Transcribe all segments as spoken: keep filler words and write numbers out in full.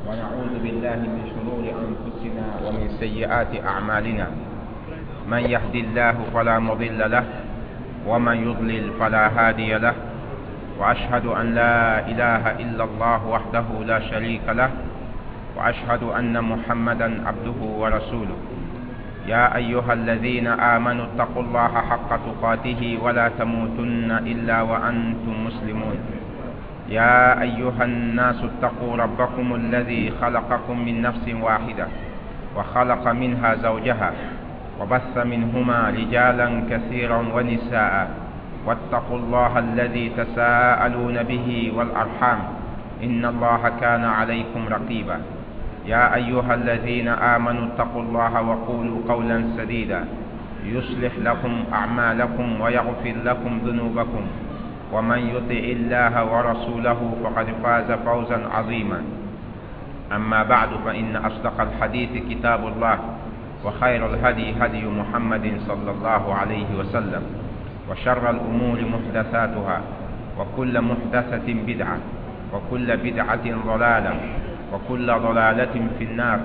ونعوذ بالله من شرور أنفسنا ومن سيئات أعمالنا. من يهدي الله فلا مضل له ومن يضلل فلا هادي له. وأشهد أن لا إله إلا الله وحده لا شريك له، وأشهد أن محمدا عبده ورسوله. يا أيها الذين آمنوا اتقوا الله حق تقاته ولا تموتن إلا وأنتم مسلمون. يا أيها الناس اتقوا ربكم الذي خلقكم من نفس واحدة وخلق منها زوجها وبث منهما رجالا كثيرا ونساء، واتقوا الله الذي تساءلون به والأرحام إن الله كان عليكم رقيبا. يا أيها الذين آمنوا اتقوا الله وقولوا قولا سديدا يصلح لكم أعمالكم ويغفر لكم ذنوبكم، ومن يطع الله ورسوله فقد فاز فوزا عظيما. أما بعد، فإن أصدق الحديث كتاب الله، وخير الهدي هدي محمد صلى الله عليه وسلم، وشر الأمور محدثاتها، وكل محدثة بدعة، وكل بدعة ضلالة، وكل ضلالة في النار.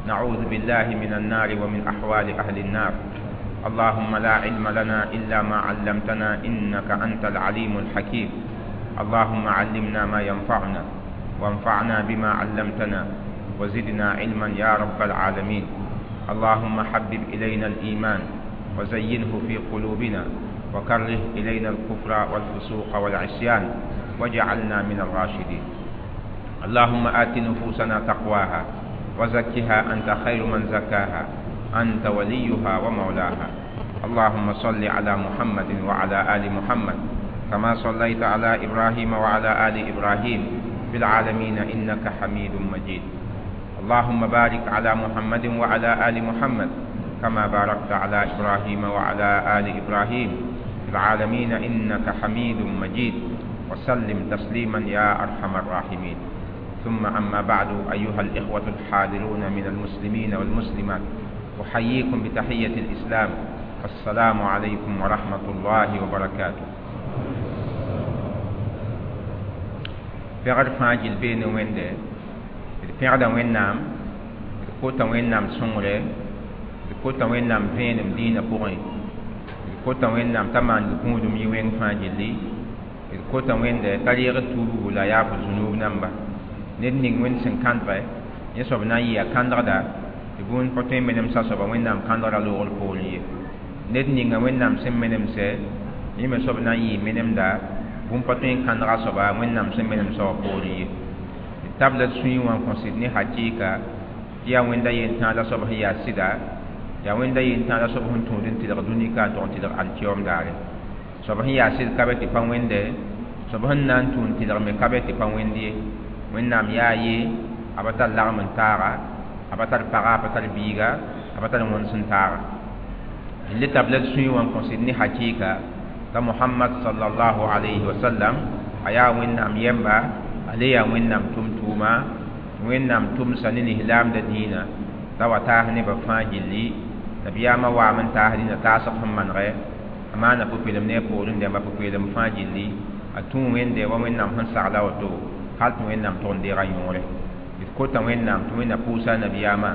نعوذ بالله من النار ومن أحوال أهل النار. اللهم لا علم لنا إلا ما علمتنا إنك أنت العليم الحكيم. اللهم علمنا ما ينفعنا، وانفعنا بما علمتنا، وزدنا علما يا رب العالمين. اللهم حبب إلينا الإيمان وزينه في قلوبنا، وكره إلينا الكفر والفسوق والعصيان، واجعلنا من الراشدين. اللهم آت نفوسنا تقواها وزكها أنت خير من زكاها، أنت وليها ومولاها. اللهم صل على محمد وعلى آل محمد كما صليت على إبراهيم وعلى آل إبراهيم في العالمين إنك حميد مجيد. اللهم بارك على محمد وعلى آل محمد كما باركت على إبراهيم وعلى آل إبراهيم في العالمين إنك حميد مجيد. وسلم تسليما يا أرحم الراحمين. ثم أما بعد، أيها الإخوة الحاضرون من المسلمين والمسلمات، أحييكم بتحية الإسلام، السلام عليكم ورحمة الله وبركاته. Pɛgr fãa gill bee ne Wẽnde, d pẽgda Wẽnnaam, d kota Wẽnnaam sõngre, d kota Wẽnnaam vẽenem dĩinã pʋgẽ, d kota Wẽnnaam t'a maan gũudum yɩ wẽng fãa gilli, d kota Wẽnde t'a reeg d tuubgu la yaaf zũnub namba. Ned ning Wẽnd sẽn kãndge, yẽ soab na n yɩ a kãndgda, tɩ bũmb pa tõe n menemsa soaba Wẽnnaam kãndgrã loogr poorẽ ye. Ned ninga Wẽnnaam sẽn menemsɛ, yẽ me soab na n yɩ menemda, bũmb pa tõe n kãndga soaba Wẽnnaam sẽn menemsã wã poorẽ ye. D tabla d sũyẽ wã n kõ sɩd ne hakɩɩka tɩ yaa Wẽnda yentãag la soab sẽn yaa sɩda, yaa Wẽnda yentãag la soab sẽn tũud n tɩlg dũni ka n tog n tɩlg alkiyoom daare. Soab sẽn yaa sɩd ka be tɩ pa Wẽnde, soab sẽn na n tũ n tɩlg me ka be tɩ pa Wẽnd ye. Wẽnnaam yaa ye, a pa tar lagem n taaga, a pa tar paga, a pa tar biiga, a pa tar wẽns n taaga. D le tabla d sũyẽ wã n kõ sɩd ne hakɩɩka t'a Mohamad sallallahu alayhi wa sallam a yaa Wẽnnaam yɛmba, a le yaa Wẽnnaam tʋm-tʋʋma, Wẽnnaam tʋmsa ne lislaamda dĩinã t'a wa taas nebã fãa gilli. Nabiyaamã waam n taas dĩnã taasg sẽn manegɛ, a maana pʋ-peelem ne a poorẽ dẽmba pʋ-peelem fãa gilli. A tũ Wẽnde wa Wẽnnaam sẽn sagla woto, hal tɩ Wẽnnaam tʋg n deega yõore. D kota Wẽnnaam tɩ Wẽnna pʋʋsa nabiyaamã,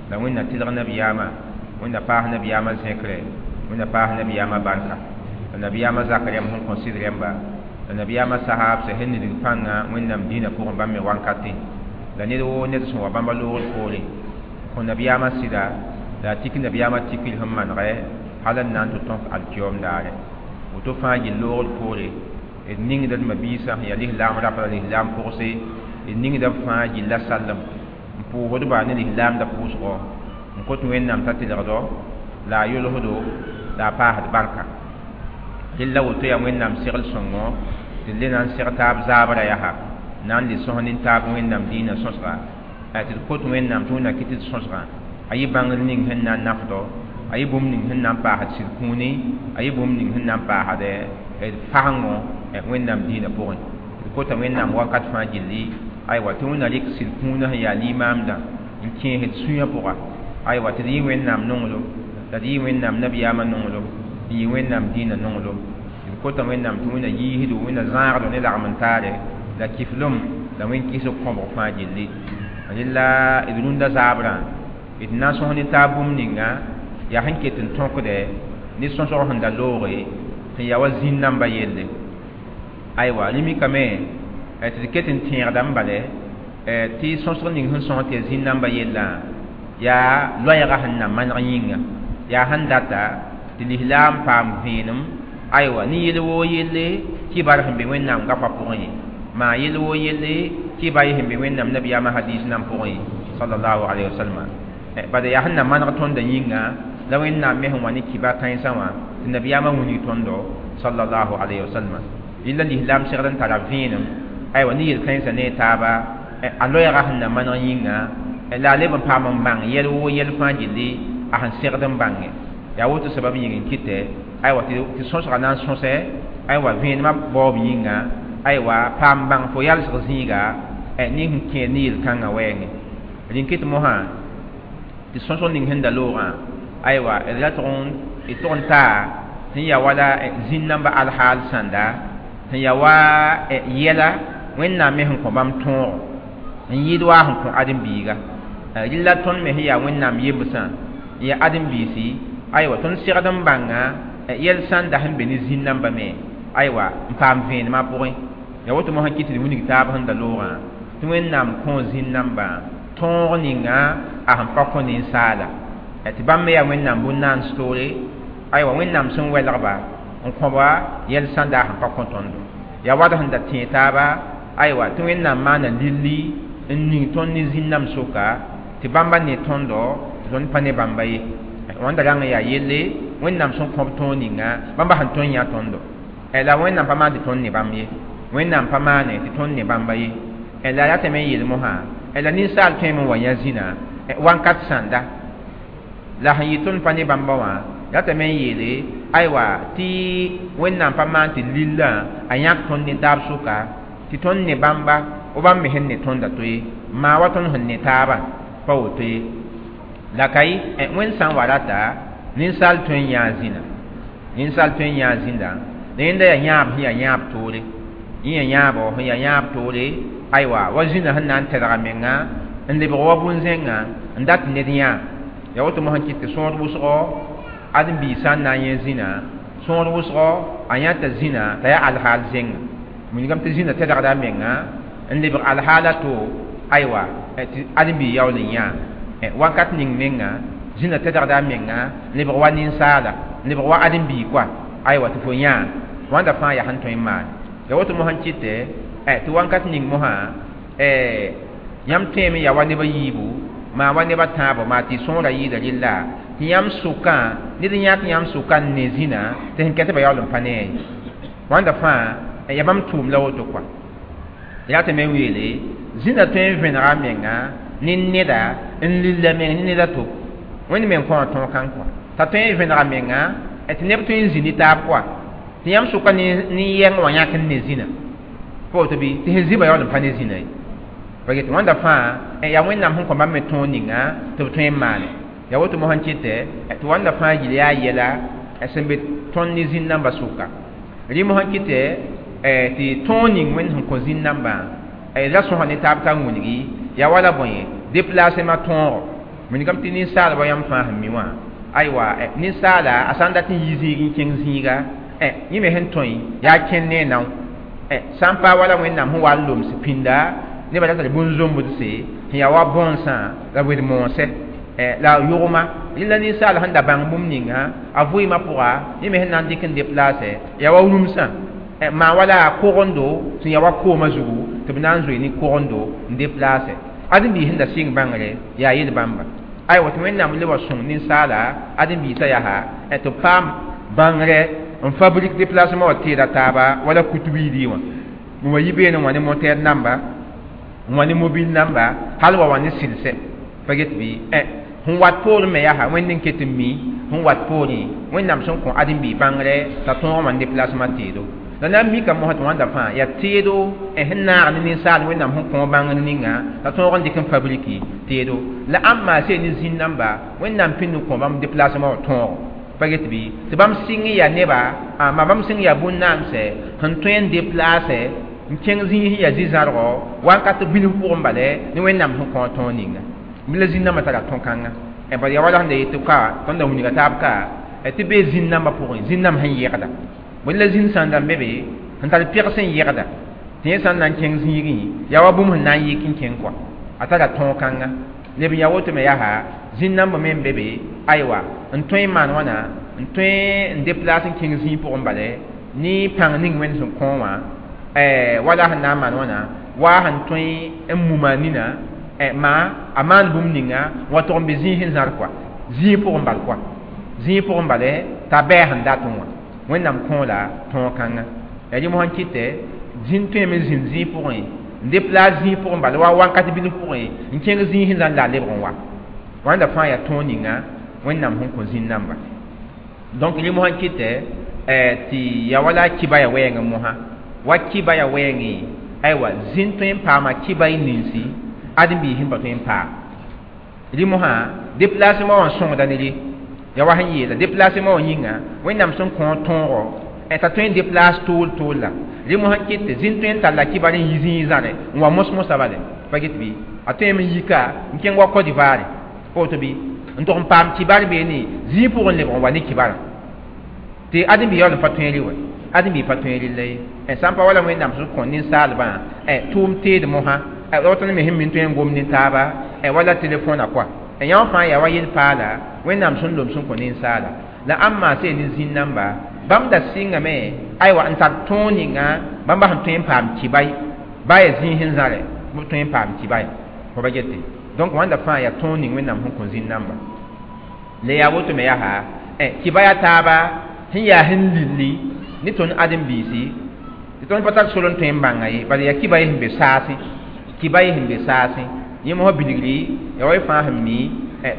la Wẽnna tɩlg nabiyaamã, Wẽnna paas nabiyaamã zẽkre, Wẽnna paas nabiyaamã barka, la nabiyaamã zak rẽmb sẽn kõ sɩd rẽmba, la nabiyaamã sahaabsã sẽn nidg pãngã Wẽnnaam dĩinã pʋgẽ bãmb me wankatẽ, la ned woo ned sẽn wa bãmba loogr poorẽ kõ nabiyaamã sɩda, la a tik nabiyaamã tikr sẽn manegɛ hal n na n tɩ tõk alkiyoom daare. Woto fãa gill loogr poore, d ningda d mabiisã sẽn yaa lislaam rapa la lislaam pʋgse, d ningda b fãa gilla sallem n pʋʋsdba ne lislaamda pʋʋsgɔ, n kot Wẽnnaam t'a tɩlgdo la a yolsdo la a paasd barka. Rella woto yaa Wẽnnaam segl sõngo tɩ d le na n seg taab zaabrã yaa na n le sõs nin-taab Wẽnnaam dĩinã sõsga, tɩ d kot Wẽnnaam tɩ Wẽnna kɩt d sõsgã a yɩ bãngr ning sẽn na n nafdo, a yɩ bũmb ning sẽn na n paasd sɩd kũuni, a yɩ bũmb ning sẽn na n paasd d fasengo Wẽnnaam dĩinã pʋgẽ. D kota Wẽnnaam wakat fãa gilli, aywa tɩ Wẽnna rɩk sɩd kũunã sẽn yaa limaamdã n kẽes d sũyã pʋga, aywa tɩ d yɩ Wẽnnaam nonglem, la d yɩ Wẽnnaam nabiyaamã nonglem, n yɩ Wẽnnaam dĩinã nonglem. D kota Wẽnnaam tɩ Wẽnna yiisdo, Wẽnna zãagdo ne lagm n taare, la kiflem la wẽn kɩsg kõbg fãa gilli. Rẽla d rũndã zaabrã d na n sõs ne taab bũmb ninga yaa sẽn ket n tõkde ne sõsg sẽn da looge sẽn yaa wa zĩn-nambã yelle. Aywa, rẽ mikame tɩ d ket n tẽegdame bale tɩ sõsg ning sẽn sõs tɩ yaa zĩn-nambã yellã yaa loɛɛgã sẽn na maneg yĩnga, yaa sẽn data tɩ lislaam paam vẽenem. Aywa, ne yel woo yelle tɩ bar sẽn be Wẽnnaam goamã pʋgẽ, maa yel woo yelle tɩ ba sẽn be Wẽnnaam nabiyaamã hadiis nan pʋgẽ sallallahu alayhi wa sallam. Bala yaa sẽn na maneg tõndã yĩnga la Wẽnnaam me sẽn wa ne kibar kãensã wã tɩ nabiyaamã wilg tõndo sallallahu alayhi wa sallam. Rɩla lislaam segd n tara vẽenem. Aywa, ne yel-kãensã ne taaba a loɛɛgã sẽn na maneg yĩnga la a leb n paam n bãng yɛl woo yɛl fãa gilli a sẽn segd n bãnge. Yaa woto sabab yĩng n kɩtɛ aywa tɩ sõsga na n sõsɛ aywa vẽenemã baoob yĩnga, aywa paam bãng fo yalsg zĩiga ne sẽn kẽer ne yel-kãngã wɛɛngẽ. Rẽn kɩt mosã tɩ sõsg ning sẽn da loogã aywa d ra tʋg n d tʋg n taa sẽn yaa wala zĩn-nambã alhaal sãnda sẽn yaa wa yɛla Wẽnnaam me sẽn kõ bãmb tõogo n yɩɩd waa sẽn kõ ãdem-biiga. Rɩla tõnd me sẽn yaa Wẽnnaam yembsã n yaa ãdem-biisi, aywa tõnd segd n bãnga yɛl sãnda sẽn be ne zĩn-nambã me aywa n paam vẽenemã pʋgẽ. Yaa woto mosã kɩt tɩ d wilg taab sẽn da loogã tɩ Wẽnnaam kõ zĩn-nambã tõog ninga a sẽn pa kõ ninsaala tɩ bãmb me yaa Wẽnnaam bũn-naans toore. Aywa, Wẽnnaam sẽn welgba n kõba yɛl sãnda a sẽn pa kõ tõndo. Yaa wad sẽn da tẽeg taaba aywa tɩ Wẽnnaam maana lilli n ning tõnd ne zĩn-namb soka tɩ bãmba ne tõndo tɩ tõnd pa ne bãmba ye. Wãnda rãng yaa yelle Wẽnnaam sẽn kõb tõog ninga bãmba sẽn tõe n yã tõndo. La Wẽnnaam pa maan tɩ tõnd ne bãmb ye, Wẽnnaam pa maane tɩ tõnd ne bãmba ye. La ratame n yeel mosã la ninsaal tõeme n wa yã zĩna wãnkat sãnda la sẽn yɩ tõnd pa ne bãmba wã ratame n yeele aywa tɩ Wẽnnaam pa maan tɩ lillã a yãk tõnd ne taab sʋka tɩ tõnd ne bãmba wa bãmb me sẽn ne tõnda to ye, maa wa tõnd sẽn ne taabã pa woto ye. La ka yɩ Wẽnd sã n wa rata ninsaal tõe n yãa zĩna, ninsaal tõe n yãa zĩnda la yẽnda yaa yãab sẽn yaa yãab toore, yẽ yaa yãabo sẽn yaa yãab toore. Aywa, wa zĩna sẽn na n tɛdga menga n lebg wa bũn-zẽngã n dat ned yãa. Yaa woto mosã kɩt tɩ sõor wʋsgo ãdem-biig sã n na n yẽ zĩna sõor wʋsgo a yãta zĩna t'a yaa alhaal zẽnga wilgame tɩ zĩna tɛdgda a menga n lebg alhaal a to aywa tɩ ãdem-biig yaool n yãa. Wakat ning menga zĩna tɛdgda a menga n lebg wa ninsaala n lebg wa ãdem-biig koa aywa tɩ fo yãa wãnda fãa yaa sẽn tõe n maane. Yaa woto mosã kɩtɛ tɩ wakat ning mosã yãmb tõeme yaa wa neb a yiibu maa wa neb a tãabo maa tɩ sõora yɩɩda rɩlla tɩ yãmb sʋkã ned n yãk yãmb sʋka n ne zĩna tɩ sẽn kɛtba yaool n pa ne a ye. Wãnda fãa yaa bãmb tʋʋm la woto koa. Yaa tɩ me n weele zĩna tõe n vẽnega a menga ne neda n lilla meng ne ned a to Wẽnd me n kõ tõog kãng kɔa t'a tõe n vẽnega menga tɩ neb tõe n zĩ ne taab koa tɩ yãmb sʋka ne yɛng wã yãk n ne zĩna pa woto bɩ tɩ sẽn zĩba yaool n pa ne zĩna ye. Pa get wãnda fãa yaa Wẽnnaam sẽn kõ bãmb me tõog ninga tɩ b tõe n maane. Yaa woto mosã kɩtɛ tɩ wãnda fãa yɩl yaa yɛla sẽn be tõnd ne zĩn-nambã sʋka. Rẽ mosã kɩtɛ tɩ tõog ning Wẽnd sẽn kõ zĩn-nambã ra sõsa ne taab t'a wilgi yaa wala bõe déplacement tõogo wilgame tɩ ninsaalba yãmb fãa sẽn mi wã aywa ninsaala a sã n dat n yi zĩig n kẽng zĩiga yẽ me sẽn tõe yaa kẽnd ne a nao sã n paa wala Wẽnnaam sẽn wa n loms pĩnda nebã ra tar bũn-zombdse sẽn yaa wa bõnsã la wed-moosɛ la yʋgma rẽla ninsaal sẽn da bãng bũmb ninga a vɩɩmã pʋga yẽ me sẽn na n dɩk n déplace yaa wa rũmsã maa wala kogendo sẽn yaa wa koomã zugu tɩ b na n zoe ne kogendo n déplace ãdem-biis sẽn da sɩng bãngre yaa yel bãmba. Aywa, tɩ Wẽnnaam le wa sõng ninsaala ãdem-biisã yaa tɩ b paam bãngre n fabrique déplacement wã teeda taaba wala kutu-biidi wã n wa yi beene wã ne moteur namba n wa ne mobile namba hal wa wa ne sɩlsɛ pa get bɩ sẽn wat poorẽ me yaa Wẽnd n ket n mi sẽn wat poorẽ Wẽnnaam sẽn kõ ãdem-biig bãngre t'a tõog wã déplacement teedo. La na n mika mosã tɩ wãnda fãa yaa teedo sẽn naag ne ninsaal Wẽnnaam sẽn kõ bãngr ninga t'a tõog n dɩk n fabriki teedo la ãmb maa see ne zĩn-namba Wẽnnaam pĩnd n kõ bãmb déplacement wã tõogo pa get bɩ tɩ bãmb sɩng n yaa neba ma bãmb sɩng yaa bũn-naamsɛ sẽn tõe n déplace n kẽng zĩig sẽn yaa zĩ-zãrgo wakat bilf pʋgẽ bale ne Wẽnnaam sẽn kõ tõog ninga la zĩn-nambã tara tõn-kãnga bala yaa wala sẽn da yet tɩ ka tõnd da wilga taab ka tɩ bee zĩn-nambã pʋgẽ zĩn-namb sẽn yegda bõe la zĩn sãn da n be be sẽn tar peg sẽn yegda tɩ yẽ sã n na n kẽng zĩigẽ yaa wa bũmb sẽn na n yik n kẽng kɔa a tara tõog-kãnga leb n yaa woto me yaa zĩn-nambã me n be be aywa n tõe n maan wãna n tõe n déplace n kẽng zĩig pʋgẽ bale ne pãng ning Wẽnd sẽn kõ wã wala sẽn na n maan wãna wa sẽn tõe n muma nina maa a maan bũmb ninga n wa tog n be zĩig sẽn zãr kɔa zĩig pʋgẽ bal kɔa zĩig pʋgẽ bale t'a bɛɛ sẽn dat n wã Wẽnnaam kõ la tõog-kãnga yaa rẽ mosã kɩtɛ zĩn tõeme n zĩnd zĩig pʋgẽ n déplace zĩig pʋgẽ bala wa wakat bilf pʋgẽ n kẽng zĩig sẽn zãr la a lebg n wa wãnda fãa yaa tõog ninga Wẽnnaam sẽn kõ zĩn-namba donc rẽ mosã kɩtɛ tɩ yaa wala kibaya wɛɛngẽ mosã wa kibaya wɛɛngẽ aywa zĩn tõe n paama kibay ninsi ãdem-biis sẽn pa tõe n paam rẽ mosã déplacement wã sõngda ne rẽ yaa wa sẽn yeela déplacement wã yĩnga Wẽnnaam sẽn kõ tõogo t'a tõe n déplace tool tool la rẽ mosã kɩt tɩ zĩn tõe n talla kibar n yi zĩig zãre n wa mos-mosã bale pa get bɩ a tõeme n yika n kẽng wa Côte d'Ivoire woto bɩ n tog n paam kibar beene zĩig pʋgẽ lebg n wa ne kibarã tɩ ãdem-biig yaool n pa tõe rɩ wɛ ãdem-biig pa tõe rɩlla ye sã n pa wala Wẽnnaam sẽn kõ ninsaalbã tʋʋm teed mosã woto ne me sẽn mi n tõe n gom ne taaba wala telefõna kɔa yã fãa yaa wa yel-paala Wẽnnaam sẽn lom sẽn kõ ninsaala la ãmb maa se ne zĩn-namba bãmb da sɩngame aywa n tar tõog ninga bãmba sẽn tõe n paam kibay ba yaa zĩig sẽn zãre b tõe n paam kibaya fo ba gete donc wãnda fãa yaa tõog ning Wẽnnaam sẽn kõ zĩn-namba le yaa woto me yaa kibaya taaba sẽn yaa sẽn lilli ne tõnd ãdem-biisi tɩ tõnd pa tar sor n tõe n bãnga ye bala yaa kibay sẽn be saasẽ kibay sẽn be saasẽ yẽ mosã bilgri yaa wa y fãa sẽn mi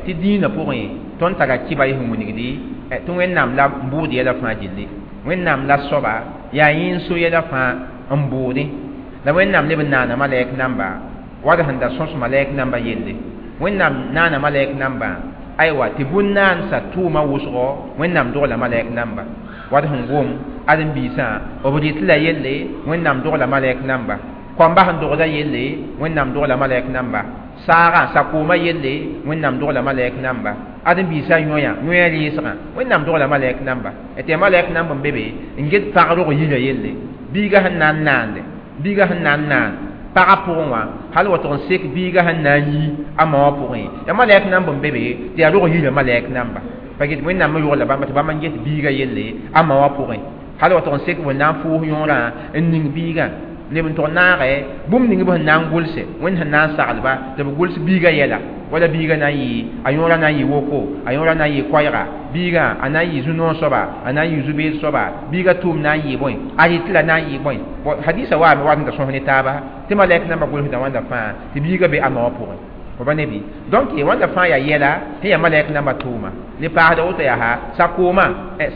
tɩ dĩinã pʋgẽ tõnd tara kibay sẽn wilgdi tɩ Wẽnnaam la n bʋʋd yɛla fãa gilli Wẽnnaam la soaba yaa yẽ n so yɛla fãa n bʋʋdẽ la Wẽnnaam leb n naana malɛk namba wad sẽn da sõs malɛk namba yelle Wẽnnaam naana malɛk namba aywa tɩ bũn-naansa tʋʋma wʋsgo Wẽnnaam dogla malɛk namba wad sẽn gom ãdem-biisã b rɩt la yelle Wẽnnaam dogla malɛk namba koamba sẽn dogda yelle Wẽnnaam dogla malɛk namba saagã sakoomã yelle Wẽnnaam dogla malɛk namba ãdem-biisã yõya yõa rɩɩsgã Wẽnnaam dogla malɛk namba tɩ yaa malɛk namb n be be n get pag rog yirã yelle biigã sẽn na n naande biigã sẽn na n naan pagã pʋgẽ wã hal wa tʋg n sek biigã sẽn na n yi a ma wã pʋgẽ yaa malɛk namb n be be tɩ yaa rog yirã malɛk namba pa get Wẽnnaam me yogla bãmba tɩ bãmb n get biigã yelle a ma wã pʋgẽ hal wa tʋg n sek b na n fʋʋs yõorã n ning biigã leb n tʋg naagɛ bũmb ning b sẽn na n gʋlse Wẽnd sẽn na n saglba tɩ b gʋls biigã yɛla wala biigã na n yɩ a yõorã na n yɩ woko a yõorã na n yɩ koɛɛga biigã a na n yɩ zu-noog soaba a na n yɩ zu-beed soaba biigã tʋʋm na n yɩ bõe a rɩt la na n yɩ bõe hadisa waame wat n da sõs ne taaba tɩ malɛk nambã gʋlsda wãnda fãa tɩ biigã be a ma wã pʋgẽ fo ba ne bɩ donc wãnda fãa yaa yɛla sẽn yaa malɛk nambã tʋʋma le paasda woto yaa sakoomã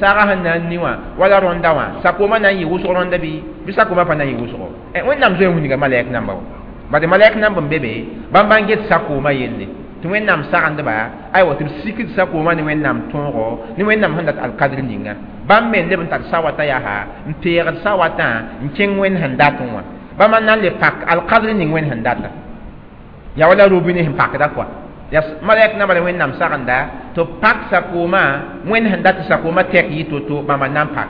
saagã sẽn na n ni wã wala rõnda wã sakoomã na n yɩ wʋsg rõnda bɩ bɩ sakoomã pa na n yɩ wʋsgo Wẽnnaam zoe n wilga malɛk namba wã bad malɛk namb n be be bãmb n get sakoomã yelle tɩ Wẽnnaam sagendba aywa tɩ b sikd sakoomã ne Wẽnnaam tõogo ne Wẽnnaam sẽn dat alkadr ninga bãmb me n leb n tar sawatã yaa n peegd sawatã n kẽng Wẽnd sẽn dat n wã bãmb n na n le pak alkadr ning Wẽnd sẽn data yaa wala robine sẽn pakda kɔa yaa malɛk namba la Wẽnnaam sagenda tɩ b pak sakoomã Wẽnd sẽn dat tɩ sakoomã tɛk yɩ to-to bãmba na n pak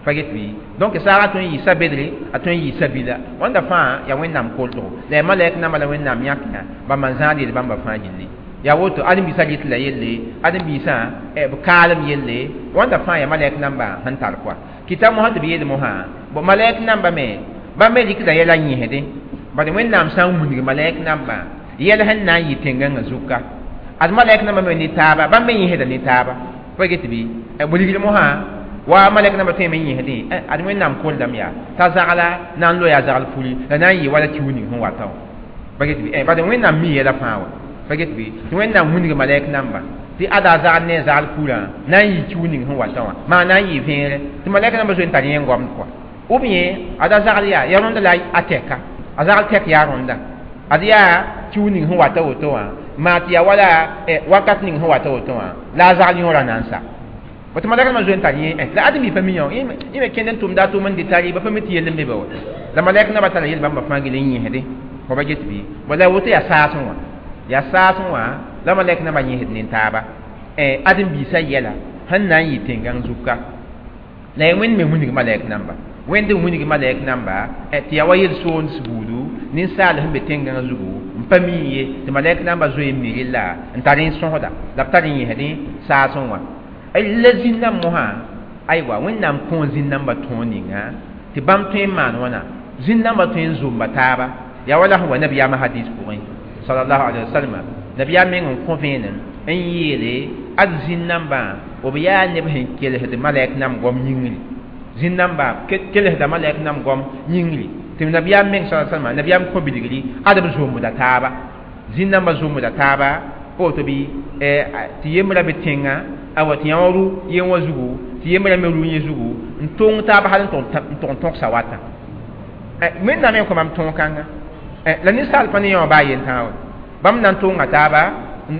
pa get bɩ donc saagã tõe n yɩ sa-bedre a tõe n yɩ sabila wãnda fãa yaa Wẽnnaam koltgo la yaa malɛk namba la Wẽnnaam yãk yã bãmba n zãad yel bãmba fãa gilli yaa woto ãdem-biisã rɩt la yelle ãdem-biisã b kaalem yelle wãnda fãa yaa malɛk namba sẽn tar kɔa kɩta mosã tɩ b yeel mosã bo malɛk namba me bãmb me rɩkda yɛla yẽsdẽ bad Wẽnnaam sã n wilg malɛk namba yɛl sẽn na n yɩ tẽngãngã zuka ad malɛk namba me ne taaba bãmb me yẽsda ne taaba pa get bɩ b rigr mosã wa malɛk namba tõe me yẽsdẽ ad Wẽnnaam koldame yaa t'a zagla na n loe a zagl puli la na n yɩ wala kiu ning sẽn wata wã pa get bɩ bad Wẽnnaam mi yɛla fãa wa pa get bɩ tɩ Wẽnnaam wilg malɛk namba tɩ ada a zagl ne a zagl purã na n yɩ kiu ning sẽn wata wã maa na n yɩ vẽere tɩ malɛk namba zoe n tar yẽ n goamd kɔa ou bien ada zagl yaa yaa rõnda la a tɛka a zagl tɛk yaa rõnda ad yaa kiu ning sẽn wata woto wã maa tɩ yaa wala wakat ning sẽn wata woto wã la a zagl yõorã na n sa Tɩ malɛk nambã zoe n tar yẽ la ad mi pa mi yã yẽ me kẽnd n tʋmda a tʋʋm n dɩ tari ba pa mi tɩ yell n be ba wa la malɛk nambã tara yel bãmba fãa gil n yẽsdẽ fo ba get bɩ bala la woto yaa saasẽ wã yaa saasẽ wã la malɛk nambã yẽsd ne taaba ãdem-biisã yɛla sẽn na n yɩ tẽn-gãng zug ka la ya wẽnd me wilg malɛk namba wẽnd n wilg malɛk namba tɩ yaa wa yel-soonds buudu ninsaal sẽn be tẽn-gãng zugu n pa mi ye tɩ malɛk namba zoe n mi rella n tar n sõsda la b tar n yẽsdẽ saasẽ wã la zĩn-dãmb mosã aywa wẽnnaam kõo zĩn-dãmbã tõog ninga tɩ bãmb tõe n maan wãna zĩn-dãmbã tõe n zomba taaba yaa wala sẽn wa nabiyaamã hadis pʋgẽ sallallahu alaihi wasallam nabiyaam meng n kõ vẽenem n yeele ad zĩn-dãmbã b yaa neb sẽn kelsd malɛk nam goam yĩngri zĩn-dãmba kelsda malɛk nam goam yĩngri tɩ nabiyaam meng sa salma nabiyaam kõ bilgri ad b zombda taaba zĩn-dãmbã zombda taaba pa woto bɩ tɩ yembra be tẽngã awa tɩ yã wã ru yen wã zugu tɩ yembra me ru yẽ zugu n tong taaba hal n tʋg n tõgsa wata wẽnnaam me kõ mam tõog kãnga la ninsaal pa ne yã wã baa yen-tãag wa bãmb na n tonga taaba n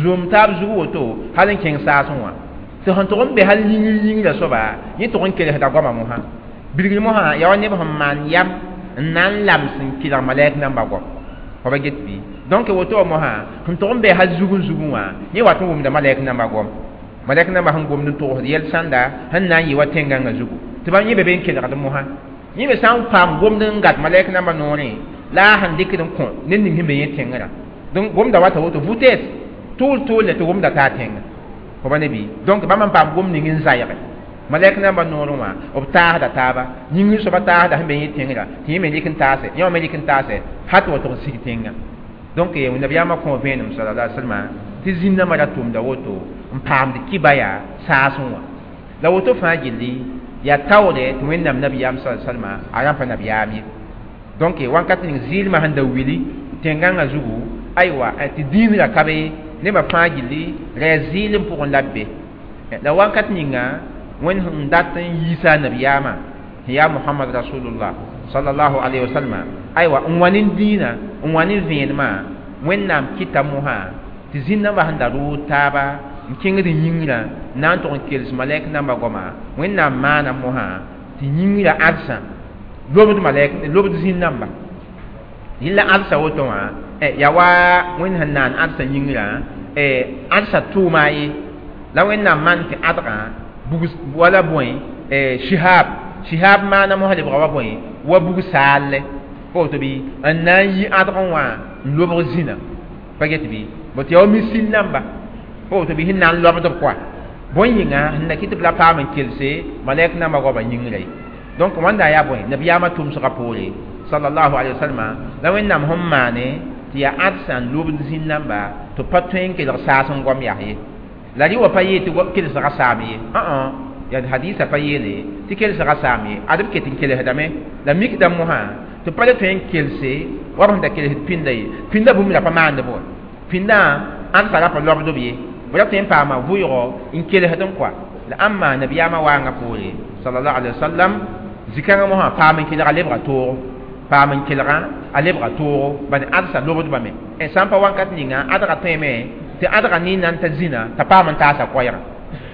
zom taab zug woto hal n kẽng saasẽ wã tɩ sẽn tʋg n be hal yĩngr yĩngrã soaba yẽ tʋg n kelsda goama mosã bilgr mosã yaa wa neb sẽn maan yam n na n lams n kelg malɛk namba goam fa ba get bɩ donc woto wã mosã sẽn tʋg n be hal zugẽ zugẽ wã yẽ wat n wʋmda malɛk namba goam malɛk namba sẽn gomd n togsd yɛl sãnda sẽn na n yɩ wa tẽn-gãngã zugu tɩ bãmb yẽ be be n kelgd mosã yẽ me sã n paam gomd n gat malɛk namba noorẽ la a sẽn dɩkd n kõ ned ning sẽn be yẽ tẽngrã donc gomda wata woto vitesse tʋʋl tʋʋl tɩ gomda taa tẽnga fo ba ne bɩ donc bãmb n paam gom ning n zayge malɛk namba noorẽ wã b taasda taaba yĩngr soaba taasda sẽn be yẽ tẽngrã tɩ yẽ me rɩk n taase yẽ wã me rɩk n taase hat wa tʋg n sig tẽnga donc nabiyaamã kõ vẽenem sallallahu alaihi wasallam tɩ zĩn-dãmbã ra tʋmda woto n paamd kiba yaa saasẽ wã la woto fãa gilli yaa taoore tɩ wẽnnaam nabiyaam sa salma a rãmpa nabiyaam ye donc wãnkat ning zɩɩlmã sẽn da wili tẽn-gãngã zugu aywa tɩ dĩinrã ka be nebã fãa gilli rɛ zɩɩlem pʋgẽ la b be la wãnkat ninga wẽnd sẽn dat n yiisa nabiyaamã sẽn yaa mohamad rasulullah sallallahu alaihi wasallam aywa n wa ne dĩinã n wa ne vẽenemã wẽnnaam kɩta mosã tɩ zĩn-dãmbã sẽn da rʋʋd taaba n kẽngd yĩngrã n na n tʋg n kels malɛk namba goama wẽnnaam maana mosã tɩ yĩngrã ãdsã lobd malɛk lobd zĩn-dãmba yella ãdsa woto wã yaa wa wẽnd sẽn naan ãdsã yĩngrã ãdsã tʋʋma ye la wẽnnaam maan tɩ ãdgã bug wala bõe shihab shihab maana mosã lebga wa bõe wa bug saalle pa woto bɩ n na n yi ãdgẽ wã n lobg zĩna pa get bɩ bõ tɩ yaa wa misil namba pa woto bɩ sẽn na n lobd b kɔa bõe yĩnga sẽn na kɩ tɩ b la paam n kelse malɛk namba goamã yĩngrã ye donc wãnda yaa bõe nabiyaamã tʋmsgã poore sallallahu alaihi wasallam la wẽnnaam sẽn maane tɩ yaa ãdsã n lobd zĩn-dãmba tɩ pa tõe n kelg saas n goam yaa ye la rɩ wa pa yee tɩ kelsgã saam ye yaa hadisa pa yeele tɩ kelsgã saam ye ad b ket n kelsdame la mikda mosã tɩ pa le tõe n kelse wa b sẽn da kelsd pĩnda ye pĩndã bũmb ra pa maand b wa pĩndã ãdsã ra pa lobd b ye b ra tõe n paama vʋʋgo n kelsd n kɔa la ãmba nabiyaamã waangã poore sallallahu alaihi wasallam zikãngã mosã paam n kelga lebga toogo paam n kelgã a lebga toogo bad ãdsa lobdbame sã n pa wãnkat ninga ãdga tõeme tɩ ãdga ne nan t'a zĩna t'a paam n taasa koɛɛgã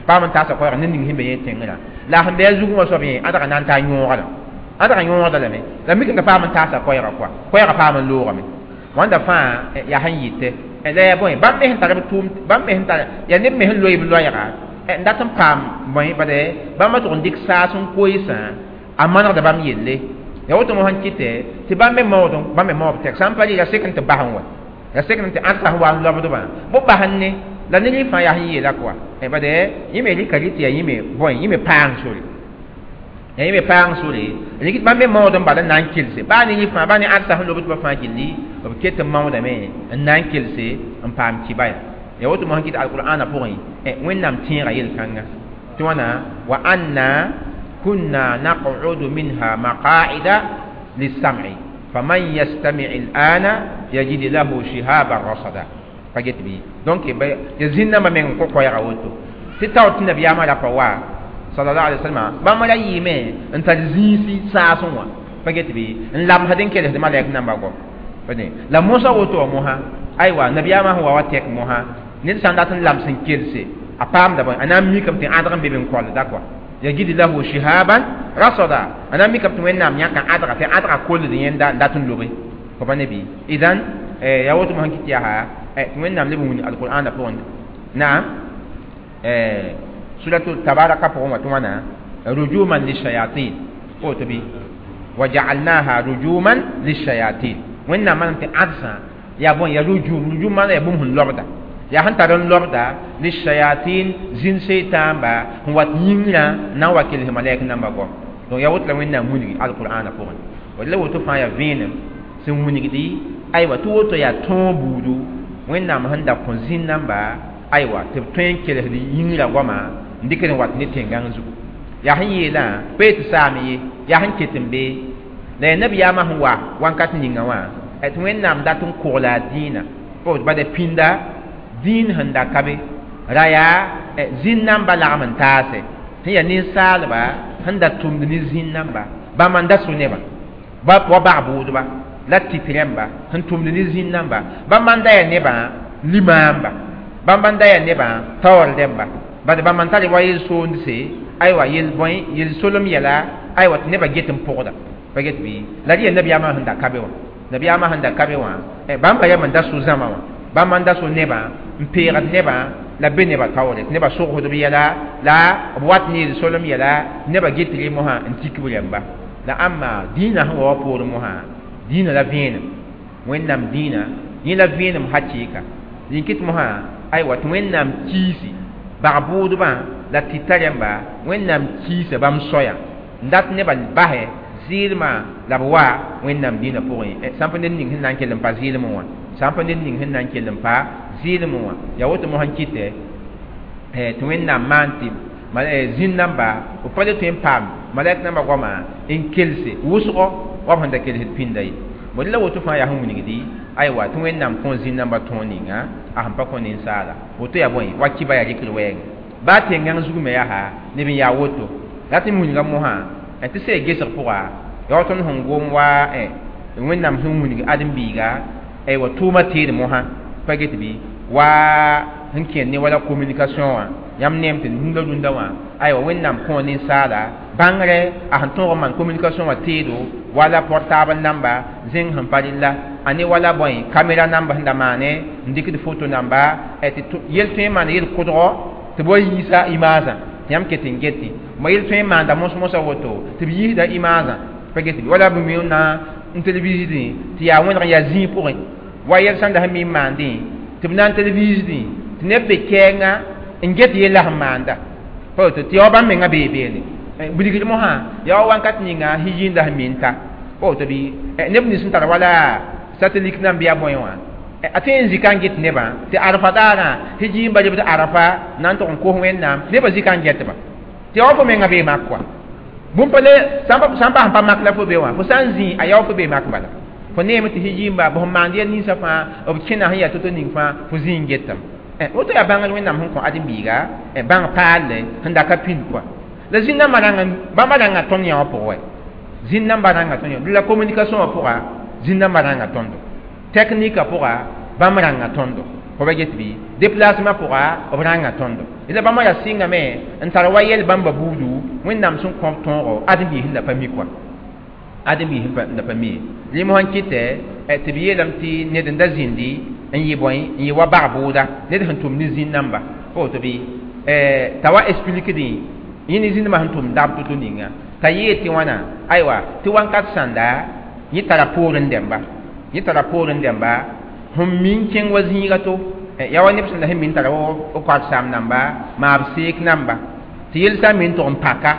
paam n taasa koɛɛgã ned ning sẽn be yẽ tẽngrã la sẽn be a zugẽ wã soab yẽ ãdga na n taa yõoga ãdga yõogda lame la mik n ka paam n taasa koɛɛgã kɔa koɛɛgã paam n loogame wãnda fãa yaa sẽn yɩte la yaa bõe bãmb me sẽn tar b tʋʋm bãmb me sẽn tar yaa neb me sẽn loe b loɛɛga n dat n paam bõe bade bãmba tʋg n dɩk saas n koeesã a manegda bãmb yelle ya woto mo sẽn kɩtɛ tɩ bãmb me maood bãmb me maoob tɛk sã n pa rɩ ya sek n tɩ bas n wa ya sek n tɩ ãdsa sẽn wa n lobdbã bõ bas n ne la ne rɩ fãa yaa sẽn yeela kɔa bade yẽ me rɩka rɩ tɩ yaa yẽ me bõe yẽ me paang sore ya yẽ me paang sore rɩk bãmb me maood n bala n na n kelse baa ne rɩ fãa baa ne ãdsa sẽn lobdbã fãa gilli b ket n maoodame n na n kelse n paam kiba ya ya woto mo sẽn kɩt alqur'ana pʋgẽ wẽnnaam tẽega yel-kãnga tɩ wãna wa anna كنا نقعد منها مقاعد للسمع فمن يستمع الآن يجد له شهابا رصدا فجت بي donc يزين ما من كوكو يا woto tɩ tao tɩ nabiyaamã ra pa wa sallallahu alaihi wasallam bãmb ra yɩɩme n tar zĩisi saasẽ wã pa get bɩ n lamsd n kelsd malɛk namba goam la mosã woto wã mosã aywa nabiyaamã sẽn wa wa tɛk mosã ned sã n dat n lams n kelse A paamda bõe a na n mikame tɩ ãdg n be be n kolda kɔa yajid lahu shihaban rasada a na n mikame tɩ wẽnnaam yãka ãdga tɩ ãdga kold yẽnda n dat n lobe fo pa ne bɩ idan yaa woto mosã kɩt yaa tɩ wẽnnaam leb n wilg alqur'ana pʋgẽ naam suratu tabaraka pʋgẽ wã tɩ wãna rujuman lishayatin woto bɩ وجعلناها رجوما للشياطين wẽnnaam manam tɩ ãdsã yaa bõe yaa rujum rujum maana yaa bũmb sẽn lobda yaa sẽn tar n lobda lishayatin zĩn seytãamba sẽn wat yĩngrã n na n wa kels malɛk nambã goam donc yaa woto la wẽnnaam wilgi alqur'ana pʋgẽ la woto fãa yaa vẽenem sẽn wilgdi aywa tɩ woto yaa tõog buudu wẽnnaam sẽn da kõ zĩn namba aywa tɩ b tõe n kelsd yĩngrã goama n dɩkd n wat ne tẽn-gãng zugu yaa sẽn yeelã pa tɩ saam ye yaa sẽn ket n be la yaa nabiyaamã sẽn wa wãnkat ninga wã tɩ wẽnnaam dat n kogla a dĩinã bada pĩnda dĩin sẽn da ka be ra yaa zĩn namba lagm n taase sẽn yaa ninsaalba sẽn da tʋmd ne zĩn namba bãmb n da so nebã wa bag bʋʋdba la tɩt rẽmba sẽn tʋmd ne zĩn namba bãmb n da yaa nebã limaamba bãmb n da yaa nebã taoor rẽmba bad bãmb n tar wa yel-soondse aywa yel bõe yel-solem yɛla aywa tɩ nebã get n pʋgda pa get bɩ la rɩ yaa nabiyaamã sẽn da ka be wã nabiyaamã sẽn da ka be wã bãmba yam n da so zãma wã bãmb n da so nebã n peegd nebã la be nebã taoore tɩ nebã sogsd b yɛla la b wat ne yel-solem yɛla nebã get rẽ mosã n tik b rẽmba la ãmba dĩinã sẽn wa wa poorẽ mosã dĩinã la vẽenem wẽnnaam dĩinã yẽ la vẽenem hakɩɩka rĩn-kɩt mosã aywa tɩ wẽnnaam kiisi bag bʋʋdbã la tɩta rẽmba wẽnnaam kiisa bãmb soaya n dat nebã basɛ zɩɩlmã la b wa wẽnnaam dĩinã pʋgẽ sãn pa ned ning sẽn na n kell n pa zɩɩlmẽ wã sãn pa ned ning sẽn na n kell n pa zɩɩlmẽ wã yaa woto mosã n kɩtɛ tɩ wẽnnaam maan tɩ zĩn namba b pa le tõe n paam malɛk nambã goama n kelse wʋsgɔ wa b sẽn da kelsd pĩnda ye bõe la woto fãa yaa sẽn wilgdi aywa tɩ wẽnnaam kõ zĩn nambã tõog ninga a sẽn pa kõ ninsaala woto yaa bõe wa kiba yaa rɩkr wɛɛngẽ baa tẽn-gãng zug me yaa neb n yaa woto la tɩ wilga mosã tɩ sɛ gesg pʋga yaa tõnd sẽn gom wa wẽnnaam sẽn wilg ãdem-biiga aywa tʋʋmã teed mosã pa get bɩ wa sẽn kẽnd ne wala communication wã yãmb neem tɩ rũndã rũndã wã aywa wẽnnaam kõ ninsaala bãngrɛ a sẽn tõog n maan communication wã teedo wala portable namba zẽng sẽn pa rella a ne wala bõe caméra namba sẽn da maane n dɩkd photo namba tɩ yel tõe n maan yel kʋdgɔ tɩ b wa yiisa imaasã tɩ yãmb ket n getẽ ma yel tõe n maanda mos-mosã woto tɩ b yiisda imaasã pa get bɩ wala b mi na n televisdẽ tɩ yaa wẽneg n yaa zĩig pʋgẽ wa yɛl sẽn da sẽn mi n maandẽ tɩ b na n televisdẽ tɩ neb be kɛɛngã n get yella sẽn maanda pa woto tɩ yaa wa bãmb mengã bee beene bilgd mosã yaa wa wãnkat ninga hijiinda sẽn mi n ta pa woto bɩ neb nins sẽn tar wala satellite nan bɩ a bõe wã a tõe n zika n get nebã tɩ arafa daarã hijiimba lebd arafa na n tʋg n kos wẽnnaam nebã zika n getba tɩ yaa wa fo mengã bee mak kɔa bũmb pa le sãn pa sẽn pa mak la fo be wã fo sã n zĩ a yaa wa fo bee mak bala fo neeme tɩ hijiimba b sẽn maand yɛl ninsã fãa b kẽna sẽn yaa to-to ning fãa fo zĩ n getame woto yaa bãngr wẽnnaam sẽn kõ ãdem-biiga bãng paalle sẽn da ka pĩnd kɔa la zĩn nambã rãnga bãmba rãnga tõnd yã wã pʋgẽ wɛ zĩn nambã rãnga tõnd yã la communication wã pʋga zĩn nambã rãnga tõndo technique pʋga bãmb rãnga tõndo fo ba get bɩ déplacement pʋga b rãnga tõndo la bãmba yaa sɩngame n tar wa yɛl bãmba buudu wẽnnaam sẽn kõ tõogo ãdem-biis sẽn da pa mi kɔa ãdem-biis sẽn da pa mi ye rẽ mosã n kɩtɛ tɩ b yeelame tɩ ned n da zĩndi n yɩ bõe n yɩ wa bag bʋʋda ned sẽn tʋm ne zĩn namba pa woto bɩ t'a wa expliquedẽ yẽ ne zĩndmã sẽn tʋm dab to-to ninga t'a yeel tɩ wãna aywa tɩ wãnkat sãnda yẽ tara poorẽ dẽmba yẽ tara poorẽ dẽmba sẽn mi n kẽng wa zĩiga to yaa wa neb sẽn da sẽn mi n tara w koat saam namba maab seek namba tɩ yel sã n mi n tʋg n paka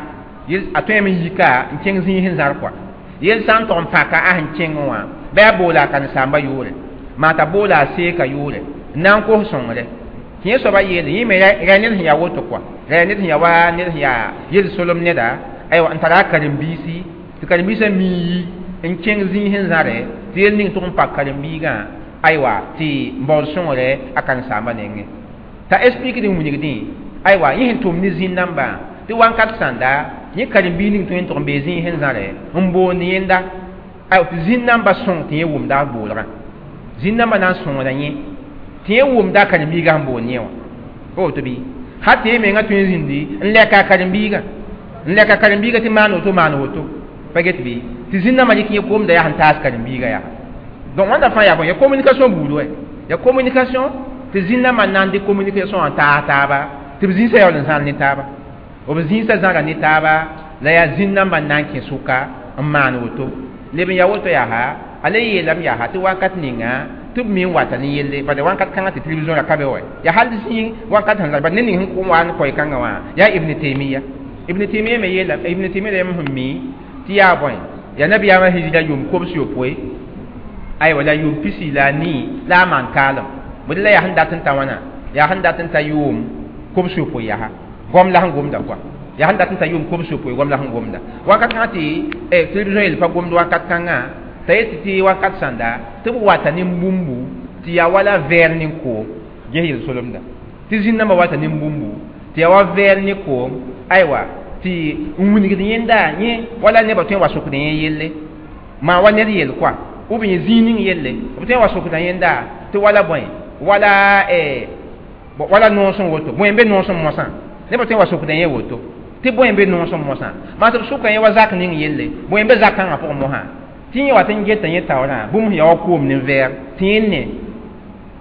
a tõeme n yika n kẽng zĩig sẽn zãr kɔa yel sã n tʋg n paka a sẽn kẽng wã bɩ a boola a karen-saambã yʋʋre maa t'a boola a seeka yʋʋre n na n kos sõngre tɩ yẽ soaba yeele yẽ me ra ned sẽn yaa woto kɔa ra ned sẽn yaa wa ned sẽn yaa yel-solem neda aywa n tara a karen-biisi tɩ karen-biisã mi n yi n kẽng zĩig sẽn zãre tɩ yel ning tʋg n pak karen-biigã aywa tɩ n baood sõngre a karen-saambã nengẽ t'a expliqued n wilgdẽ aywa yẽ sẽn tʋm ne zĩn nambã tɩ wãnkat sãnda yẽ karen-biig ning tõe n tʋg n bee zĩig sẽn zãre n boond yẽnda aywa tɩ zĩn nambã sõng tɩ yẽ wʋmda a boolgã zĩn nambã na n sõngda yẽ tɩ yẽ wʋmda a karen-biigã sẽn boond yẽ wã pa woto bɩ Ha tɩ y menga tõe n zĩndi n lɛka a karen-biigã n lɛka karen-biigã tɩ maan woto maan woto pa get bɩ tɩ zĩn-nambã dɩk yẽ koomda yaa sẽn taas karen-biigã yaa donc wãnda fãa yaa bõe ya communication buud wɛ ya communication tɩ zĩn-nambã n na n dɩk communication wã taas taaba tɩ b zĩisã yaool n zãl ne taaba b zĩisã zãga ne taaba la yaa zĩn-nambã n na n kẽ sʋka n maan woto leb n ya woto yaa a le yeelame yaa tɩ wakat ninga tɩ b me n wata ne yelle bala wakat kãngã tɩ télévision ra ka be wa yaa hal zĩig wakat sẽn la bad ned ning sẽn kʋm wa n koɛ kãngã wã yaa Ibn Taymiya Ibn Taymiya me yeela Ibn Taymiya la yãmb sẽn mi tɩ yaa bõe yaa nabiyaamã hijra yʋʋm kobs yopoe aywa la yʋʋm pisi la a nii la a maan kaalem bõe la yaa sẽn dat n ta wãna yaa sẽn dat n ta yʋʋm kobs yopoe yaa gom la sẽn gomda kɔa yaa sẽn dat n ta yʋʋm kobs yopoe gom la sẽn gomda wakat kãngã tɩ télévision yel pa gomd wakat kãngã t'a yet tɩ wakat sãnda tɩ b wata ne bũmbu tɩ yaa wala vɛɛr ne koom ges yel-solemda tɩ zĩn-nambã wata ne bũmbu tɩ yaa wa vɛɛr ne koom aywa tɩ n wilgd yẽnda yẽ wala nebã tõe n wa sokd yẽ yelle maa wa ned yel kɔa ou bien zĩig ning yelle b tõe n wa sokda yẽnda tɩ wala bõe wala wala noosẽ woto bõe n be noosẽ mosã nebã tõe n wa sokda yẽ woto tɩ bõe n be noosẽ mosã maa tɩ b sʋka yẽ wa zak ning yelle bõe n be zak kãngã pʋgẽ mosã tɩ yẽ wat n geta yẽ taoorã bũmb sẽn ya wa koom ne vɛɛg tɩ yẽ ne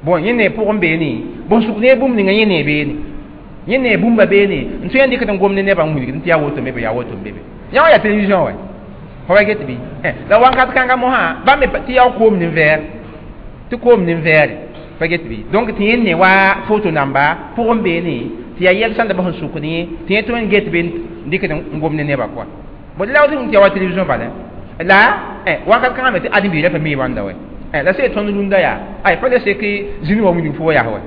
bon yẽ ne pʋgẽ beene bõn sʋk ne bũmb ninga yẽ ne beene yẽ ne bũmba beene n tõe n dɩkd n gom ne nebã n wilgd tɩ yaa woto me be yaa woto n be be yã wã yaa télévision wɛ fa wa get bɩ la wakat kãngã mosã bãmb me tɩ yaa koom ne vɛɛg tɩ koom ne vɛɛre pa get bɩ donc tɩ yẽ ne wa foto namba pʋgẽ beene tɩ yaa yɛl sãn da bas n sʋkd yẽ tɩ yẽ tõe n get be n dɩkd n gom ne nebã kɔa bõe la tɩ yaa wa télévision bala la wakat kãngã me tɩ ãdem-biirã pa mi wãnda wɛ la sẽn tõnd rũndã yaa ay pa le sek zĩni wa wilg fo yaa wɛ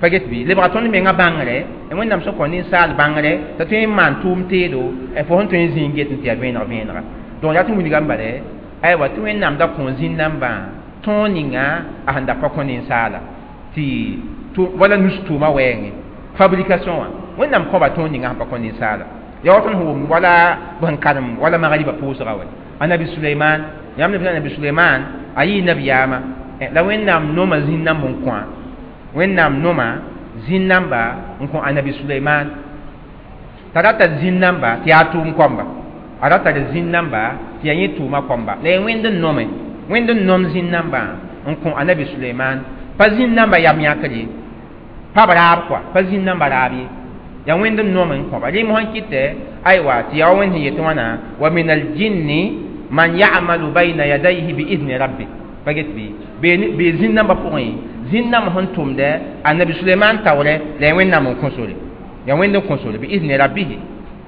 pa get bɩ lebga tõnd menga bãngre Wẽnnaam sẽn kõ ninsaal bãngre t'a tõe n maan tʋʋm teedo fo sẽn tõe n zĩig get n tɩ yaa vẽeneg vẽenega donc yaa tɩ wilgame bale aywa tɩ Wẽnnaam da kõ zĩn-nambã tõog ninga a sẽn da pa kõ ninsaala tɩ wala nus tʋʋma wɛɛngẽ fabrication wã Wẽnnaam kõba tõog ninga sẽn pa kõ ninsaala yaa wa tõnd sẽn wʋm wala b sẽn karem wala magriba pʋʋsga wɛ anabi Suleiman yãmb ne anabi Suleiman a yɩ nabiyaamã la Wẽnnaam noma zĩn-nãmb n kõ Wẽnnaam noma zĩn-namba n kõ anabi Suleiman t'a ra tar zĩn-namba tɩ yaa tʋʋm kõmba a ra tar zĩn-namba tɩ yaa yẽ tʋʋma kõmba la yaa Wẽnd n nome Wẽnd n nom zĩn-nambã n kõ anabi Suleiman pa zĩn-namba yam yãkr ye pa b raab kɔa pa zĩn-namba raab ye yaa Wẽnd n nom n kõba rẽ mosã kɩtɛ aywa tɩ yaa wa Wẽnd sẽn yet wãna wa min aljinni man ya'malu bayna yadayhi bi idni rabbi pa get bɩ bee zĩn-nambã pʋgẽ zĩn-nãmb sẽn tʋmdɛ anabi Suleiman taoorɛ la yaa Wẽnnaam n kõ sore yaa Wẽnd n kõ sore bi idni rabbihi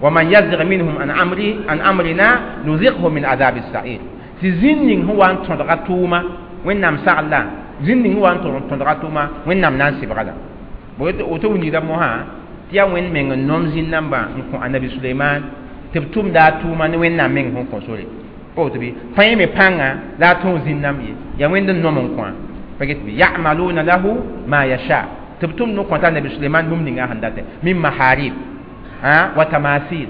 wa man yazig minhum an amri an amrina nuzighu min adab as-sa'ir tɩ zĩn ning sẽn wa n tõdga tʋʋma Wẽnnaam sagla zĩn ning sẽn wa n tõdga tʋʋma Wẽnnaam na n sɩbga la woto wilgda mosã tɩ yaa Wẽnd meng n nom zĩn-nambã n kõ anabi Suleiman tɩ b tʋmda a tʋʋma ne Wẽnnaam meng sẽn kõ sore pa woto bɩ pa yẽ me pãnga la a tõog zĩn-nãmb ye yaa Wẽnd n nom n kõ pa get bɩ ya'maluna lahu ma yasha tɩ b tʋmd n kõta anabi Suleiman bũmb ninga sẽn datɛ min maharib wa tamasil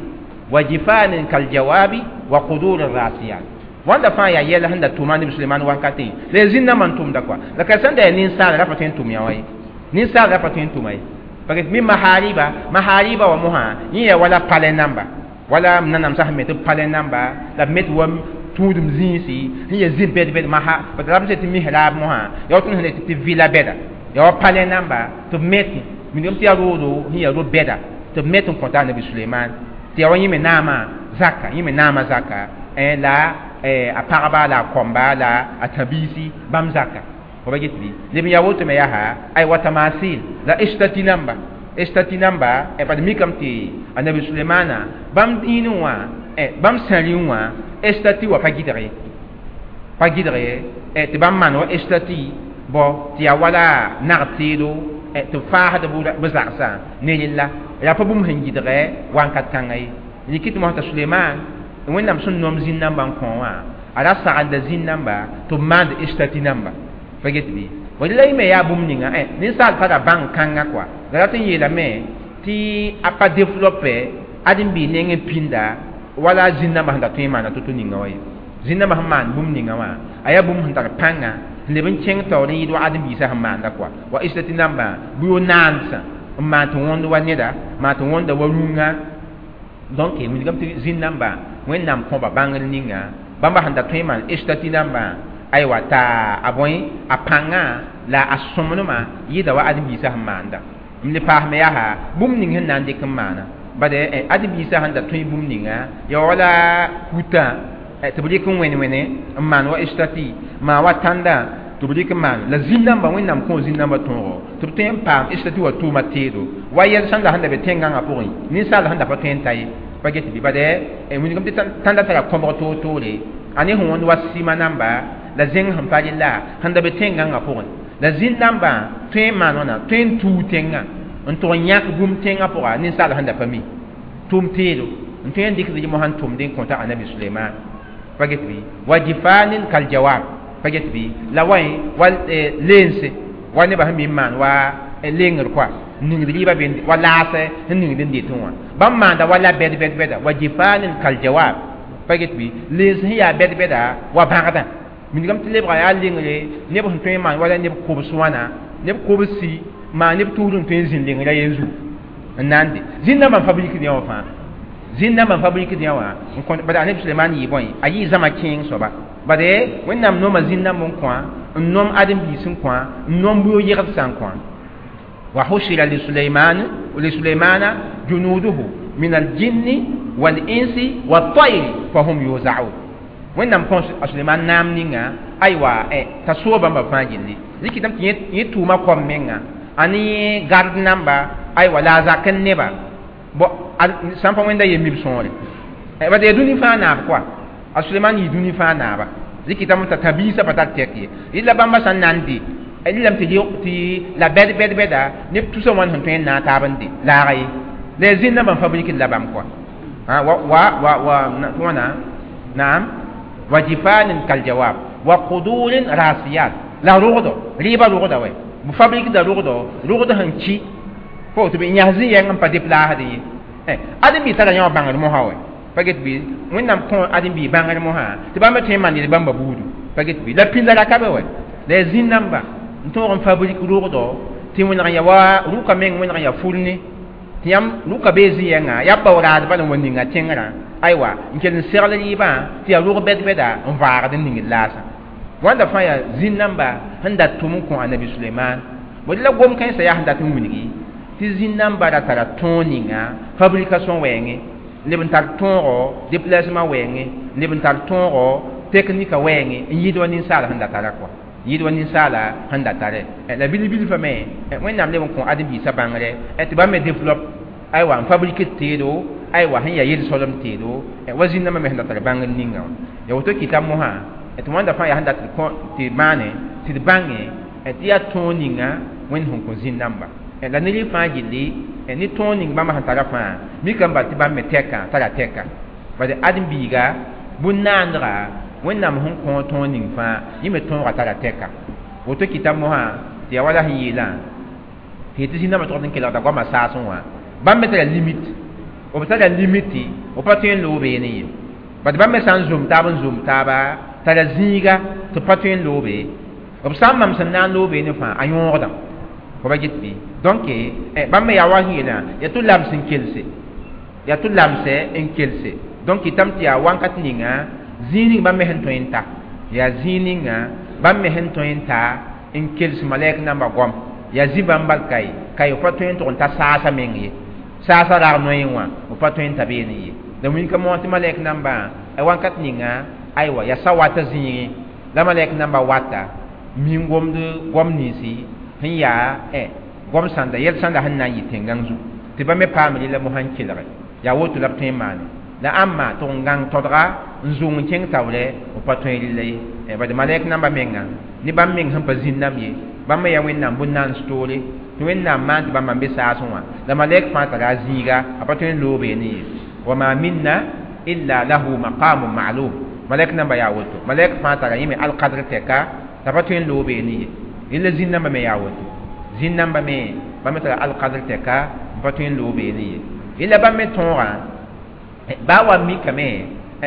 wa jifanin kaljawabi wa qudur rasiyat wãnda fãa yaa yɛl sẽn da tʋma anabi Suleiman wakatẽ la yaa zĩn-nambã n tʋmda kɔa la ka sẽn da yaa ninsaal ra pa tõe n tʋm yã wa ye ninsaal ra pa tõe n tʋma ye pa get min mahariba mahariba wa mosã yẽ yaa wala palɛ namba wala nanam sã sẽn me tɩ palɛ namba la b me tɩ wa tũudum zĩisi sẽn yaa zĩ bɛd-bɛd maha b ra b tɩ mihrab mosã yaa wa tõnd sẽn tɩ vɩla bɛda yaa wa palɛ namba tɩ b metẽ wilgame tɩ yaa roodo sẽn yaa ro-bɛda tɩ b met n kõta anabi Suleiman tɩ yaa wa yẽ me naamã zaka yẽ me naamã zaka la a pagba la a kõmba la a tãbiisi bãmb zaka fo ba get bɩ leb n yaa woto me yaa ay wa tamasil la estati namba estati namba bad mikame tɩ anabi Sulemana bãmb dĩinẽ wã bãmb sãrẽ wã estati wa pa gɩdg ye pa gɩdg ye tɩ bãmb maan wa estati bõ tɩ yaa wala nag teedo tɩ b faasd b zagsã ne rella yaa pa bũmb sẽn gɩdgɛ wãnkat kãngã ye rɩk tɩ mosã t'a Suleiman Wẽnnaam sẽn nom zĩn-nambã n kõ wã a ra sagelda zĩn-namba tɩ b maand estati namba pa get bɩ la y me yaa bũmb ninga ninsaal tara bãng kãngã kɔa la rat n yeelame tɩ a pa développe ãdem-biig nengẽ pĩnda wala zĩn-nambã sẽn da tõe n maana to-to ninga wa ye zĩn-nambã sẽn maan bũmb ninga wã a yaa bũmb sẽn tar pãnga n leb n kẽng taoor n yɩɩd wa ãdem-biisã sẽn maanda kɔa wa estati nambã bʋ yo naandsã n maan tɩ wõnd wa neda maan tɩ wõnda wa rũngã donc wilgame tɩ zĩn namba wẽnnaam kõba bãngr ninga bãmba sẽn da tõe n maan estati nambã aywa t'a a bõe a pãngã la a sõmblmã yɩɩda wa ãdem-biisã sẽn maanda m le paasme yaa bũmb ning sẽn na n dɩk n maana bad ãdem-biisã sẽn da tõe bũmb ninga ya wala kutã tɩ b rɩk n wẽn-wẽne n maan wa estati maan wa tãndã tɩ b rɩk n maan la zĩn-dãmbã wẽnnaam kõ zĩn-dãmbã tõogo tɩ b tõe n paam estati wa tʋʋma teedo wa yɛl sãn la sẽn da be tẽn-gãngã pʋgẽ ninsaal sẽn da pa tõe n ta ye pa get bɩ bad wilgame tɩ tãndã tara kõbg toor-toore a ne sẽn wõnd wa sɩma namba la zẽng sẽn pa rella sẽn da be tẽn-gãngã pʋgẽ la zĩn-dãmbã tõe n maan wãna tõe n tuug tẽngã n tʋg n yãk bũmb tẽngã pʋga ninsaal sẽn da pa mi tʋʋm teedo n tõe n dɩkd rɩmo sẽn tʋmd n kõta anabi suleiman pa get bɩ wa jifanin kal jawab pa get bɩ la wa wa leense wa nebã sẽn mi n maan wa lengr koa n ningd rɩɩbã be wa laasɛ sẽn ningd n detẽ wã bãmb maanda wa la bɛd bɛd bɛda wa jifanin kal jawab pa get bɩ leens sẽn yaa bɛd bɛda wa bãgdã wilgame tɩ lebga yaa lengre neb sẽn tõe n maan wala neb kobs wãna neb kobsi maan neb tuud n tõe n zĩnd lengrã yen zugu n na n de zĩn-dãmbã n fabrikd yã wã fãa zĩn-dãmbã n fabrikd yã wã n kõ bad aneb suleman yɩ bõe a yɩ zãma kẽeng soaba bad wẽnnaam nooma zĩn-dãmb n kõ n nom ãdem-biis n kõ n nom bʋ-yegd sã n kõ wa hushira lisuleiman lisuleimana junuduhu min aljinni walinsi waltayri fahum yuzaun wẽnnaam kõ a suleman naam ninga aywa t'a soog bãmba fãa gilli rɩkɩtame tɩ yẽ tʋʋma kom menga a ne gard namba aywa la a zak n neba bo sãn pa wẽnda yem mib sõore bad yaa dũni fãa naab koa a suleman yɩ dũni fãa naaba rɩkɩtame t'a tãbiisã pa tar tɛk ye rɩla bãmba sã n na n dɩ rɩlame tɩ tɩ la bɛd bɛd bɛda neb tusa wãn sẽn tõe n naag taab n dɩ laaga ye la yaa zĩn-dãmbã n fabrikd la bãmb koa wa wa wa wa wãna naam wa jifanin kal jawab wa qudurin rasiyat la rogdo rɩɩbã rogda wɛ b fabrikda rogdo rogd sẽn ki fo tɩ b yãs zĩ-yɛng n pa deplaasd ye ãdem-bi tara yã wã bãngr mosã wɛ pa get bɩ wẽnnaam kõ ãdem-bi bãngr mosã tɩ bãmb tõe n maan yel bãmba buudu pa get bɩ la pĩnda ra ka be wɛ la yaa zĩn-dãmba n tõog n fabrik rogdo tɩ wẽneg n ya wa rʋka meng wẽneg n ya fulne tɩ yãmb rʋka bee zĩ-yɛngã yaa bao-raad bala n wa ninga tẽngrã aywa n kell n segl rɩɩbã tɩ yaa rog bɛd-bɛda n vaagd n ningd laasã wãnda fãa yaa zĩn-dãmba sẽn dat tʋm n kõ anabi suleiman bõe la gom kãensã yaa sẽn dat n wilgi tɩ zĩn-dãmba ra tara tõog ninga fabrication wɛɛngẽ leb n tar tõogo déplacement wɛɛngẽ leb n tar tõogo teknika wɛɛngẽ n yɩɩd wa ninsaala sẽn da tara kɔa yɩɩd wa ninsaala sẽn da tare la bil-bilfã me wẽnnaam leb n kõ ãdem-biisã bãngre tɩ bãmb me développe aywa n fabrique teedo aywa sẽn yaa yel-soalem teedo wa zĩn-dãmbã me sẽn da tar bãngr ninga wã ya woto kɩta mosã tɩ wãnda fãa yaa sẽn dat tɩ maane tɩ d bãnge tɩ yaa tõog ninga wẽnd sẽn kõ zĩn-dãmba la ne rɩ fãa gilli ne tõog ning bãmba sẽn tara fãa mikame bal tɩ bãmb me tɛka tara tɛka bad ãdem-biiga bũn-naandga wẽnnaam sẽn kõ tõog ning fãa yẽ me tõoga tara tɛka woto kɩta mosã tɩ yaa wala sẽn yeelã tɩ yetɩ zĩn-dãmbã tʋgd n kelgda goamã saasẽ wã bãmb me tara limite b tara limite b pa tõe n loog beene ye bad bãmb me sã n zom taab n zom taaba tara zĩiga tɩ b pa tõe n loog be b sã n mam sẽn na n loog beene fãa a yõogdã fo ba get bɩ donc bãmb me yaa wa sẽn yeelã yaa tɩ lams n kelse yaa tɩ lamsɛ n kelse donc kɩtame tɩ yaa wãnkat ninga zĩig ning bãmb me sẽn tõe n ta yaa zĩig ninga bãmb me sẽn tõe n ta n kels malɛk nambã goam yaa zĩ bãmb bal kae kae f pa tõe n tʋg n ta saasã meng ye saasã rag noeẽ wã f pa tõe n ta beene ye la wilka moog tɩ malɛk nambã wãnkat ninga aywa yaa sa wata zĩigẽ la malɛk nambã wata min gomd goam ninsi sẽn yaa goam sãnda yɛl sãnda sẽn na n yɩ tẽn-gãng zugu tɩ ba me paam rɩla mosã n kelge yaa woto la b tõe n maane la ãmba tʋg n gãng todga n zʋng n kẽng taoorɛ b pa tõe rɩlla ye bad malɛk nambã menga ne bãmb meng sẽn pa zĩn-dãmb ye bãmb me yaa wẽnnaam bũn-naans toore tɩ wẽnnaam maan tɩ bãmba n be saasẽ wã la malɛk fãa tara a zĩiga a pa tõe n loog beene ye wa ma minna illa lahu maqamun ma'lum malɛk nambã yaa woto malɛk fãa tara yẽ me alkadr tɛka t'a pa tõe n loog beene ye rẽla zĩn-dãmbã me yaa woto zĩn-dãmbã me bãmb me tara alkadr tɛka n pa tõe n loog beene ye rẽla bãmb me tõogã baa wa mikame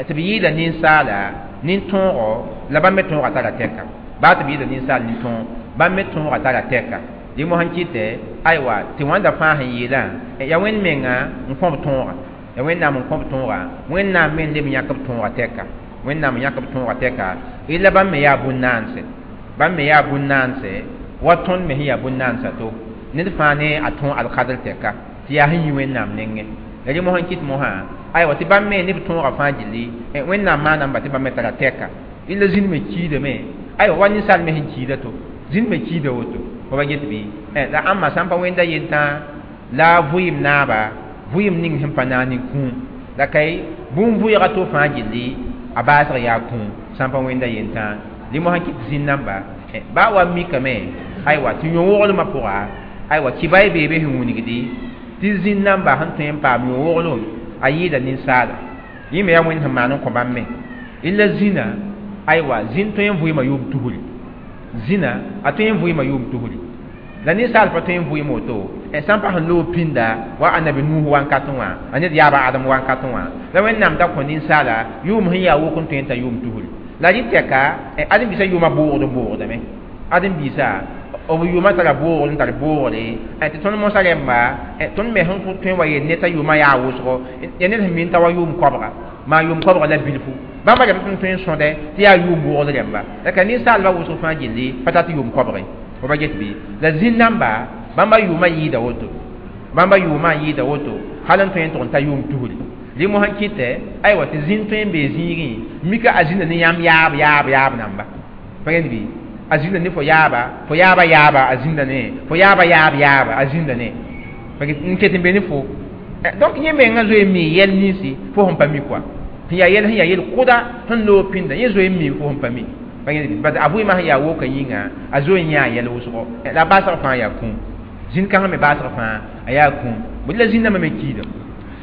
tɩ b yɩɩda ninsaala nin-tõogo la bãmb me tõogã tara tɛka baa tɩ b yɩɩda ninsaal nin-tõog bãmb me tõogã tara tɛka Dẽ mosã n kɩtɛ aywa tɩ wãnda fãa sẽn yeelã yaa wẽnd menga n kõ b tõoga ya wẽnnaam n kõ b tõoga wẽnnaam me n leb n yãk b tõoga tɛka wẽnnaam n yãk b tõoga tɛka illa bãmb me yaa bũn-naanse bãmb me yaa bũn-naanse wa tõnd me sẽn yaa bũn-naansã to ned fãa ne a tõog alkadr tɛka tɩ yaa sẽn yi wẽnnaam nengẽ la rẽ mosã n kɩt mosã aywa tɩ bãmb me ne b tõogã fãa gilli wẽnnaam maanamba tɩ bãmb me tara tɛka illa zĩnd me kiidame aywa wa ninsaal me sẽn kiida to zĩnd me kiida woto fo ba get bɩ la ãmba sã n pa wẽnda yentã la vʋɩɩm naaba vʋɩɩm ning sẽn pa naag ne kũum la kay bũmb vʋɩɩga to fãa gilli a baasg yaa kũum sã n pa wẽnda yentã rẽ mosã kɩt zĩnd namba baa wa mikame aywa tɩ yõ-woglmã pʋga aywa kɩba y beebe sẽn wilgdi tɩ zĩnd namba sẽn tõe n paam yõ-woglem a yɩɩda ninsaala yẽ me yaa wẽnd sẽn maan n kõ bãmb me illa zĩna aywa zĩnd tõe n vʋɩɩma yʋʋm tusri zĩna a tõe n vʋɩɩma yʋʋm tusri la ninsaal pa tõe n vʋɩɩm woto sã n pa sẽn loog pĩnda wa annabi nuh wankatẽ wã a ned yaaba adem wankatẽ wã la wẽnnaam da kõ ninsaala yʋʋm sẽn yaa wok n tõe n ta yʋʋm tusri la rɩ tɛka ãdem-biisã yʋʋmã boogd n boogdame ãdem-biisã b yʋʋmã tara boogr n tar boogre tɩ tõnd mosã rẽmba tõnd me sẽn tõe n wa yel ned t'a yʋʋmã yaa wʋsgo ya ned sẽn min t'a wa yʋʋm koabga maa yʋʋm koabga la bilfu bãmba rẽmb tõnd tõe n sõdɛ tɩ yaa yʋʋm boogd rẽmba la ka ninsaalbã wʋsg fãa gilli pa tar tɩ yʋʋm koabge fo ba get bɩ la zĩnd namba bãmba yʋʋmã yɩɩda woto bãmba yʋʋmã n yɩɩda woto hal n tõe n tʋg n ta yʋʋm tusri rẽ mosã kɩtɛ aywa tɩ zĩnd tõe n bee zĩigẽ mika a zĩnda ne yãmb yaab yaab yaab namba pa gẽnd bɩ a zĩnda ne fo yaaba fo yaaba yaaba a zĩnda ne fo yaaba yaab yaaba a zĩnda ne n ket n be ne fo donc yẽ mengã zoe n mi yɛl ninsi fo sẽn pa mi koa sẽn yaa yɛl sẽn yaa yel kʋda sẽn loog pĩnda yẽ zoe n mi fo sẽn pa mi pa gẽnd bɩ bad a vʋɩɩmã sẽn yaa woka yĩnga a zoe n yãa yɛl wʋsgo la a baasg fãa yaa kũum zĩnd kãngã me baasg fãa a yaa kũum bõe la zĩnd nambã me kiidame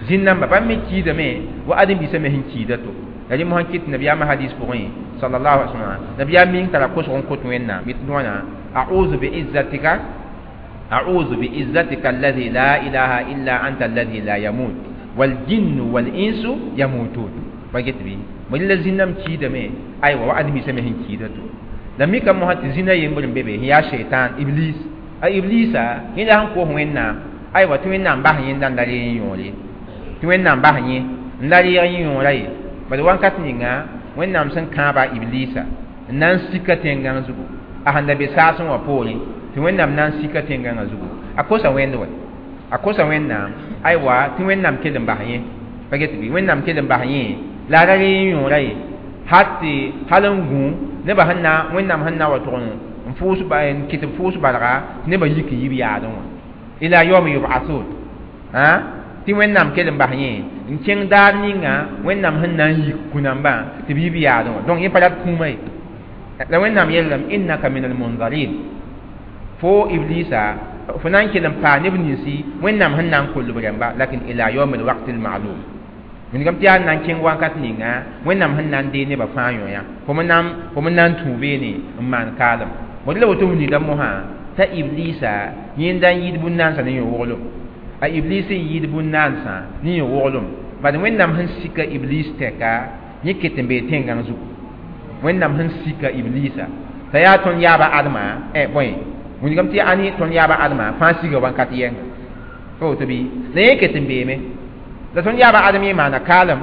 zĩnd namba bãmb me kiidame wa ãdem-biisã me sẽn kiida to la rẽ mosã kɩt nabiyaamã hadis pʋgẽ sallallahu alaihi wasallam nabiyaam ming tara kosg n kot wẽnnaam yet wãna a'udhu bi'izzatika a'udhu bi'izzatika alladhi la ilaha illa anta alladhi la yamut wal jinnu wal insu yamutun pa get bɩ bõe la zĩnd nam kiidame aywa wa ãdem-biisã me sẽn kiida to la mika mosã tɩ zĩnã yembr n be be sẽn yaa sheitan iblis a iblisa yẽ la sẽn koos wẽnnaam aywa tɩ wẽnnaam bas yẽnda n la reeg n yõor ye tɩ wẽnnaam bas yẽ n la reeg n yõora ye bad wãnkat ninga wẽnnaam sẽn kãaba iblisa n na n sika tẽn-gãng zugu a sẽn da be saasẽ wã poorẽ tɩ wẽnnaam na n sika tẽn-gãngã zugu a kosa wẽnd wɛ a kosa wẽnnaam aywa tɩ wẽnnaam kell n bas yẽ pa get bɩ wẽnnaam kell n bas yẽ la a ra reeg n yõora ye hal tɩ hal n gũ nebã sẽn na wẽnnaam sẽn na wa tʋg n fʋʋs n kɩt b fʋʋs barga tɩ nebã yik n yib yaadẽ wã ila yawmi yub'athun tɩ wẽnnaam kell n bas yẽ n kẽng daar ninga wẽnnaam sẽn na n yik kũ-nambã tɩ b yib yaadẽ wã donc yẽ pa rat kũumã ye la wẽnnaam yeelame innaka min almunzarin fo iblisa fo na n kell n paa neb ninsi wẽnnaam sẽn na n koll b rẽmba lakin ila yawmi alwaqti almalum wilgame tɩ yaa n na n kẽng wakat ninga wẽnnaam sẽn na n dee nebã fãa yõ-yã fo me na n tũ beene n maan kaalem bõe la woto wilgda mosã t'a iblisa yẽnda n yɩɩd bũn-naansã ne yõ-woglem a iblis n yɩɩd bũn-naansã ne yõ-woglem bad wẽnnaam sẽn sika iblis tɛka yẽ ket n bee tẽn-gãng zugu wẽnnaam sẽn sika iblisa t'a yaa tõnd yaaba adma bõe wilgame tɩ ãni tõnd yaaba adma fãa siga wãnkat yɛnga pa woto bɩ la yẽ ket n beeme la tõnd yaaba adem yẽ maana kaalem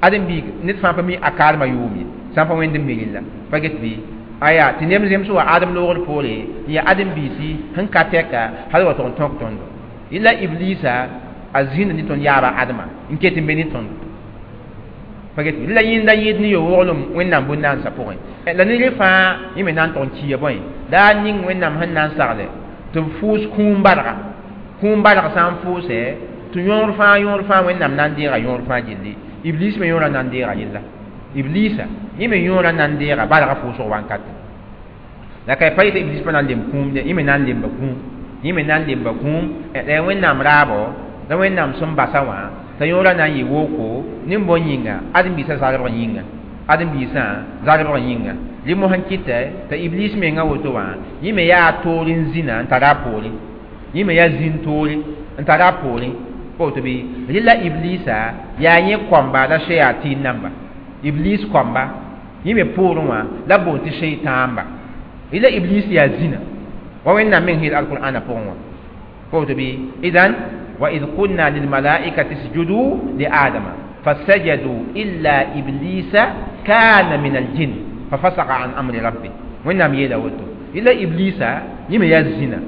ãdem-biig ned fãa pa mi a kaalmã yʋʋm ye sã n pa wẽnd n mi rella pa get bɩ aya tɩ neb zems wa adem loogr poore n yaa ãdem-biisi sẽn ka tɛka hal wa tʋg n tõk tõndo illa iblisa a zĩnda ne tõnd yaaba adma n ket n be ne tõndo pa get bɩ la yẽnda yɩɩd ne yo-woglem wẽnnaam bũn-naansã pʋgẽ la ne rẽ fãa yẽ me na n tʋg n kiya bõe la a ning wẽnnaam sẽn na n sagle tɩ b fʋʋs kũum barga kũum barg sã n fʋʋsɛ tɩ yõor fãa yõor fãa wẽnnaam na n deega yõor fãa gilli iblis me yõorã na n deega yella iblisa yẽ me yõorã na n deega bargã fʋʋsg wãnkat la ka pa yetɩ iblis pa na n lemb kũum de yẽ me na n lemba kũum yẽ me na n lemba kũum la wẽnnaam raabo la wẽnnaam sẽn basa wã t'a yõorã na n yɩ woko nin-bõn yĩnga ãdem-biisã zarebg yĩnga ãdem-biisã zarebg yĩnga rẽ mosã n kɩtɛ t'a iblis mengã woto wã yẽ me yaa toor n zĩna n tara a poorẽ yẽ me yaa zĩn toore n tara a poorẽ pa woto bɩ rɩla iblisa yaa yẽ kõmba la shayatin namba iblis kõmba yẽ me poorẽ wã la boond tɩ sheitãamba rɩla iblis yaa zĩna Wa Wẽnnaam meng yeel alqur'ana pʋgẽ wã woto bɩ idan wa id qulna lilmalaikati isjudu li adama fasajadu illa iblisa kana min aljin fafasaka an amri rabbi. Wẽnnaam yeela woto ila iblisa yẽ me yaa zĩna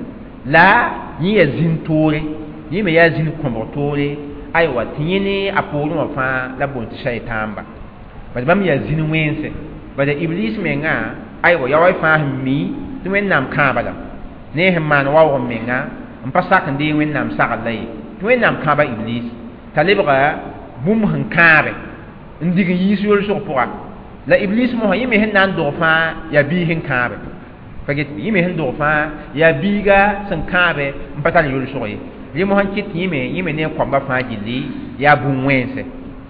la yẽ yaa zĩn toore, yẽ me yaa zĩn kõbg toore, aywa tɩ yẽ ne a poorẽ wã fãa la boond tɩ shaytãamba bad bãmb yaa zĩn wẽnse. Bala iblis menga aywa ya wa fãa sẽn mi tɩ Wẽnnaam kãaba lame ne sẽn maan waoog n menga n pa sak n deeg Wẽnnaam sagl la ye tɩ Wẽnnaam kãaba iblis t'a lebga bũmb sẽn kãabe n dig n yiis yolsg pʋga. La iblis mosã yẽ me sẽn na n dog fãa yaa biig sẽn kãabe pa get yẽ me sẽn dog fãa yaa biiga sẽn kãabe n pa tar yolsg ye. Rẽ mosã n kɩt yẽ me yẽ me ne a koamba fãa gilli yaa bũn-wẽnse.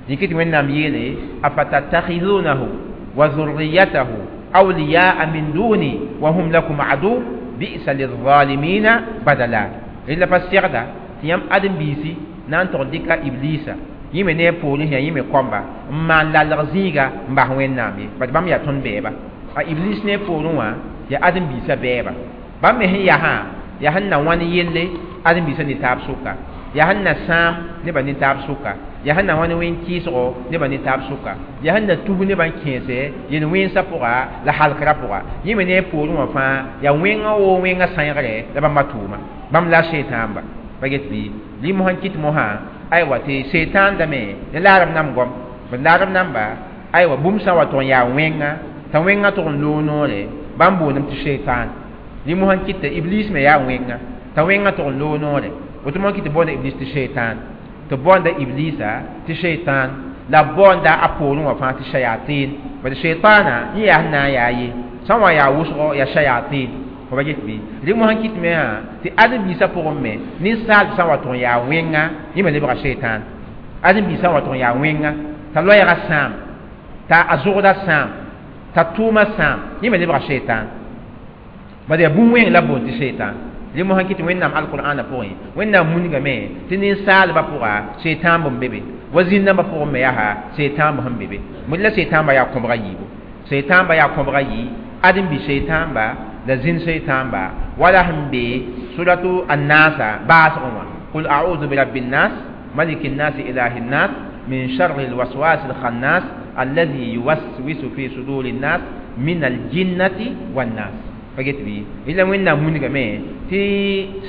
Yẽ kɩt Wẽnnaam yeele afatattakhidunahu wa zurriyatahu awliyaa min duni wa hum lakum adu bi'sa lilzalimina badala. Rẽ la pa segda tɩ yãmb ãdem-biisi na n tog dɩka iblisa yẽ me ne a poorẽ sẽn yaa yẽ me koamba n maan lalg zĩiga n bas Wẽnnaam ye bad bãmb yaa tõnd bɛɛba. A iblis ne a poorẽ wã yaa ãdem-biisã bɛɛba. Bãmb me sẽn yasã yaa sẽn na wãn yelle ãdem-biisã ne taab sʋka, yaa sẽn na sãam nebã ne taab sʋka, yaa sẽn na wãn wẽn-kɩɩsgo nebã ne taab sʋka, yaa sẽn na tus nebã n kẽese yel-wẽnsã pʋga la halkrã pʋga. Yẽ me ne a poorẽ wã fãa yaa wẽngã woo wẽngã sãengre la bãmba tʋʋma bãmb la shaytãamba pa get bɩ rɩ mosã n kɩt mosã aywa tɩ shaytãn dame ne laarb nam goam b laarb namba aywa bũmb sã n wa tʋg n yaa wẽnga t'a wẽngã tʋg n loog noore bãmb boondame tɩ shaytãn. Rɩ mosã n kɩt tɩ iblis me yaa wẽnga t'a wẽngã tʋg n loog noore woto mosã kɩt tɩ boonda iblis tɩ shaytãn tɩ baoonda iblisa tɩ shaytãn la baoonda a poorẽ wã fãa tɩ shayatin bad shaytãna yẽ yaa sẽn na n yaa ye sã n wa yaa wʋsgo yaa shayatin fo pa get bɩ rɩ mosã n kɩt me wã tɩ ãdem-biisã pʋgẽ me ninsaal sã n wa tʋg n yaa wẽnga yẽ me lebga shaytãn. Ãdem-biisã n wa tʋg n yaa wẽnga t'a loɛɛgã sãam t'a a zʋgdã sãam t'a tʋʋmã sãam yẽ me lebga shaytãn bad yaa bũmb-wẽng la boond tɩ shaytãn. Rẽ mosã kɩt Wẽnnaam alqur'ana pʋgẽ Wẽnnaam mungame tɩ ninsaalbã pʋga shaytãn b be be wa zĩn-nambã pʋgẽ me yaa shaytãn sẽn be be mod la shaytãnba yaa kõbga yiibu shaytãnba yaa kõbga yii ãdem-bi shaytãnba la zĩn shaytãnba wala sẽn be suratu annasa baasgẽ wã qul a'udhu birabbi nnas maliki nnas ilahi nnas min sharri alwaswas alkhannas alladhi yuwaswisu fi suduri nnas min aljinnati wannas pa get bɩ ila Wẽnnaam mungame tɩ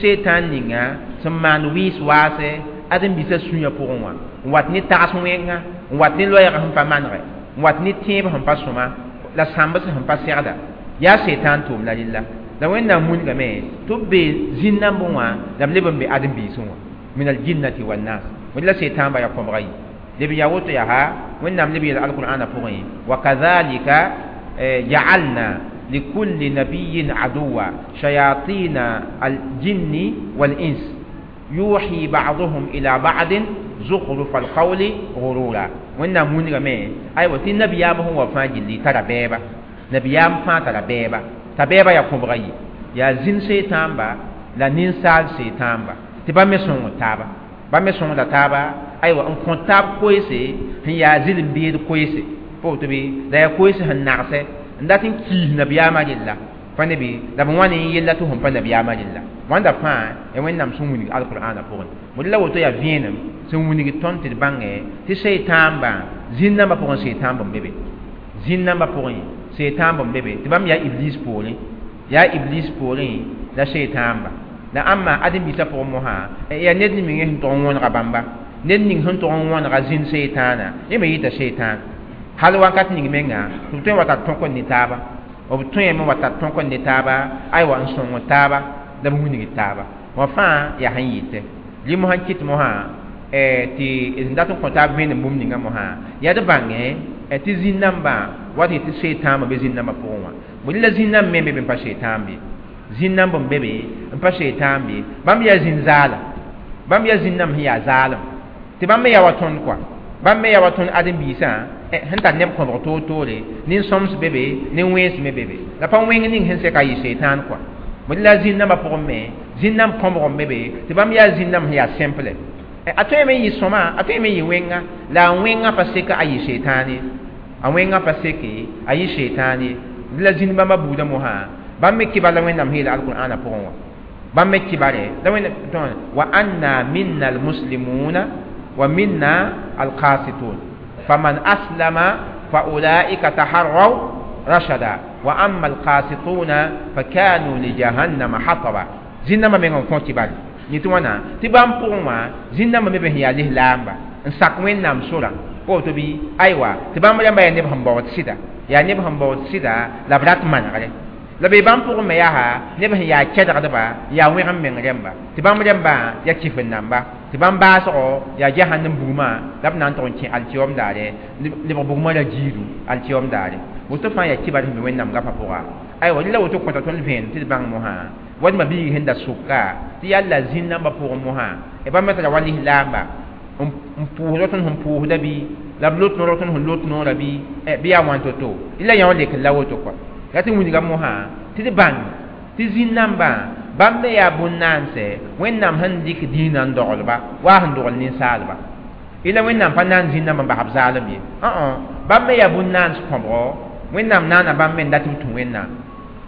shaytãn ninga sẽn maan wɩɩs waase ãdem-biisã sũyã pʋgẽ wã n wat ne tags wẽnga n wat ne loɛɛg sẽn pa manegɛ n wat ne tẽeb sẽn pa sõma la sãmbs sẽn pa segda yaa shaytãn tʋʋm la rella. La Wẽnnaam mungame tɩ b be zĩn-nambẽ wã la b leb n be ãdem-biisẽ wã min aljinnati wannas wẽnd la shaytãnba yaa kõbga yi leb n yaa woto yaa Wẽnnaam leb yeel alqur'ana pʋgẽ wa kadhalika ja'alna لكل نبي عدوا شياطين الجن والإنس يوحي بعضهم إلى بعض زخرف القول غرورا. وإن مونغا مي أيوة تي نبيام هو فاجلي ترى بيبا نبيام فا ترى بيبا تبيبا يا كوبغي يا زين شيطان با لا نينسال شيطان با تبا مسون تابا با مسون لا تابا أيوة ان كونتاب كويسي هي زين بيد كويسي فوتبي لا كويسي هن نعسه n dat n kiis nabiyaamã rella pa ne bɩ la b wã ne yella tɩ sẽn pa nabiyaamã rella wãnda fãa ya Wẽnnaam sẽn wilg alqur'ana pʋgẽ mod la woto yaa vẽenem sẽn wilg tõnd tɩ d bãnge tɩ shaytãambã zĩn-nambã pʋgẽ shaytãmb n be be zĩn-nambã pʋgẽ shaytãmb n be be tɩ bãmb yaa iblis poorẽ yaa iblis poorẽ la shaytãamba la ãmba ãdem-biisã pʋgẽ mosã yaa ned ning sẽn tog n wõnega bãmba ned ning sẽn tog n wõnega zĩn shaytãana yẽ me yɩta shaytãn hal wakat ning menga tɩ b tõe n wa tar tõk n ne taaba b tõeme wa tar tõk n ne taaba aywa n sõng taaba la b wilg taaba wã fãa yaa sẽn yɩtɛ rɩ mosã n kɩt mosã tɩ d dat n kõ taab vẽenem bũmb ninga mosã yaa d bãngẽ tɩ zĩn-nambã wat yetɩ shaytãambã be zĩn-nambã pʋgẽ wã bõe la zĩn-nãmb me be be n pa shaytãan be zĩn-nãmb n be be n pa shaytãan be bãmb yaa zĩn-zaala bãmb yaa zĩn-nãmb sẽn yaa zaalem tɩ bãmb me yaa wa tõnd kɔa bãmb me yaa wa tõnd ãdem-biisã sẽn tar neb kõbg toor-toore nin-sõms be be nin-wẽns me be be la pa wẽng ning sẽn sɛka yɩ shaytãan kɔa bõe la zĩn-nambã pʋgẽ me zĩn-nãmb kõbg n be be tɩ bãmb yaa zĩn-nãmb sẽn yaa simple a tõeme n yɩ sõma a tõeme n yɩ wẽnga la a wẽngã pa seka a yɩ shaytãan ye a wẽngã pa seke a yɩ shaytãan ye la zĩn bãmba buudã mosã Bãmb me kibar la Wẽnnaam sẽn yeel alqur'ana pʋgẽ wã. Bãmb me kibare la Wẽnnaam wa anna minna almuslimuna wa minna alqasitun faman aslama fa ulaika taharraw rashada wa amma alqasituna fakanu li jahannama hataba. Zĩn-nambã meng n kõ kibare yẽ tɩ wãna tɩ bãmb pʋgẽ wã zĩn-nambã me be sẽn yaa lislaamba n sak Wẽnnaam sorã woto bɩ aywa tɩ bãmb rãmba yaa neb sẽn baood sɩda yaa neb sẽn baood sɩda la b rat manegre la be bãmb pʋgẽ me yaa neb sẽn yaa kɛdgdba yaa wẽgem meng rẽmba tɩ bãmb rẽmbã yaa kifin-namba tɩ bãmb baasgo yaa jahannam bugmã la b na n tʋg n kẽ alkiyoom daare lebg bugmã ra giidu alkiyoom daare woto fãa yaa kibar sẽn be Wẽnnaam gapã pʋga aywa rɩla woto kõta tõnd vẽenem tɩ d bãng mosã wadma biig sẽn da sʋka tɩ yalla zĩn-nambã pʋgẽ mosã bãmb me tara wa lislaamba n pʋʋsda tõnd sẽn pʋʋsda bɩ la b lot noor tõnd sẽn lot noorã bɩ bɩ yaa wãn to-to la yã wã lek la woto kɔa la tɩ wilga mosã tɩ d bãng tɩ zĩn-nambã bãmb me yaa bũn-naanse Wẽnnaam sẽn dɩk dĩinã n doglba waa sẽn dogl ninsaalba ila Wẽnnaam pa naan zĩn-nambã n bas b zaalem ye bãmb me yaa bũn-naans kõbgo Wẽnnaam naana bãmb me n dat b tũ Wẽnnaam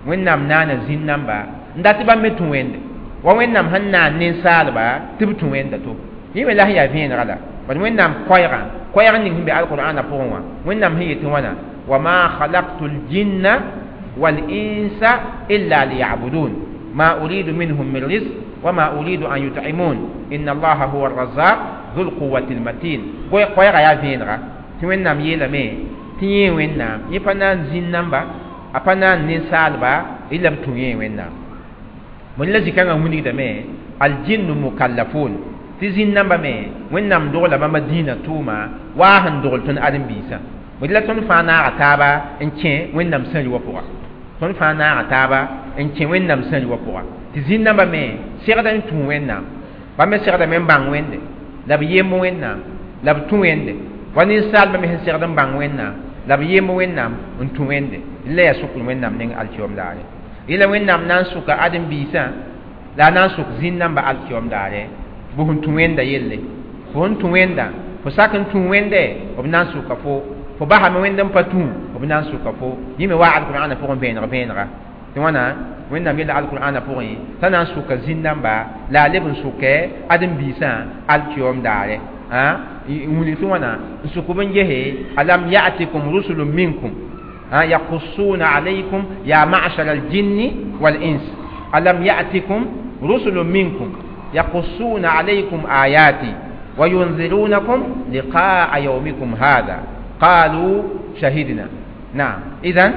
Wẽnnaam naana zĩn-namba n dat bãmb me tũ Wẽnde wa Wẽnnaam sẽn naan ninsaalba tɩ b tũ Wẽnda to yẽ me la sẽn yaa vẽenega la bad Wẽnnaam koɛɛgã koɛɛg ning sẽn be alqur'ana pʋgẽ wã Wẽnnaam sẽn yetɩ wãna wa ma khalaqtu ljinna والإنس إلا ليعبدون ما أريد منهم من رزق وما أريد أن يطعمون إن الله هو الرزاق ذو القوة المتين koɛɛga yaa vẽenega tɩ Wẽnnaam yeelame tɩ yẽ Wẽnnaam yẽ pa na n zĩn-namba a pa na n ninsaalba illa b tũ yẽ Wẽnnaam mõni la zĩ-kãngã wilgdame aljinnu mukallafun tɩ zĩn-nambã me Wẽnnaam dogla bãmba dĩinã tʋʋma waa sẽn dogl tõnd ãdem-biisã mõni la tõnd fãa naaga taaba n kẽ Wẽnnaam sãri wã pʋga tõnd fãa naaga taaba n kẽ Wẽnnaam sãri wã pʋga tɩ zĩn-nambã me segda n tũ Wẽnnaam bãmb me segdame n bãng Wẽnde la b yemb Wẽnnaam la b tũ Wẽnde wa ninsaalbã me sẽn segd n bãng Wẽnnaam la b yemb Wẽnnaam n tũ Wẽnde la yaa sʋkr Wẽnnaam neng alkiyoom daare yẽla Wẽnnaam na n sʋka ãdem-biisã la a na n sʋk zĩn-nambã alkiyoom daare bʋ sẽn tũ Wẽnda yelle fo sẽn tũ Wẽnda fo sak n tũ Wẽnde b na n sʋka fo fo basame Wẽnd n pa tũ b na n sʋka fo yẽ me waa alqur'ana pʋgẽ vẽeneg vẽenega tɩ wãna Wẽnnaam yeela alqur'ana pʋgẽ t'a na n sʋka zĩn-namba la a leb n sʋkɛ ãdem-biisã alkiyoom daare wilg tɩ wãna n sʋk b n gese alam ya'tikum rusulun minkum yaqussuna alaykum ya ma'shar aljinni wal-ins alam ya'tikum rusulun minkum yaqussuna alaykum ayati wa yunzirunakum liqa'a yawmikum hadha qalu shahidna naam idan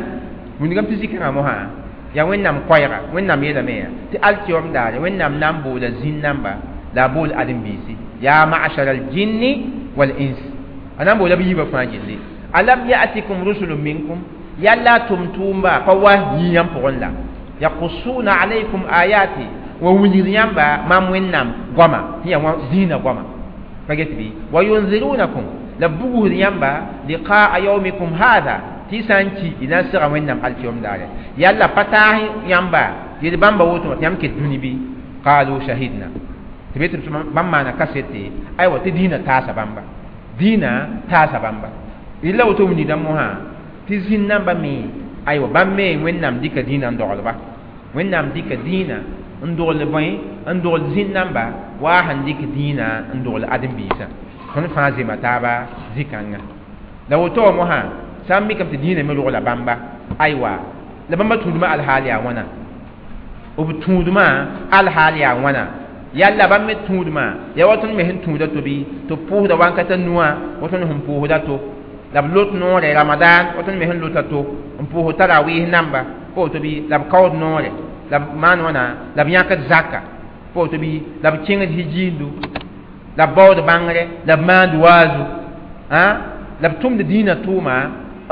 wilgame tɩ zikãngã mosã yaa Wẽnnaam koɛɛga Wẽnnaam yeelame yaa tɩ alkiyoom daare Wẽnnaam na n boola zĩn-namba la a bool ãdem-biisi ya ma'shar aljinni wal-ins a na n boola b yiibã fãa gilli alam ya'tikum rusulun minkum yalla tʋm-tʋʋmba pa wa yĩyã pʋgẽ la yaqussuna alaykum ayati wa wilgd yãmba mam Wẽnnaam goama sẽn yaa dĩinã goama pa get bɩ wa yunzirunakum la b bugsd yãmba liqa'a yawmikum hadha tɩ y sã n ki y na n sega Wẽnnaam alkiyoom daare yalla pa taas yãmba yel bãmba woto tɩ yãmb ket dũni bɩ qalu shahidna tɩ be tɩ bãmb maana kasete aywa tɩ dĩinã taasa bãmba dĩinã taasa bãmba yella woto wilgdã mosã tɩ zĩn-nambã me aywa bãmb me Wẽnnaam dɩka dĩinã n doglba Wẽnnaam dɩka dĩinã n dogl bõe n dogl zĩn-namba waa sẽn dɩk dĩinã n dogl ãdem-biisã tõnd fãa zema taaba zĩ-kãnga la woto wã mosã sã n mikame tɩ dĩinã me rogla bãmba aywa la bãmba tũudmã alhaal yaa wãna b tũudmã alhaal yaa wãna yalla bãmb me tũudmã yaa wa tõnd me sẽn tũuda to bɩ tɩ b pʋʋsda wankata nuwã wa tõnd sẽn pʋʋsda to la b lot noore ramadan wa tõnd me sẽn lota to n pʋʋs tarawɩɩs namba pa woto bɩ la b kaood noore la b maan wãna la b yãkd zaka pa woto bɩ la b kẽngd hijiindu la b baood bãngre la b maand waazu la b tʋmd dĩinã tʋʋma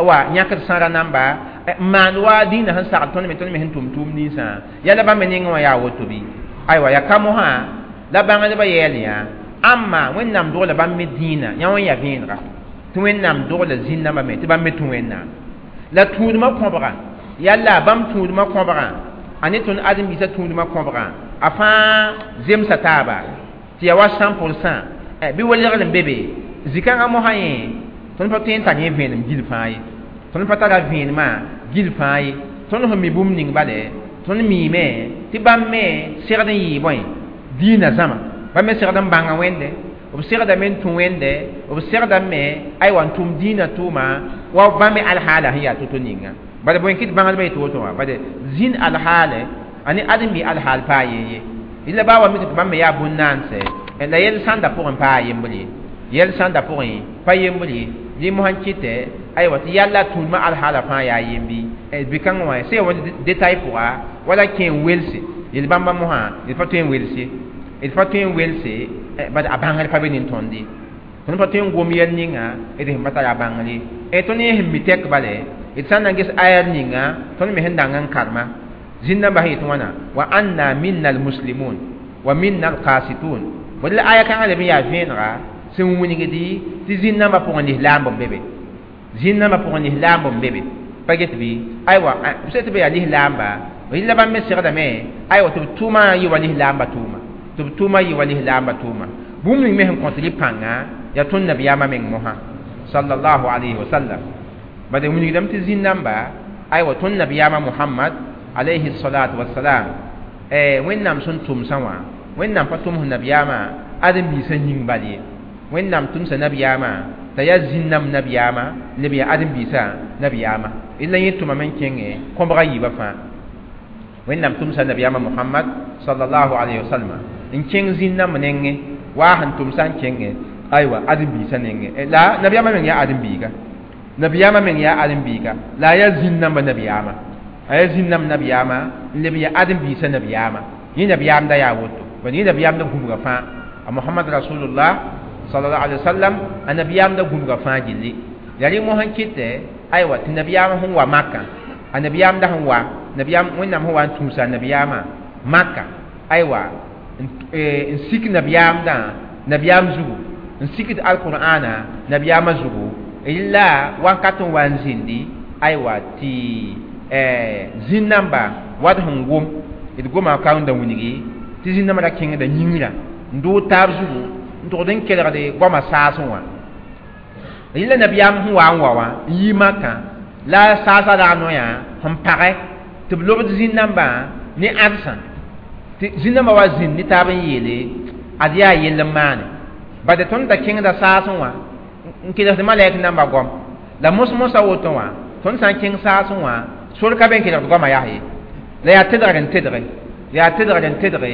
wa yãkd sãra namba n maan wa dĩinã sẽn sagl tõnd me tõnd me sẽn tʋm tʋʋm ninsã yala bãmb me nengẽ wã yaa woto bɩ aywa yaa ka mosã la bãngdbã yɛɛl yã ãmma Wẽnnaam dogla bãmb me dĩinã yã wã n yaa vẽenega tɩ Wẽnnaam dogla zĩn-nambã me tɩ bãmb me tũ Wẽnnaam la tũudmã kõbga yalla bãmb tũudmã kõbgã a ne tõnd ãdem-biisã tũudmã kõbgã a fãa zemsa taaba tɩ yaa wa cent pour cent bɩ welgr n be be zĩ-kãngã mosã yẽ tõnd pa tõe n tar yẽ vẽenem gil fãa ye tõnd pa tara vẽenemã gil fãa ye tõnd sẽn mi bũmb ning bale Tõnd miime tɩ bãmb me segd n yɩɩ bõe diinã zãma bãmb me segd n bãnga Wẽnde b segdame n tũ Wẽnde b segdame aywa n tʋm diinã tʋʋma wa bãmb me alhaala sẽn yaa to-to ninga bala bõe kɩ tɩ bãngdbã yetɩ woto wã bade zĩnd alhaale a ne ãdem-bi alhaal paa yen ye la baa wa mik tɩ bãmb me yaa bũn-naanse la yɛl sãnda pʋgẽ paa yembr ye yɛl sãnda pʋgẽ pa yembr ye dɩ mosã kɩtɛ aywa tɩ yalla tũudmã alhaala fãa yaa yembi bɩ-kãngã wã sẽn ya détail pʋga wala kẽ n welse yel-bãmba mosã d pa tõe n welse d pa tõe n welse bad a bãngr pa be nin tõnd ye tõnd pa tõe n gom yɛl ninga d sẽn pa tara a bãngr ye tõnd yẽ sẽn mi tɛk bale d sã n na ges ayar ninga tõnd me sẽn dang n karema zĩn-nambã sẽn yetɩ wãna wa anna minna almuslimun wa minna alqasitun bd la aya kãngã leb n yaa vẽenega sẽn wilgdi tɩ zĩn-nambã pʋgẽ lislaamb n be be zĩn-nambã pʋgẽ lislaamb n be be pa get bɩ aywa b sã tɩ b yaa lislaamba rɩla bãmb me segdame aywa tɩ b tʋʋmã yɩ wa lislaambã tʋʋma tɩ b tʋʋmã yɩ wa lislaambã tʋʋma bũmb ning me sẽn kõt rɩ pãnga yaa tõnd nabiyaamã meng mosã sallallahu alayhi wa sallam bad wilgdame tɩ zĩn-nambã aywa tõnd nabiyaamã Muhammad alayhi salatu wassalam Wẽnnaam sẽn tʋmsã wã Wẽnnaam pa tʋms nabiyaamã ãdem-biisã yĩng bal ye Wẽnnaam tʋmsa nabiyaamã t'a yaa zĩn-nãmb nabiyaamã leb yaa ãdem-biisã nabiyaamã la yẽ tʋmame n kẽngẽ kõbga yiibã fãa Wẽnnaam tʋmsa nabiyaamã Muhammad sallallahu alayhi wa sallam n kẽng zĩn-nãmb nengẽ waa sẽn tʋmsã n kẽngẽ aywa ãdem-biisã nengẽ la nabiyaamã meng yaa ãdem-biiga nabiyaamã meng yaa ãdem-biiga la a yaa zĩn-nãmbã nabiyaamã a yaa zĩn-nãmb nabiyaamã n leb yaa ãdem-biisã nabiyaamã yẽ nabiyaamda yaa woto bad yẽ nabiyaamda gũbga fãa a Muhammad rasulullah sallallahu alaihi wasallam a nabiyaamda gũbga fãa gilli yaa rẽ mosã kɩtɛ aywa tɩ nabiyaamã sẽn wa Makã a nabiyaamda sẽn wa nabiyaam Wẽnnaam sẽn wa n tũusa a nabiyaamã Maka aywa n sik nabiyaamdã nabiyaam zugu n sikd alqur'ana nabiyaamã zugu la wakat n wa n zĩndi aywa tɩ zĩn-namba wat sẽn gom d goma kaoonda wilgi tɩ zĩn-nambã ra kẽngda yĩngrã n doog taab zugu n togd n kelgde goamã saasẽ wã rɩla nabiyaam sẽn wa n wa wã n yi Makã la saasã rag noyã sẽn pagɛ tɩ b lobd zĩn-nambã ne ãdsã tɩ zĩn-nambã wa zĩnd ne taab n yeele ad yaa yell n maane bade tõnd da kẽngda saasẽ wã n kelgd malɛk nambã goam la mos-mosã woto wã tõnd sã n kẽng saasẽ wã sor ka be n kelgd goamã yaa ye la yaa tedgr n tedge yaa tedgr n tedge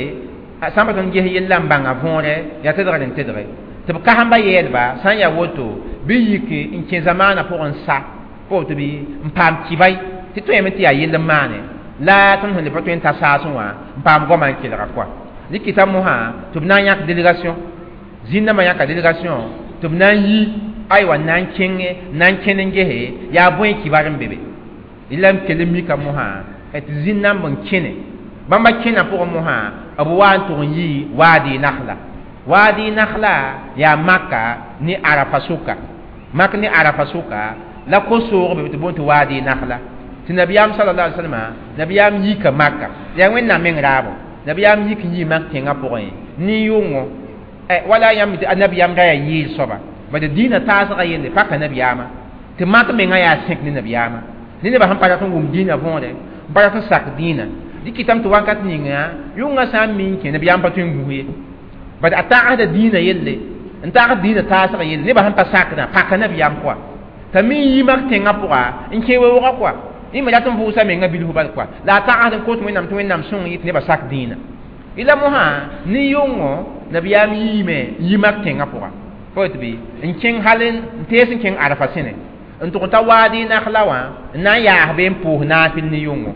sã n pa tõnd ges yella n bãnga võore yaa tedgr n tedge tɩ b kasẽmba yeelba sã n yaa woto bɩ yik n kẽ zamaanã pʋgẽ n sa pa woto bɩ n paam kibay tɩ tõeme tɩ yaa yell n maane la tõnd sẽn le pa tõe n ta saasẽ wã n paam goamã n kelga koa rɩkɩta mosã tɩ b na n yãk délégation zĩn-nambã yãka délégation tɩ b na n yi aywa n na n kẽngẽ n na n kẽnd n gese yaa bõe kibar n be be la n kell n mika mosã tɩ zĩn-nãmb n kẽne bãmba kẽna pʋgẽ mosã b wa n tʋg n yi Waadi Nakhla Waadi Nakhla yaa Maka ne Arafa sʋka Mak ne Arafa sʋka la ko-soog be tɩ boond tɩ Waadi Nakhla tɩ nabiyaam sallallahu alaihi wasallam nabiyaam yika Maka yaa Wẽnnaam meng raabo nabiyaam yik n yii Mak tẽngã pʋgẽ ne yʋngo wala yãmb tɩ nabiyaam ra yaa yeel soaba bad dĩinã taasgã yelle paka nabiyaamã tɩ Mak mengã yaa sẽk ne nabiyaamã ne nebã sẽn pa rat n wʋm dĩinã võore n pa rat n sak dĩinã dɩ kɩtame tɩ wakat ninga yʋngã sã n mi n kẽ nabiyaam pa tõe n gũs ye bad a tagsda dĩinã yelle n tagsd dĩinã taasgã yelle nebã sẽn pa sakdã paka nabiyaam pʋga t'a mi n yi Mak tẽngã pʋga n kẽ weoogã kɔa yẽ me rat n vʋʋsa menga bilf bal kɔa la a tagsd n kot Wẽnnaam tɩ Wẽnnaam sõng yɩ tɩ nebã sak dĩinã la mosã ne yʋngo nabiyaam yiime n yi Mak tẽngã pʋga pa woto bɩ n kẽng hal n tees n kẽng Arafa sẽne n tʋg ta Waadi Nakhla wã n na n yaas be n pʋʋs naafɩl ne yʋngo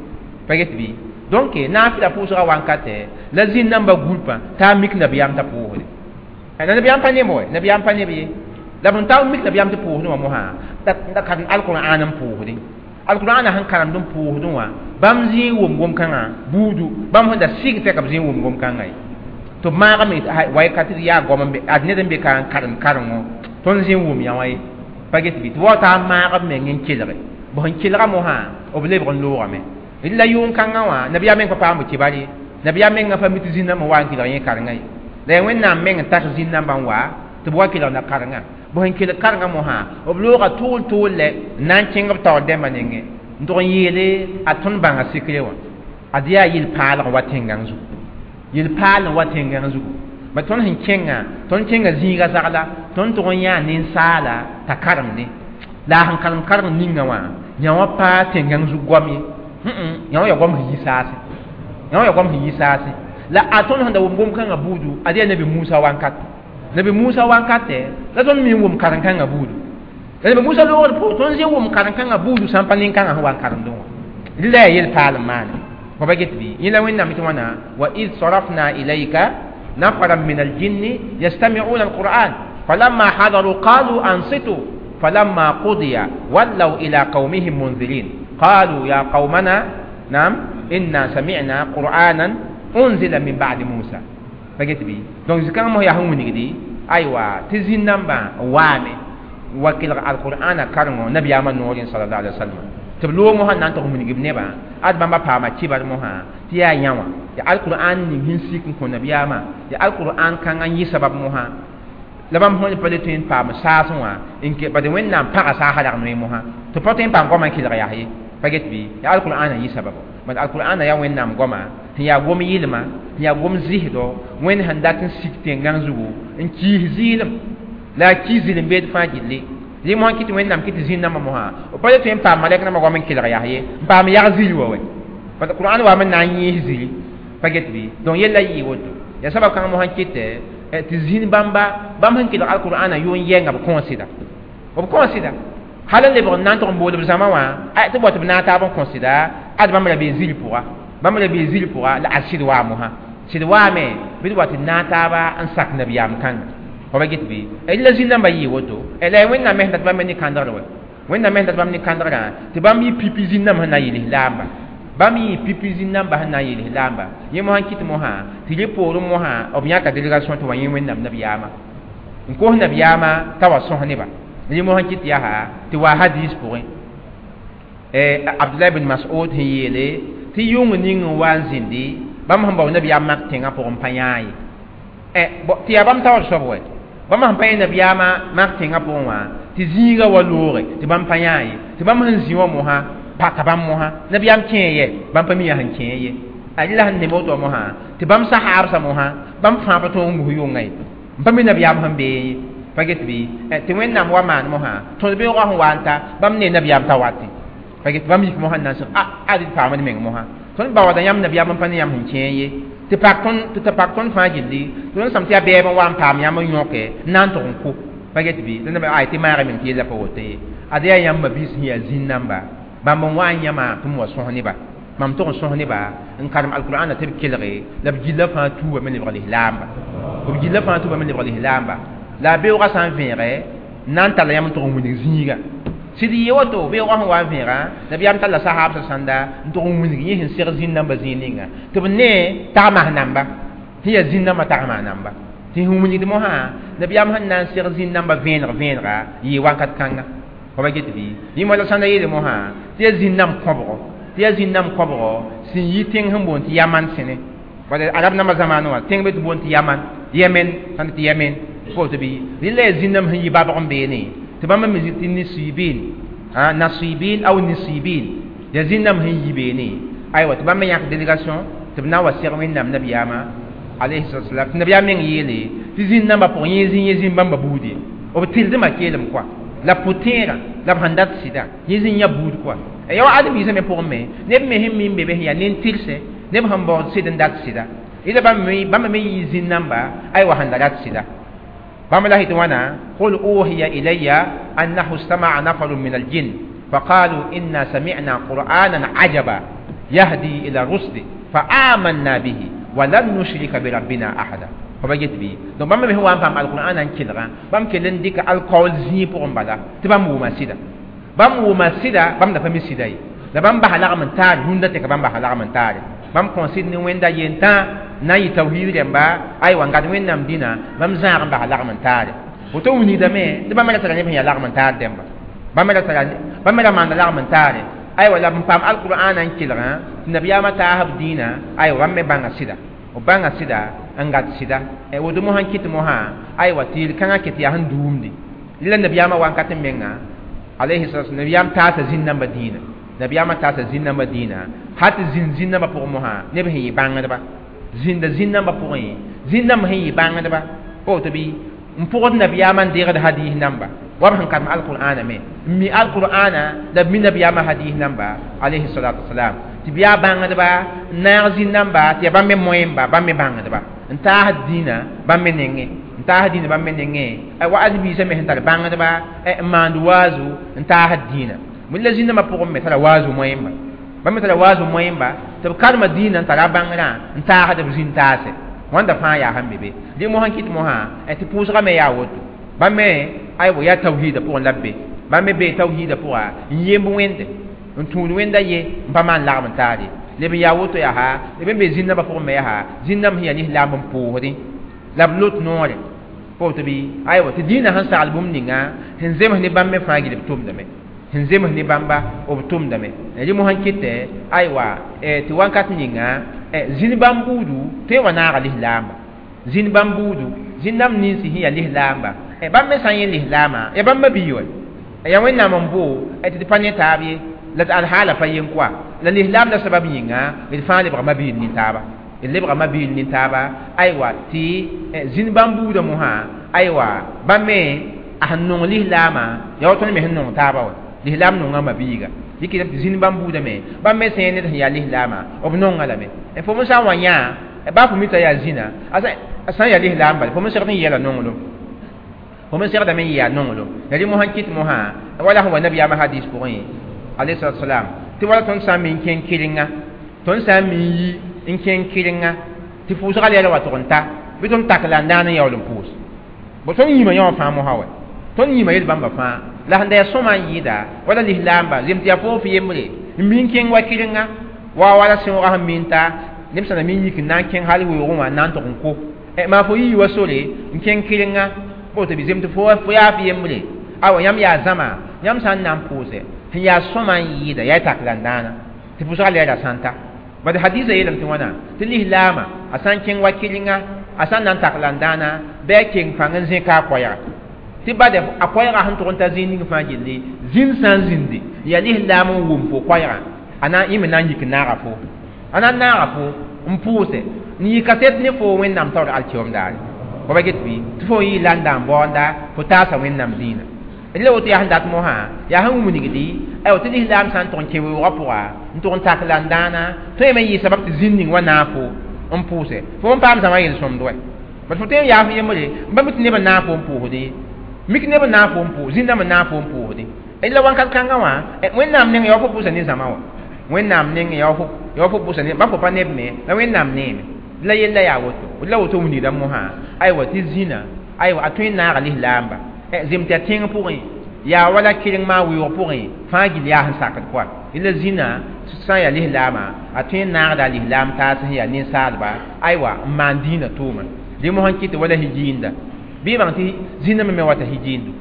pa get bɩ donc naafɩla pʋʋsgã wankatɛ la zĩn-nambã gũlpã t'a mik nabiyaam t'a pʋʋsde la nabiyaam pa neb wɛ nabiyaam pa neb ye la b n ta mik nabiyaam tɩ pʋʋsdẽ wã mosã da karem alqur'an n pʋʋsdẽ alqur'ana sẽn karemd n pʋʋsdẽ wã bãmb zĩig wʋm gom-kãngã buudu bãmb sẽn da sɩg tɛka b zĩig wʋm gom-kãngã ye tɩ b maagame way ka tɩ yaa goam n be ad ned n be ka n karem karengo tõnd zĩig wʋm yã wã ye pa get bɩ tɩ wa t'a maag b meng n kelge b sẽn kelga mosã b lebg n loogame la yʋng-kãngã wã nabiyaam meng pa paam b kibar ye nabiyaam mengã pa mi tɩ zĩn-nambã wa n kelg yẽ karengã ye la yaa Wẽnnaam meng n tas zĩn-nambã n wa tɩ b wa kelgda karengã b sẽn kelg karengã mosã b looga tʋʋl tʋʋl lɛ n na n kẽng b taoor dẽmbã nengẽ n tʋg n yeele a tõnd bãnga sikre wã Ad yaa yel-paalg wa tẽngã zugu, yel-paal n wa tẽngã zugu. Ba tõnd sẽn kẽngã, tõnd kẽnga zĩiga zagla, tõnd tʋg n yãa ninsaala t'a karemde la a sẽn karem karem ninga wã yã wã pa tẽngã zug goam ye. Yã wã yaa goam sẽn yi saase, yã wã yaa goam sẽn yi saase. La a tõnd sẽn da wʋm gom-kãngã buudu, ad yaa Nabi Musa wankat, Nabi Musa wankatɛ la tõnd me n wʋm karen-kãngã buudu. La Nabi Musa loogd pʋgẽ tõnd zĩ wʋm karen-kãngã buudu sã n pa nin-kãngã sẽn wa n karemdẽ wã. Rɩla yaa yel-paal n maane fo pa get bɩ? Yẽ la Wẽnnaam tɩ wãna: wa id sarafna ilayka نفرا من الجن يستمعون القرآن فلما حضروا قالوا أنصتوا فلما قضي ولوا إلى قومهم منذرين قالوا يا قومنا نعم إنا سمعنا قرآنا أنزل من بعد موسى. فقلت بي donc zikãng mos yaa sẽn wilgdi aywa tɩ zĩn-nambã waame wa kelg alqur'ana karengo nabiyaamã noorẽ sallallahu alaihi wasallam tɩ b loog mosã na n tʋg n wilg b nebã ad bãmba paama kɩbar mosã tɩ yaa yã wã ya alqur'an ning sẽn sik n kõ nabiyaamã ya alqur'an kãngã n yɩ sabab mosã la bãmb sẽn pa le tõe n paam saasẽ wã n ke bad Wẽnnaam pagã saasã rag noe mosã tɩ pa tõe n paam goamã n kelg yaa ye. Pa get bɩ? Ya alqur'an n yɩ sababo. Bad alqur'an yaa Wẽnnaam goama sẽn yaa gom yɩlma, sẽn yaa gom zɩsdɔ Wẽnd sẽn dat n sik tẽngã zugu n kiis zɩɩlem la a kiis zɩlem beed fãa gilli. Rẽ mosã kɩ tɩ Wẽnnaam kɩ tɩ zĩn-nambã mosã b pa le tõe n paam malɛk nambã goam n kelg yaa ye n paam yag zĩri wa wɛ parce que Qur'an wa me na n yẽes zĩri. Pa get bɩ? Donc yella yɩɩ woto yaa sabab kãng mosã kɩtɛ tɩ zĩn bãmba bãmb sẽn kelg alqur'ana yʋn yɛnga b kõosɩda, b kõosɩda hal n lebg n na n tʋg n bool b zãma wã tɩ b wa tɩ b naag taab n kõsɩda ad bãmb ra bee zĩri pʋga, bãmb ra bee zĩri pʋga la ad sɩd waa mosã sɩd waame bɩ d wa tɩ naag taaba n sak nabiyaam kãnga. Fa ba get bɩ? La zĩn-nambã yɩɩ woto la Wẽnnaam me sẽn dat bãmb ne kãndgr wɛ, Wẽnnaam me sẽn dat bãmb ne kãndgrã tɩ bãmb yɩ pipi zĩn-nambã sẽn na n yel lislaamba, bãmb yɩ pipi zĩn-nambã sẽn na n yel lislaamba. Yẽ mosã kɩt mosã tɩ rẽ poorẽ mosã b yãka délégation tɩ wa yẽ Wẽnnaam nabiyaamã n kos nabiyaamã t'a wa sõs neba. Rẽ mosã kɩt yaa tɩ wa hadis pʋgẽ Abdullah bin Mas'ud sẽn yeele tɩ yʋng ning n wa n zĩndi bãmb sẽn bao nabiyaam mak tẽngã pʋgẽ pa yãa ye tɩ yaa bãmb taoor soab wɛ bãmb sẽn pa yẽ nabiyaamã mak tẽngã pʋgẽ wã tɩ zĩiga wa looge tɩ bãmb pa yãa ye tɩ bãmb sẽn zĩ wã mosã paka bãmb mosã nabiyaam kẽe yɛ bãmb pa mi yaa sẽn kẽe ye a rɩla sẽn neb woto mosã tɩ bãmb sahaabsã mosã bãmb fãa pa tõog n gus yʋnga ye n pa mi nabiyaam sẽn bee ye. Pa get bɩ? Tɩ Wẽnnaam wa maan mosã tõd beoogã sẽn wa n ta bãmb ne nabiyaam t'a watẽ. Pa get? Bãmb yik mosã n na n sẽg a ad d paamd meng mosã tõnd baooda yãmb nabiyaam n pa ne yãmb sẽn kẽe ye tɩ pak tõnd tɩ pak tõnd fãa gilli tõnd sãm tɩ yaa bɛɛb n wa n paam yãmb n yõke n na n tʋg n kʋ. Pa get bɩ? Ay tɩ maagã meng tɩ yella pa woto ye. Ad yaa yãmb mabiis sẽn yaa zĩn-namba bãmb n wa n yãma tɩ m wa sõs neba mam tʋg n sõs neba n karem alqur'ana tɩ b kelge la b gilla fãa tuubame lebg lislaamba, b gilla fãa tuubame lebg lislaamba. La a beoogã sã n vẽege n na n talla yãmb n tʋg n wilg zĩiga sɩd yɩ woto beoogã sẽn wa n vẽega nabiyaam talla sahaabsã sãnda n tʋg n wilg yẽ sẽn seg zĩn-nambã zĩig ninga tɩ b ne tagmas namba sẽn yaa zĩn-nambã tagmas namba tɩ sẽn wilgd mosã nabiyaam sẽn na n seg zĩn-nambã vẽeneg vẽenega yɩɩ wakat kãnga. Fa ba get bɩ? Yẽ la sãnda yeele mosã tɩ yaa zĩn-namb kõbgo, tɩ yaa zĩn-namb kõbgo sẽn yi tẽng sẽn boond tɩ Yaman sẽne wala arab nambã zamaanẽ wã tẽng be tɩ boond tɩ Yaman, Yemen sãn tɩ Yemen fo tɩ bɩ rɩla yaa zĩn-namb sẽn yi babg n beene tɩ bãmb me tɩ nisibin nasibin aw nisibin yaa zĩn-namb sẽn yi beene aywa tɩ bãmb me yãk délégation tɩ b na n wa seg Wẽnnaam nabiyaamã alayhi salatu wasalam tɩ nabiyaam meng yeele tɩ zĩn-nambã pʋgẽ yẽ zĩ yẽ zĩ bãmba buud ye b tɩldmã keelem koa la pʋ-tẽerã la b sẽn dat sɩda yẽ zĩ yã buud koa ya wa ãdem-biisã me pʋgẽ me neb me sẽn min be be sẽn yaa nin-tɩrse neb sẽn baood sɩd n dat sɩda ila bãmb me yɩ zĩn-namba aywa sẽn da rat sɩda bãmb la tɩ wãna qul uhiya ilayya annahu istama'a nafarun min aljin فقالوا إنا سمعنا قرآنا عجبا يهدي إلى الرشد فآمنا به ولن نشرك بربنا أحدا. Fa get bɩ? Donc bãmb me sẽn wa n paam alqur'ana n kelgã bãmb kell n dɩka alkaool zĩig pʋgẽ bala tɩ bãmb wʋma sɩda, bãmb wʋma sɩda bãmb da pa mi sɩda ye la bãmb basa lagm n taar rũndã tɩ ka bãmb basa lagm n taare bãmb kõn sɩd ne Wẽnda yentã na n yɩ tawhiid rẽmba aywa n gad Wẽnnaam dĩnã bãmb zãag n basa lagm n taare woto wilgdame tɩ bãmb ra tara neb sẽn yaa lagm n taar dẽmba bãmb ra tara bãmb ra maanda lagm n taare aywa la b paam alqur'ana n kelgã tɩ nabiyaamã taasb dĩinã aywa bãmb me bãnga sɩda b bãnga sɩda n gad sɩda woto mosã n kɩt mosã aywa tɩ yel-kãngã ket yaa sẽn duumde la nabiyaamã wankat n menga alayhi salatu nabiyaam taasa zĩn-nambã dĩinã. Nabiyaamã taasa zĩn-dãmbã dĩinã hal tɩ zĩnd zĩn-dãmbã pʋgẽ mosã neb sẽn yɩ bãngdba zĩnda zĩn-dãmbã pʋgẽ zĩn-dãmb sẽn yɩ bãngdba pa woto bɩ n pʋgd nabiyaamã n deegd hadis namba wa b sẽn karem alqur'ana me n mi alqur'ana la b mi nabiyaamã hadis namba alayhi salatu wasalam tɩ b yaa bãngdba n naag zĩn-dãmba tɩ yaa bãmb me moẽmba bãmb me bãngdba n taasd dĩinã bãmb me nengẽ n taasd dĩinã bãmb me nengẽ wa ãdem-biisã me sẽn tar bãngdba n maand waazu n taasd dĩinã la zĩn-dãmbã pʋgẽ me tara waazu moẽmba bãmb me tara waazu moẽmba tɩ b karema dĩinã n tara a bãngrã n taasd b zĩn taase wãnda fãa yaa sẽn be be dẽ mosã kɩt mosã tɩ pʋʋsgã me yaa woto bãmb me aywa yaa tawhiida pʋgẽ la b be bãmb me bee tawhiida pʋga n yemb wẽnde n tũud wẽnda ye n pa maan lagm n taar ye leb n yaa woto yaa leb n be zĩn-dãmbã pʋgẽ me yaa zĩn-dãmb sẽn yaa lislaam n pʋʋsdẽ la b lot noore pa woto bɩ aywa tɩ dĩinã sẽn sagl bũmb ninga sẽn zems ne bãmb me fãa gil b tʋmdame sẽn zems ne bãmba b tʋmdame rẽ mosã n kɩtɛ aywa tɩ wãnkat ninga zĩn bãmb buudu tõe n wa naaga lislaamba zĩn bãmb buudu zĩn-dãmb ninsi sẽn yaa lislaamba bãmb me sã n yẽ lislaamã ya bãmb ma-bii wa ya wẽnnaam n boo tɩ d pa ne taab ye la tɩ alhaala pa yen koa la lislaam la sabab yĩnga d fãa lebga ma-biil nin-taaba d lebga ma-biil nin-taaba aywa tɩ zĩn bãmb buudã mosã aywa bãmb me a sẽn nong lislaamã yaa wa tõnd me sẽn nong taaba wa lislaam nonga ma-biiga dɩk tɩ zĩn bãmb buudã me bãmb me sẽen ned sẽn yaa lislaamã b nonga lame fo me sã n wa yã baa fo mi t'a yaa zĩna a sã n yaa lislaam bala fo me segd n yɛla nonglem fo me segdame n yɩ yaa nonglem la rẽ mosã n kɩt mosã wala sẽn wa nabiyaamã hadis pʋgẽ alayhi salatu wasalam tɩ wala tõnd sã n mi n kẽng kɩrenga tõnd sã n mi n yi n kẽng kɩrenga tɩ pʋʋsga lɛɛla wa tʋg n ta bɩ tõnd tak la n daan n yaool n pʋʋs bo tõnd yĩmã yã wã fãa mosã wa tõnd yĩmã yel bãmba fãa la sẽn da yaa sõma n yɩɩda wala lislaamba zem tɩ yaa foo f yembre n mi n kẽng wa kɩrenga wa wala sẽoogã sẽn mi n ta neb sã na mi n yik n na n kẽng hal weoogẽ wã n na n tʋg n ko maa fo yii wa sore n kẽng kɩrenga woto bɩ zem tɩ fo yaa f yembre awa yãmb yaa zãma yãmb sã n na n pʋʋse sẽn yaa sõma n yɩɩda yaa y tak la n dãana tɩ pʋʋsgã lɛɛra sã n ta bad hadisa yeelame tɩ wãna tɩ lislaamã a sã n kẽng wa kɩrenga a sã n na n tak la n dãana bɩ a keng pãng n zẽka a koɛɛga tɩ bad a koɛɛgã sẽn tʋg n ta zĩig ning fãa gilli zĩnd sã n zĩndi yaa lislaam n wʋm fo koɛɛgã a na yẽ me na n yik n naaga fo a na n naaga fo n pʋʋse n yɩ kaset ne fo wẽnnaam taoor alkiom daare fo ba get bɩ tɩ fo yɩ la n da n baoonda fo taasa wẽnnaam dĩinã la woto yaa sẽn dat mosã yaa sẽn wilgdi aywa tɩ lislaam sã n tʋg n kẽ weoogã pʋga n tʋg n tak la n dãana tõe me n yɩ sabab tɩ zĩnd ning wa naag fo n pʋʋse fo n paam zãma yel-sõmd wɛ bad fo tõe n yaa f yembre n ba mi tɩ neb n naag fo n pʋʋsde mik neb n naag fo n pʋʋs zĩn-dãmb n naag fo n pʋʋsde la wãnkat kãngã wã wẽnnaam neng yaa wa fo pʋʋsa ne zãma wã wẽnnaam neng yaa wa fo pʋʋsa ne ba fo pa neb me la wẽnnaam neeme la yella yaa woto la woto wilgda mosã aywa tɩ zĩna aywa a tõe n naaga lislaamba zem tɩ yaa tẽng pʋgẽ yaa wala kɩreng maa weoog pʋgẽ fãa gill yaa sẽn sakd pʋa la zĩna sã n yaa lislaamã a tõe n naagda a lislaam taas sẽn yaa ninsaalba aywa n maan dĩinã tʋʋma dẽ mosã n kɩtɩ wala hijiinda bɩ bãng tɩ zĩnã me wata hijiindu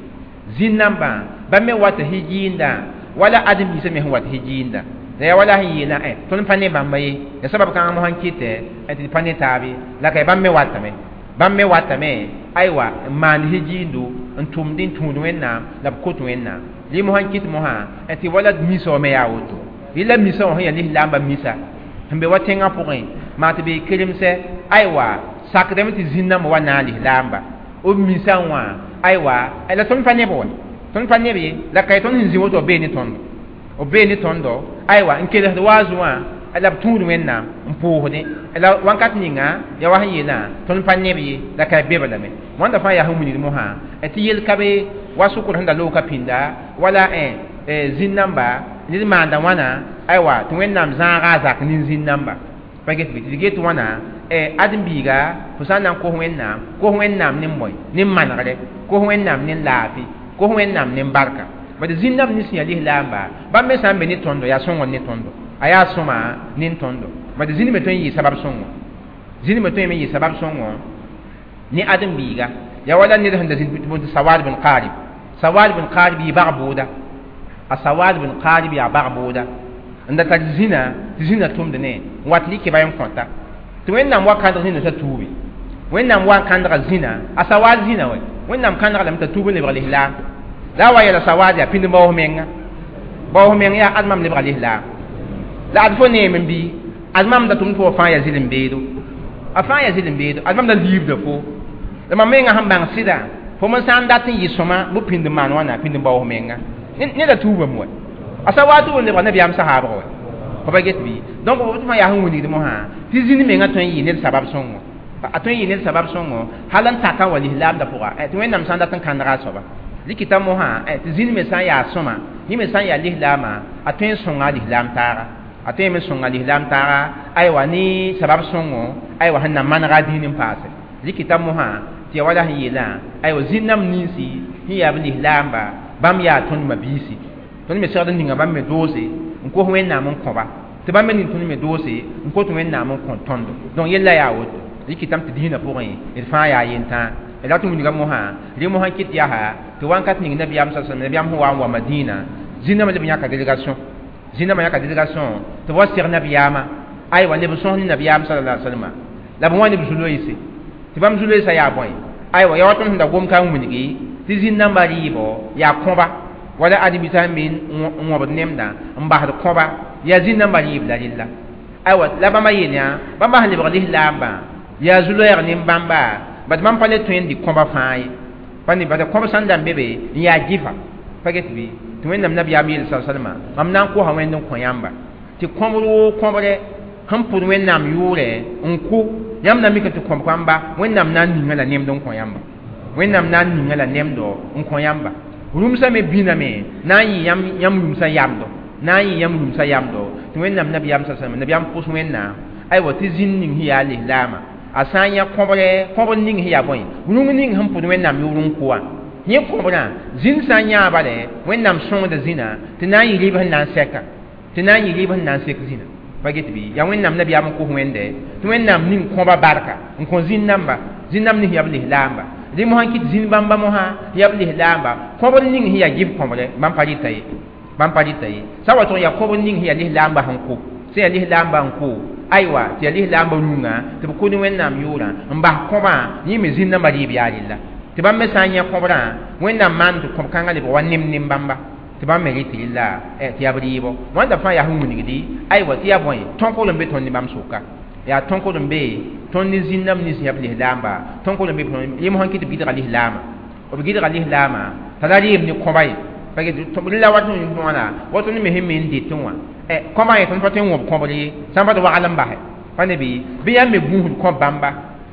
zĩn-dãmbã bãmb me wata hijiinda wala ãdem-biisã me sẽn wat hijiinda la yaa wala sẽn yeelã tõnd pa ne bãmba ye ya sabab kãngã mosã n kɩtɛ tɩ d pa ne taabe la ka bãmb me watame bãmb me watame aywa n maand hijiindu n tʋmd n tũud wẽnnaam la b kot wẽnnaam rẽ mosã n kɩt mosã tɩ wala misa wã me yaa woto rẽ la misa wã sẽn yaa lislaambã misa sẽn be wa tẽngã pʋgẽ maa tɩ bee keremsɛ aywa sakdame tɩ zĩn-dãmbã wa naag lislaamba b misã wã aywa la tõnd pa neb wa tõnd pa neb ye la ka tõnd sẽn zĩ woto b bee ne tõndo b bee ne tõndo aywa n kelsd waazu wã la b tũud wẽnnaam n pʋʋsdẽ la wãnkat ninga yaa wa sẽn yeelã tõnd pa neb ye la ka be lame wãnda fãa yaa sẽn wilgd mosã tɩ yel ka be wa sʋkr sẽn da loogã pĩnda wala zĩn-dãmba ned maanda wãna aywa tɩ wẽnnaam zãaga a zak nin-zĩn-dãmba pa get bɩ tɩ d get wãna ãdem-biiga fo sã n na n kos wẽnnaam kos wẽnnaam ne moe ne manegre kos wẽnnaam ne laafɩ kos wẽnnaam ne barka bad zĩn-dãmb nins sẽn yaa lislaamba bãmb me sã n be ne tõndo yaa sõngr ne tõndo a yaa sõma ne tõndo bad zĩnd me tõe n yɩ sabab sõngo zĩnd me tõe n yɩ sabab sõngo ne ãdem-biiga yaa wala ned sẽn da zĩnd tɩ Sawad bin Qarib Sawad bin Qarib yɩ bag bʋʋda a Sawad bin Qarib yaa bag bʋʋda n da tar zĩna tɩ zĩna tʋmd ne n wat lɩk ba n kõta tɩ wẽnnaam wa kãndg zĩna t'a tuubi wẽnnaam wa n kãndga zĩna a Sawad zĩna wɛ wẽnnaam kãndga lame t'a tuub n lebg lislaam la a wa yɛla Sawad yaa pĩnd baoos menga Bao meng ya ad mam lebga lislaam la ad fo neem n bi ad mam da tʋmd fo fãa ya zɩlem beedo a fãa ya zɩlem beedo ad mam da liibda fo la mam menga sẽn bãng sɩda fo me sã n dat n yɩ sõma bɩ pĩnd n maan wãna pĩnd n bao f menga neda tuubame wa a sa waa tʋ n lebga nabiyaam sahaabg wa fo pa get bɩ donc tɩ fãa yaa sẽn wilgd mosã tɩ zĩnd menga tõe n yɩ ned sabab sõngo a tõe n yɩ ned sabab sõngo hal n taka n wa lislaamdã pʋga tɩ wẽnnaam sã n dat n kãndga a soaba rɩkɩta mosã tɩ zĩnd me sã n yaa sõma yẽ me sã n yaa lislaamã a tõe n sõnga a lislaam taaga a tõe n me sõnga lislaam taaga aywa ne sabab sõngo aywa sẽn na manega a dĩin n paase rɩkɩta mosã tɩ ya wala sẽn yeelã aywa zĩnd-nam ninsi sẽn yaa b lislaamba bãmb yaa tõnd mabiisi tõnd me segd n ninga bãmb me doose n kos wẽnnaam n kõba tɩ bãmb me ning tõnd me doose n kot wẽnnaam n kõ tõndo donc yella yaa woto rɩkɩtame tɩ dĩinã pʋgẽ d fãa yaa yentãa d rat n wilga mosã rẽ mosã kɩt yaa tɩ wãnkat ning nabiyaam sa sallam nabiyaam sẽn wa n wa madina zĩnãmã leb yãka délégation zĩnãmã yãka délégation tɩ b wa seg nabiyaamã aywa leb n sõs ne nabiyaam sallallahu alaihi wasallam la b wã ne b zu-loeese tɩ bãmb zu-loeesã yaa bõe aywa ya wa tõnd sẽn da gom ka n wilgi tɩ zĩn-nambã rɩɩbɔ yaa kõba wala adibisã me n wõbd nemdã n basd kõba yaa zĩn-nambã rɩɩb la rella aywa la bãmba yeel yã bãmba sẽn lebg lislaambã yaa zu-loɛɛg nin-bãmba bad bãmb pa le tõe n dɩ kõba fãa ye pa ne bad kõb sãn da n be be n yaa gɩfa pa get bɩ tɩ wẽnnaam nabiyaam yeel sa salma mam na n kosa wẽnd n kõ yãmba tɩ kõbr woo kõbre sẽn pʋd wẽnnaam yʋʋrɛ n kʋ yãmb na mik tɩ kõb kãmba wẽnnaam na n ninga la nemd n kõ yãmba wẽnnaam na n ninga la nemdo n kõ yãmba rũmsã me bĩname na n yɩ yãmb rũmsã yamdo na n yɩ yãmb rũmsã yamdo tɩ wẽnnaam nabiyaam sa salma nabiyaam pʋs wẽnnaam aywa tɩ zĩnd ning sẽn yaa lislaamã a sã n yã kõbre kõbr ning sẽn yaa bõe rũng ning sẽn pʋd wẽnnaam yʋʋr n kʋ wã yẽ kõbrã zĩnd sã n yãa bale wẽnnaam sõngda zĩnã tɩ na n yɩ rɩɩb sẽn na n sɛka tɩ na n yɩ rɩɩb sẽn na n sek zĩnã pa get bɩ yaa wẽnnaam nabiyaam n kos wẽnde tɩ wẽnnaam ning kõba barka n kõ zĩnd-namba zĩnd-namb ning yaa b lislaamba rẽ mosã kɩt zĩnd bãmba mosã yaa b lislaamba kõbr ning sẽn yaa gɩf kõbre bãmb pa rɩta ye bãmb pa rɩta ye sã wa tʋg yaa kõbr ning sẽn yaa lislaamba sẽn kʋ sẽn yaa lislaamba n kʋ aywa tɩ yaa lislaamba rũngã tɩ b kʋd wẽnnaam yʋʋrã n bas kõbã yẽ me zĩnd-nambã rɩɩb yaa rella tɩ bãmb me sã n yã kõbrã wẽnnaam maan tɩ kõb kãngã lebg wa nem nem bãmba tɩ bãmb me rɩt rella tɩ yaa b rɩɩbɔ wãnda fãa yaa sẽn wilgdi aywa tɩ yaa bõe tõkr n be tõnd ne bãmb sʋka yaa tõkr n be tõnd ne zĩnd-nãmb nins yaa b lislaamba tõkr n be yẽ mosã kɩ tɩ b gɩdga lislaamã b gɩdga lislaamã t'a la rɩɩb ne kõba ye la wat wãna wa tõnd me sẽn me n dɩtẽ wã kõbã ye tõnd pa tõe n wõb kõbr ye sã n pa tɩ wagl n basɛ pa ne bɩ bɩ yãmb me gũusd kõb bãmba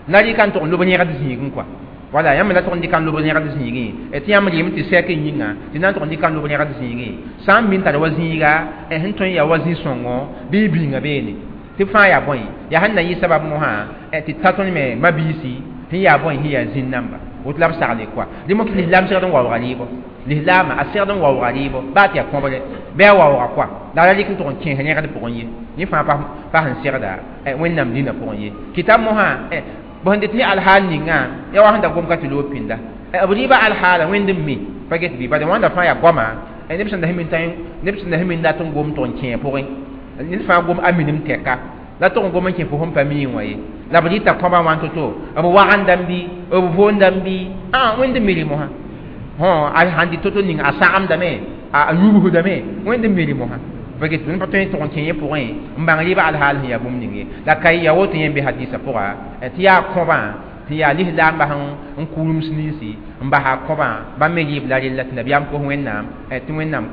la rɩka n tʋg n lob yẽgd zĩigẽ kɔa wala yãmb la tʋg n dɩka n lob yẽgd zĩigẽ tɩ yãmb rɩɩm tɩ sɛk yĩnga tɩ na n tʋg n dɩka n lob yẽgd zĩigẽ sã n min tar wa zĩiga sẽn tõe n yaa wa zĩ-sõngo bɩ y bĩnga beene tɩ fãa yaa bõe yaa sẽn na yɩ sabab mosã tɩ ta tõnd me mabiisi sẽn yaa bõe sẽn yaa zĩn-namba woto la b sagle kɔa dẽ mo lislaam segd n waooga rɩɩbɔ lislaamã a segd n waooga rɩɩbɔ baa tɩ yaa kõbre bɩ a waooga kɔa la ra rɩk n tʋg n kẽes rẽgd pʋgẽ ye yẽ fãa pa sẽn segda wẽnnaam dĩnã pʋgẽ ye kɩta mosã b sẽn dɩt ne alhaal ninga ya wa sẽn da gom ka tɩ loog pĩnda b rɩɩbã alhaala wẽnd n mi pa get bɩ bala wãnda fãa yaa goama neb sẽn da neb sẽn da sẽn min dat n gom tʋg n kẽe pʋgẽ ned fãa gom a minim tɛka la tʋg n gom n kẽ fo sẽn pa mii wã ye la b rɩta kõbã wã to-to b wagendame bɩ b voondame bɩ a wẽnd n mi rɩ mosã a sãn dɩ to-to ning a sagemdame a yubsdame wẽnd n mi rɩ mosã pa get tõnd pa tõe n tʋg n kẽ yẽ pʋgẽ n bãng rɩɩbã alhaal sẽn yaa bũmb ning ye la ka ya woto yẽ n be hadisã pʋga tɩ yaa kõbã tɩ yaa lislaambã sẽn n kʋ rũms ninsi n basa kõbã bãmb me rɩɩb la rella tɩ nabiyaam kos wẽnnaam tɩ wẽnnaam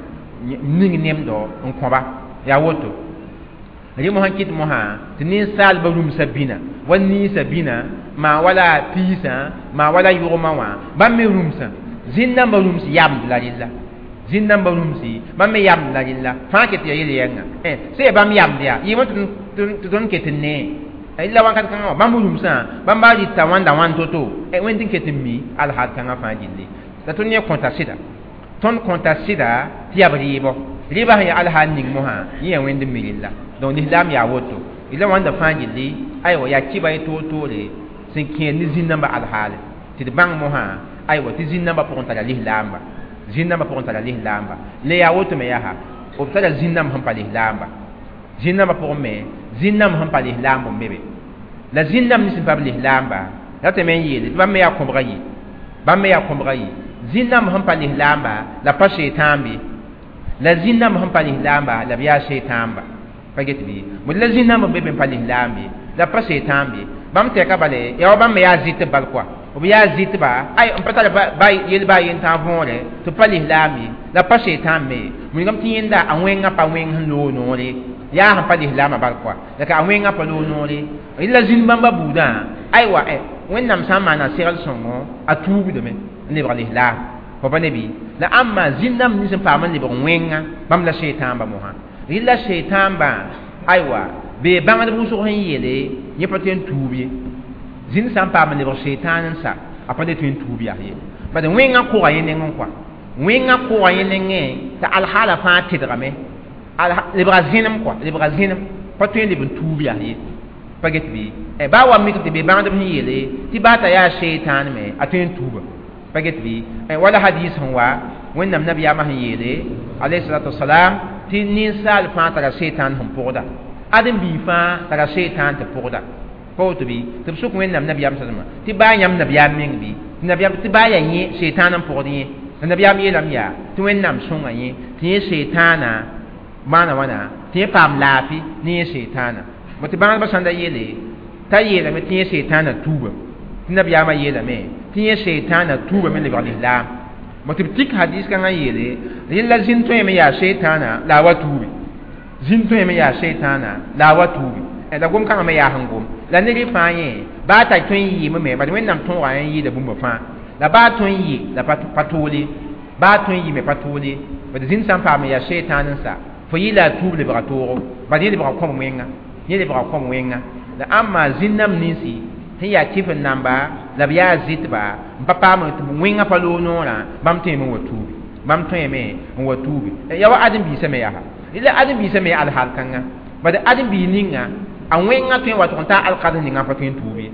ning nemdo n kõba yaa woto rẽ mosã kɩt mosã tɩ ninsaalbã rũmsã bĩna wa ninsã bĩna maa wala piisã maa wala yʋgmã wã bãmb me rũmsã zĩn-nambã rũms yamd la rella zĩn-nambã rũmsi bãmb me yamd la rella fãa ket yaa yel yɛnga sẽn yaa bãmb yamd yaa yɩɩmẽ tɩ tõnd ket n nee la wãnkat kãngã wã bãmb rũmsã bãmb baa rɩta wãnda wãn to-to wẽnd n ket n mi alhaal kãngã fãa gilli la tõnd yẽ kõta sɩda tõnd kõta sɩda tɩ yaa b rɩɩbɔ rɩɩbã sẽn yaa alhaal ning mosã yẽ yaa wẽnd n mi rella donc lislaam yaa woto la wãnda fãa gilli aywa yaa kɩba ye toor-toore sẽn kẽer ne zĩn-nambã alhaale tɩ d bãng mosã aywa tɩ zĩn-nambã pʋgẽ tara lislaamba zĩn-nambã pʋgẽ tara lislaamba le yaa woto me yaa b tara zĩn-nãmb sẽn pa lislaamba zĩn-nambã pʋgẽ me zĩn-nãmb sẽn pa lislaamb n be be la zĩn-nãmb nins sẽn pa b lislaamba ratame n yeele tɩ bãmb me yaa kõbga yi bãmb me yaa kõbga yi zĩn-nãmb sẽn pa lislaamba la pa seetãambe La zĩn-dãmb sẽn pa lislaamba la b yaa seetãamba pa get bɩ bõe la zĩn-dãmb n be be n pa lislaam ye la pa seetãam ye bãmb tɛka bale yaa wa bãmb me yaa zɩtb bal kɔa b yaa zɩtba ay n pa tar ba yel baa yen tãag võore tɩ pa lislaam ye la pa seetãam me wilgame tɩ yẽnda a wẽngã pa wẽng sẽn loog noore yaa sẽn pa lislaamã bal kɔa la ka a wẽngã pa loog noore la zĩn bãmba buudã aywa wẽnnaam sã n maana segl sõngo a tuubdame n lebg lislaam fo pa ne bɩ la ãmba zĩn-dãmb nins n paam n lebg wẽnga bãmb la seetãamba mosã rɩla seetãambã aywa bee bãngdb wʋsg sẽn yeele yẽ pa tõe n tuub ye zĩnd sã n paam n lebg seetãan n sa a pa le tõe n tuub yaa ye bad wẽngã kʋga yẽ nengẽ kɔa wẽngã kʋga yẽ nengẽ t'a alhaala fãa tedgame lebga zẽnem kɔa lebga zẽnem pa tõe n leb n tuub yaa ye pa get bɩ baa wa mik tɩ be bãngdb sẽn yeele tɩ baa t'a yaa seetãan me a tõe n tuuba pa get bɩ wala hadis sẽn wa wẽnnaam nabiyaamã sẽn yeele alayhi salatu wasalam tɩ ninsaal fãa tara seetãan sẽn pʋgda ãdem-biig fãa tara seetãan tɩ pʋgda pa woto bɩ tɩ b sʋk wẽnnaam nabiyaam salma tɩ baa yãmb nabiyaam meng bɩ tɩ nabiyaam tɩ baa yaa yẽ seetãan n pʋgd yẽ la nabiyaam yeelame yaa tɩ wẽnnaam sõnga yẽ tɩ yẽ seetãana maana wãna tɩ yẽ paam laafɩ ne yẽ seetãana bõ tɩ bãngdbã sãn da yeele t'a yeelame tɩ yẽ seetãana tuuba tɩ nabiyaamã yeelame tɩ yẽ seetãana tuuba me lebg lislaam bõ tɩ b tik hadis kãngã yeele rẽla zĩn tõeme yaa seetãana la a wa tuubi zĩn tõeme yaa seetãana la a wa tuubi la gom kãngã me yaa sẽn gom la ned fãa yẽ baa t'a tõe n yɩɩme me bad wẽnnaam tõoga n yɩɩda bũmba fãa la baa tõe n yɩ la pa toole baa tõe n yɩ me pa toole bad zĩnd sã n paam n yaa seetãan n sa fo yɩ la a tuub lebga toogo bad yẽ lebga kõb wẽnga yẽ lebga kõb wẽnga la ãmba zĩn-dãmb ninsi sẽn yaa kɩf n namba la b yaa zɩtba n pa paam tɩ wẽngã pa loog noorã bãmb tõeme n wa tuubi bãmb tõeme n wa tuubi ya wa ãdem-biisã me yaa la ãdem-biisã me alhaal kãnga bad ãdem-biig ninga a wẽngã tõe n wa tʋg n taa alkads ninga pa tõe n tuub ye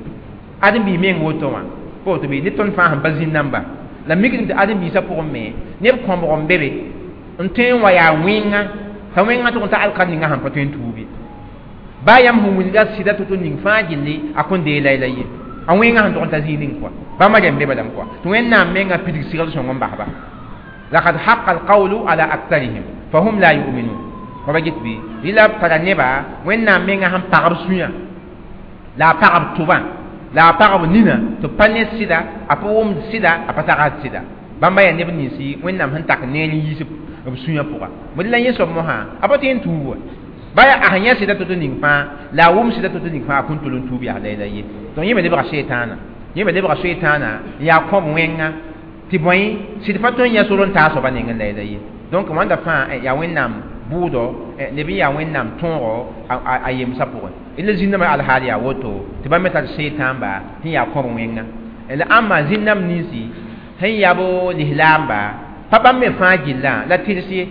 ãdem-biig meng woto wã pa woto bɩ ne tõnd fãa sẽn pa zĩn-dãmba la mikdame tɩ ãdem-biisã pʋgẽ me neb kõbg n be be n tõe n wa yaa wẽnga t'a wẽngã tʋg n ta alkad ninga sẽn pa tõe n tuub ye baa yãmb sẽn wilga sɩda to-to ning fãa gilli a kõn dee layla ye a wẽngã sẽn tʋg n ta zĩig ning kɔa bãmba rẽmb be balame kɔa tɩ wẽnnaam mengã pidig segl sõng n basba laqad haqa alqawlu ala aktharihim fahum la yuminun pa get bɩ rɩla b tara neba wẽnnaam mengã sẽn pagb sũyã la a pagb tʋbã la a pagb nina tɩ b pa ne sɩda a pa wʋmd sɩda a pa tagsd sɩda bãmba yaa neb ninsi wẽnnaam sẽn tak neer n yiis b sũyã pʋga bõe la yẽ soab mosã a pa tõe n tuub wa baa a sẽn yã sɩda to-to ning fãa la a wʋm sɩda to-to ning fãa a kõn tol n tuub yaa layla ye donc yẽ me lebga seetãana yẽ me lebga seetãana n yaa kõb wẽnga tɩ bõe sɩd pa tõe n yã sor n taa soaba nengẽ layla ye donc wãnda fãa yaa wẽnnaam bʋʋdɔ neb n yaa wẽnnaam tõogo a yemsã pʋgẽ la zĩn-dãmbã alhaal yaa woto tɩ bãmb me tar seetãamba sẽn yaa kõb wẽnga la ãmba zĩn-dãmb ninsi sẽn yab lislaamba pa bãmb me fãa gillã la tɩrs ye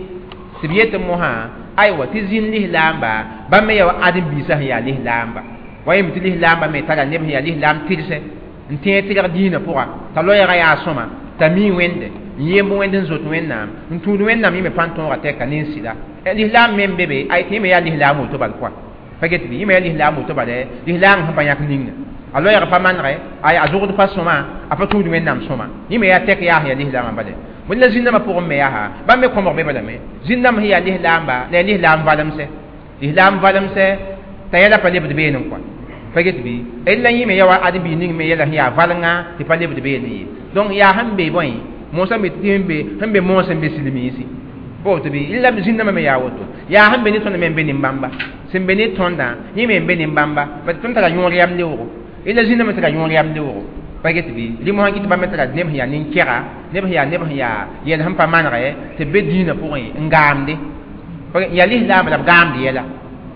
tɩ b yetɩ mosã aywa tɩ zĩn lislaamba bãmb me yaa wa ãdem-biisã sẽn yaa lislaamba wa yem tɩ lislaamba me tara neb sẽn yaa lislaam tɩrse n tẽeg tɩrg diinã pʋga t'a loɛɛgã yaa sõma t'a mii wẽnde n yemb wẽnd n zot wẽnnaam n tũud wẽnnaam yẽ me pa n tõoga tɛka ne n sɩda lislaam me n be be ay tɩ yẽ me yaa lislaam woto bal kɔa pa get bɩ yẽ me yaa lislaam woto bale lislaam sẽn pa yãk ninga a loɛɛg pa manegɛ ay a zʋgd pa sõma a pa tũud wẽnnaam sõma yẽ me yaa tɛk yaa sẽn yaa lislaamã bale bõe la zĩn-dãmbã pʋgẽ me yaa bãmb me kõbg be balame zĩn-dãmb sẽn yaa lislaamba la yaa lislaam valemsɛ lislaam valemsɛ t'a yɛla pa lebd beene kɔa pa get bɩ la yẽ me yaa wa ãdem-biig ning me yɛla sẽn yaa valenga tɩ pa lebd beene ye donc yaa sẽn be bõe mosã me tɩ sẽn be sẽn be moos n be silimiisi pa woto bɩ la zĩn-dãmbã me yaa woto yaa sẽn be ne tõnd me n be nin-bãmba sẽn be ne tõndã yẽ me n be nin-bãmba bat tõnd tara yõor yam leoogo la zĩn-dãmbã tara yõor yam leoogo pa get bɩ rɩ mosã kɩ tɩ bãmb me tara neb sẽn yaa nin-kɛga neb sẽn yaa neb sẽn yaa yɛl sẽn pa manegɛ tɩ b be dĩinã pʋgẽ n gaamde yaa lislaamba la b gaamd yɛla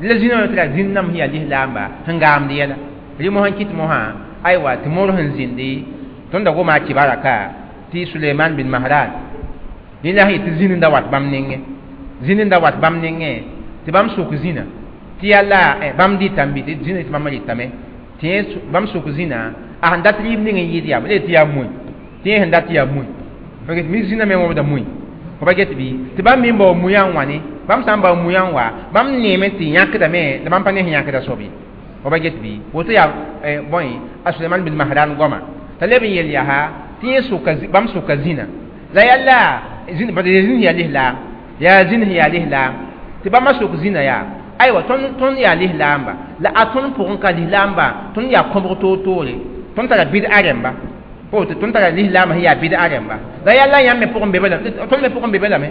la zĩn-dãmbã tara zĩn-dãmb sẽn yaa lislaamba sẽn gaamd yɛla rɩ mosã kɩt mosã aywa tɩ moor sẽn zĩndi tõnd da goma a kɩbaraka tɩ Suleiman bin Mahran yẽ la sẽn tɩ zĩn n da wat bãmb nengẽ zĩn n da wat bãmb nengẽ tɩ bãmb sʋk zĩna tɩ yaa la bãmb dɩtame bɩ tɩ zĩna tɩ bãmb rɩtame tɩ yẽ bãmb sʋk zĩna a sẽn dat rɩɩb ning n yɩɩd yaa b tɩ yaa moe tɩ yẽ sẽn dat yaa moe mi zĩna me wõbda moe fo pa get bɩ tɩ bãmb me n bao muyã n wãne bãmb sã n bao muyã n wa bãmb neeme tɩ yãkdame la bãmb pa ne sẽn yãkda soab ye fo pa get bɩ woto yaa bõe a Suleiman bin Mahran goama t'a leb n yel yaa tɩ yẽ sʋka bãmb sʋka zĩna la yaa la zĩn yaa lislaam Yaa zĩn sẽn yaa lislaam tɩ bãmba sok zĩnã yaa aywa tõnd tõnd yaa lislaamba la a tõnd pʋgẽ ka lislaamba tõnd yaa kõbg toor-toore tõnd tara bɩd-a rẽmba pa woto tõnd tara lislaambã sẽn yaa bɩd-a rẽmba la yaa la yãmb me pʋgẽ be balame tõnd me pʋgẽ be balame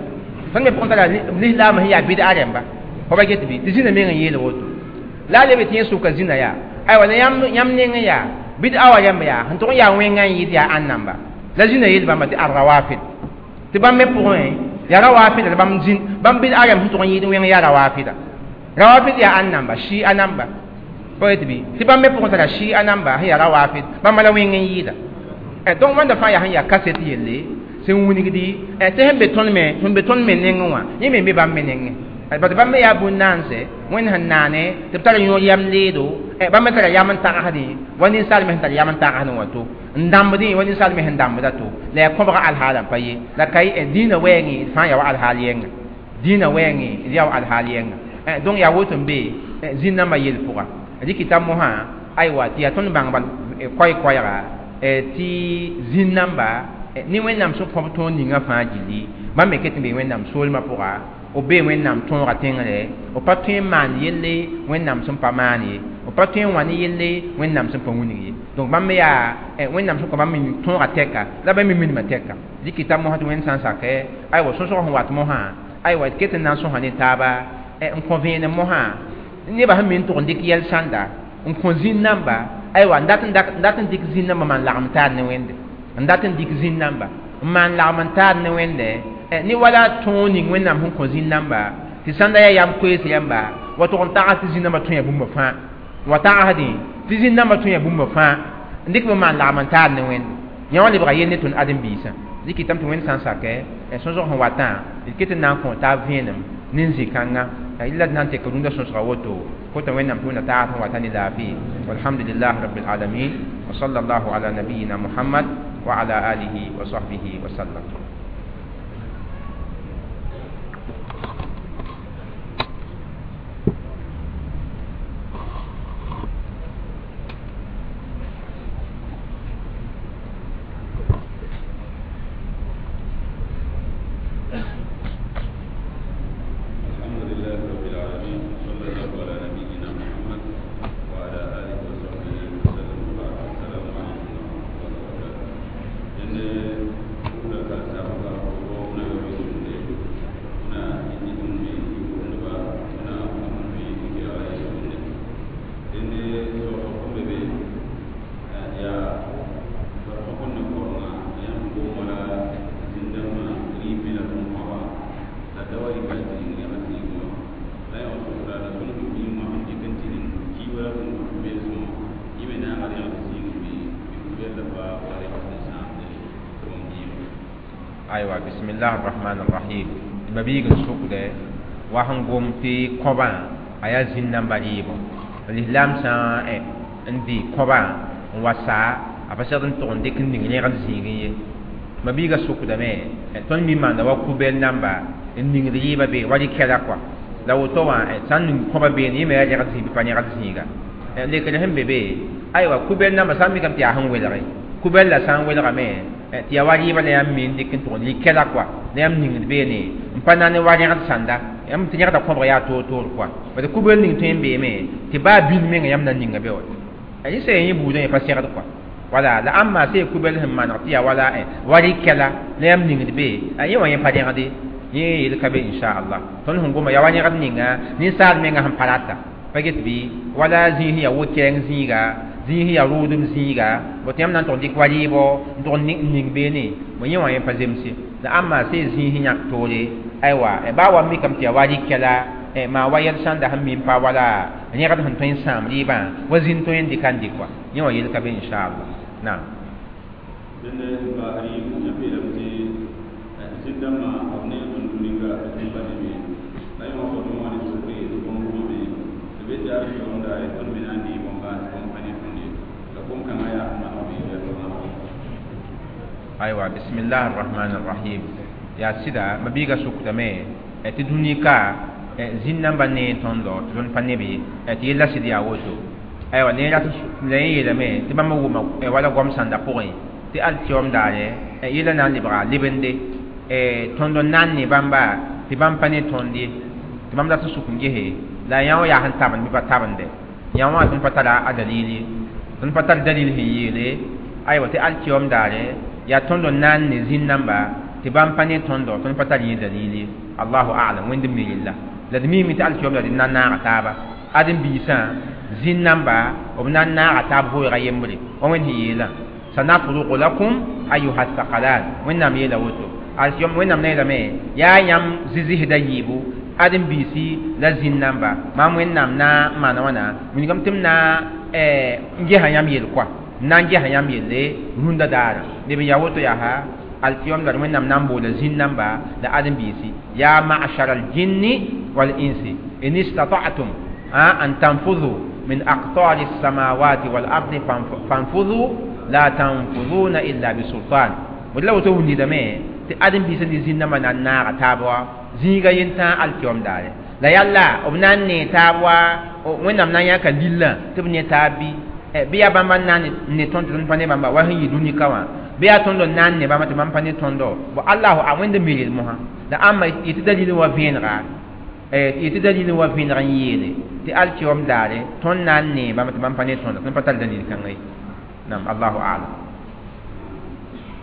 tõnd me pʋgẽ tara lislaambã sẽn yaa bɩd-a rẽmba fo ba get bɩ tɩ zĩnã meng n yeel woto la a lebe tɩ yẽ soka zĩnã yaa aywa la yãmb yãmb nengẽ yaa bɩd-a wa rẽmb yaa sẽn tʋg n yaa wẽngã n yɩɩd yaa ãn namba la zĩnã yeel bãmba tɩ ar-rawafid tɩ bãmb me pʋgẽ yaa rawafida la bãmb zĩn bãmb bɩd-a rẽmb sẽn tʋg n yɩɩd wẽng yaa rawafida rawafid yaa ãn namba shia namba pa yetɩ bɩ tɩ bãmb me pʋgẽ tara shia namba sẽn yaa rawafid bãmba la wẽng n yɩɩda donc wãnda fãa yaa sẽn yaa kaset yelle sẽn wilgdi tɩ sẽn be tõnd me sẽn be tõnd me nengẽ wã yẽ me be bãmb me nengẽ bat bãmb me yaa bũn-naanse wẽnd sẽn naane tɩ b tar yõor yam leedo bãmb me tara yam n tagsdẽ wa ninsaal me sẽn tar yam n tagsdẽ wã to n dãmbdẽ wa ninsaal me sẽn dãmbda to la yaa kõbga alhaalã pa ye la ka dĩinã wɛɛngẽ d fãa yaa wa alhaal yɛnga dĩinã wɛɛngẽ d yaa wa alhaal yɛnga donc yaa woto n be zĩn-nambã yel pʋga rɩkɩta mosã aywa tɩ yaa tõnd bãng bal koɛ-koɛɛga tɩ zĩn-namba ne wẽnnaam sẽn kõb tõog ninga fãa gilli bãmb me ket n be wẽnnaam soolmã pʋga b bee wẽnnaam tõoga tẽngre b pa tõe n maan yelle wẽnnaam sẽn pa maan ye b pa tõe n wa ne yelle wẽnnaam sẽn pa wilg ye donc bãmb me yaa wẽnnaam sẽn kõ bãmb me tõoga tɛka la bãmb me minimã tɛka dɩkɩta mosã tɩ wẽnd sã n sakɛ aywa sõsg sẽn wat mosã aywa d ket n na n sõsa ne taaba n kõ vẽenem mosã nebã sẽn me n tʋg n dɩk yɛl sãnda n kõ zĩn-namba aywa n dat n dɩk zĩn-namba maan lagem taar ne wẽnde n dat n dɩk zĩn-namba n maan lagem n taar ne wẽnde ne wala tõog ning wẽnnaam sẽn kõ zĩn-namba tɩ sãnda yaa yam koees rãmba wa tʋg n tags tɩ zĩn-namba tõe bũmba fãa wa tagsdẽ tɩ zĩn-namba tõe bũmba fãa n dɩk b maan lagem n taar ne wẽnde yã wã lebga yell ne tõnd ãdem-biisã dɩkɩtame tɩ wẽnd sã n sakɛ sõsg sẽn watã d ket n na n kõ taab vẽenem ne zĩ-kãnga illa d na n tek rũndã sõsga woto kota wẽnnaam tɩ wẽnna tags sẽn wata ne laafɩ walhamdulillah rabbil alamin wa sallallahu ala nabiyina muhammad wa ala alihi wa sahbihi wa sallam. Aywa bismillah arrahman arrahim mabiig n sʋkdɛ wa sẽn gom tɩ kõbã a yaa zĩn-nambã rɩɩbõ lislaam sã n dɩ kõbã n wa saa a pa segd n tʋg n dɩk n ning rẽgd zĩigẽ ye mabiigã sʋkdame tõnd mi maanda wa kubɛl namba n ningd rɩɩbã be wa rɩkɛla kɔa la woto wã sã n ning kõbã beene yẽ me yaa rẽgd zĩig bɩ pa rẽgd zĩiga lekr sẽn be be aywa kubɛl namba sã n mikame tɩ yaa sẽn welge kubɛl la sã n welgame tɩ yaa wa rɩɩbã la yãmb me n dɩk n tʋg n rɩkɛla kɔa la yãmb ningd beene n pa na ne wa rẽgd sãnda yãmb tɩ rẽgda kõbg yaa toor-toor kɔa bad kubɛl ning tõe n beeme tɩ baa bil menga yãmb na ninga be wa yẽ sã yẽ buudã yẽ pa segd kɔa wala la ãmba sã kubɛl sẽn maneg tɩ yaa wala wa rɩkɛla la yãmb ningd be yẽ wã yẽ pa rẽgde yẽ yel ka be inchallah tõnd sẽn goma yaa wa rẽgd ninga ninsaal menga sẽn pa rata pa get bɩ wala zĩig sẽn yaa wo-kɛɛng zĩiga zĩig sẽn yaa rʋʋdem zĩiga bõ tɩ yãmb na n tʋg dɩk wa rɩɩbɔ n tʋg n ning beene bõ yẽ wã yẽ pa zemse la ãmba sã zĩig sẽn yãk toore aywa baa wa mikame tɩ yaa wa rɩkɛla maa wa yɛl sãnda sẽn mi n pa wala rẽgd sẽn tõe n sãam rɩɩbã wa zĩnd tõe n dɩka n dɩk wa yẽ wã yel ka be inchallah naam aywa bismillah arrahman arrahim yaa sɩda mabiiga sʋkdame tɩ dũni ka zĩn-nambã nee tõndo tɩ tõnd pa nebe tɩ yella sɩd yaa woto aywa ne rat la yẽ yeelame tɩ bãmb wʋma wala goam sãnda pʋgẽ tɩ alkiyoom daare yella na n lebga lebende tõnd n na n ne bãmba tɩ bãmb pa ne tõnd ye tɩ bãmb dat n sʋk n gese la yã wã yaa sẽn tabend bɩ pa tabende yã wã tõnd pa tara a dalil ye tõnd pa tar dalil sẽn yeele aywa tɩ alkiyom daare yaa tõnd n na n ne zĩn-namba tɩ bãmb pa ne tõndo tõnd pa tar yẽ dalil ye allahu a'lam wẽnd mi rella la d miime tɩ alkiyom daare d na n naaga taaba ãdem-biisã zĩn-namba b na n naaga taab vʋʋga yembre wa wẽnd sẽn yeelã sanafrugu lakum ayuha thaqalan wẽnnaam yeela woto alkiyom wẽnnaam na yeelame yaa yãmb zɩzɩsda yiibu ãdem-biisi la zĩn-namba maam wẽnnaam na n maana wãna wilgame tɩ m na n gesa yãmb yel koa n na n gesa yãmb yelle rũndã daara leb n yaa woto yaa alkiyom la wẽnnaam na n boola zĩn-namba la ãdem-biisi yaa ma'shar aljinni wal insi in istata'tum an tanfudhu min aqtari الsamawati wal ardi fanfudhu la tanfudhuna illa bisultan la woto wundidame tɩ ãdem-biisã ne zĩn-nambã na n naaga taab wa zĩiga yentã alkiyom daare la yalla b na n nee taab wa wẽnnaam na n yãka lillã tɩ b ne taab bɩ bɩ yaa bãmba n na n ne tõnd tɩ tõnd pa ne bãmba wa sẽn yɩ dũni ka wã bɩ yaa tõnd n na n ne bãmba tɩ bãmb pa ne tõndo bo allahu a wẽnd mi rel mosã la ãmba yetɩ dalil wa vẽenega yetɩ dalil wa vẽeneg n yeele tɩ alkiyom daare tõnd na n nee bãmba tɩ bãmb pa ne tõndo tõnd pa tar dalil kãnga ye nam allahu a'lam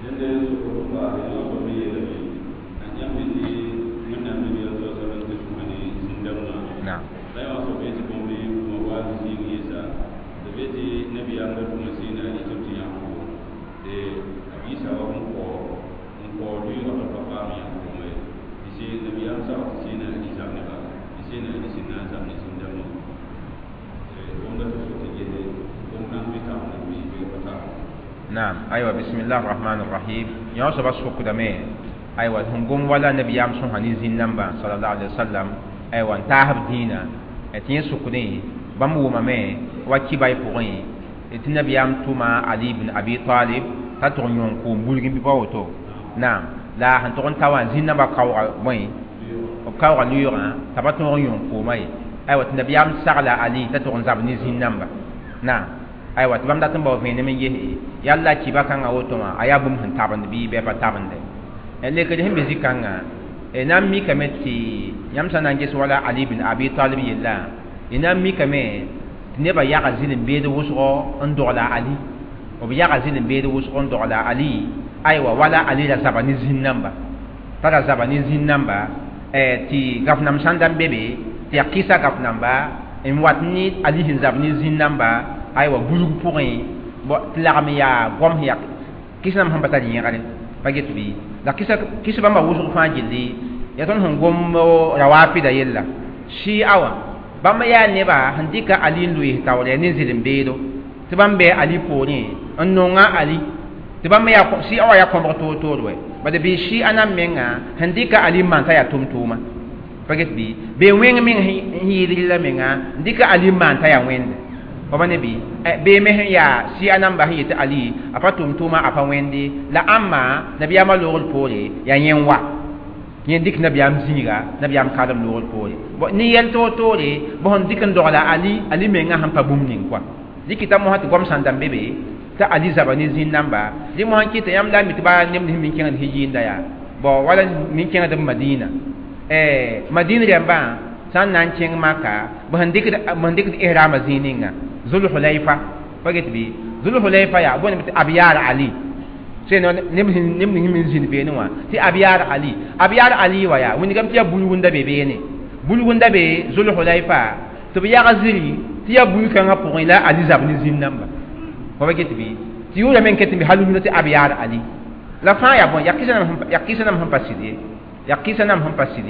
yẽnde sokr paase yã soab me yeelame a yãmb tɩ wẽnnaam nabiyaam sa sallam tɩ sõma ne zĩn-dãmbã naam la yã wã soab yetɩ bõmb tʋma wa zĩig yẽsa tɩ be tɩ nabiyaam ra tʋma zĩigã yetɩ tɩ yãmb a yiisa wa n kao n kao lʋɩɩgã tɩ pa paam yãmb kʋʋma ye tɩ sɩ nabiyaam sag tɩ sẽena a zab neba tɩ sẽena a sẽn na n zab ne zĩn-dãmbã bõmb tɩ so tɩ gese bõmb kãng bɩ tabend bɩ bɩ pa tabend نعم أيوة بسم الله الرحمن الرحيم يا صبا سوق دمي أيوة هم قوم ولا نبي يام سون هني زين نمبا صلى الله عليه وسلم أيوة انتهى دينا أتين سوقني بامو مامي وكي باي بوغي أتين نبي يام توما علي بن أبي طالب تاتون يونكو بولغين بيباوتو نعم لا هنتون تاوان زين نمبا كاو وين كاو ليورا تباتون يونكو ماي أيوة النبي يام سغلا علي تاتون زابني زين نمبا نعم aywa tɩ bãmb dat n bao vẽenem n ges yalla kiba kãngã woto wã a yaa bũmb sẽn tabend bɩ bɩ pa tabende lekd sẽn be zĩ-kãngã na n mikame tɩ yãmb sã na n ges wala ali bin abi talib yella y na n mikame tɩ nebã yaga zɩl n beed wʋsgo n dogla ali b yaga zɩl n beed wʋsg n dogla ali aywa wala ali ra zaba ne zĩn-namba t'a ra zaba ne zĩn-namba tɩ gaf-nam sãn da n be be tɩ yaa kɩsa gaf-namba n wat ne ali sẽn zab ne zĩn-namba aywa bulg pʋgẽ tɩ lagm yaa goam sẽn yaa kɩs namba sẽn pa tar yẽgre pa get bɩ la kɩsa kɩs bãmba wʋsg fãa gilli yaa tõnd sẽn gom rawafida yella shia wã bãmb yaa neba sẽn dɩka ali n loees taoore ne zɩlem-beedo tɩ bãmb bɩ ali poorẽ n nonga ali tɩ bãmb yaa shia wã yaa kõbg toor-toor wɛ bad bɩ shia nan menga sẽn dɩka ali n maan t'a yaa tʋm-tʋʋma pa get bɩ bee wẽng meng sẽn yɩɩd rɩla menga n dɩka ali n maan t'a yaa wẽnde wa ne bɩ bee me sẽn yaa sɩa namba sẽn yetɩ ali a pa tʋm tʋʋma a pa wẽnde la ãmba nabiyaamã loogr poore yaa yẽ n wa yẽ dɩk nabiyaam zĩiga nabiyaam kalem loogr poore ne yɛl toor-toore bõ sẽn dɩk n dogla ali ali menga sẽn pa bũmb ning koa dɩk t'a mosã tɩ goam sãn da n be be t'a ali zaba ne zĩn-namba dɩ mosã n kɩta yãmb la n mi tɩ ba neb nins min kẽngd sẽn yɩɩnda yaa bon wala min kẽngd b madina madina rãmbã sã n na n kẽng maka b sẽn dɩkd b sẽn dɩkd ihrama zĩig ninga Zulhulayfa pa get bɩ Zulhulayfa yaa bõe tɩ Abyar Ali sẽn neb neb ning min zĩnd beene wã tɩ Abyar Ali Abyar Ali wa yaa wĩndigame tɩ yaa bulgunda be beene bulgunda be Zulhulayfa tɩ b yag ziri tɩ yaa bul-kãngã pʋgẽ la Ali zab ne zĩn-namba pa pa get bɩ tɩ yʋʋra me n ket n be hal rũndã tɩ Abyar Ali la fãa yaa bõe yaa kɩsa nam sẽn pa sɩd ye yaa kɩsa nam sẽn pa sɩd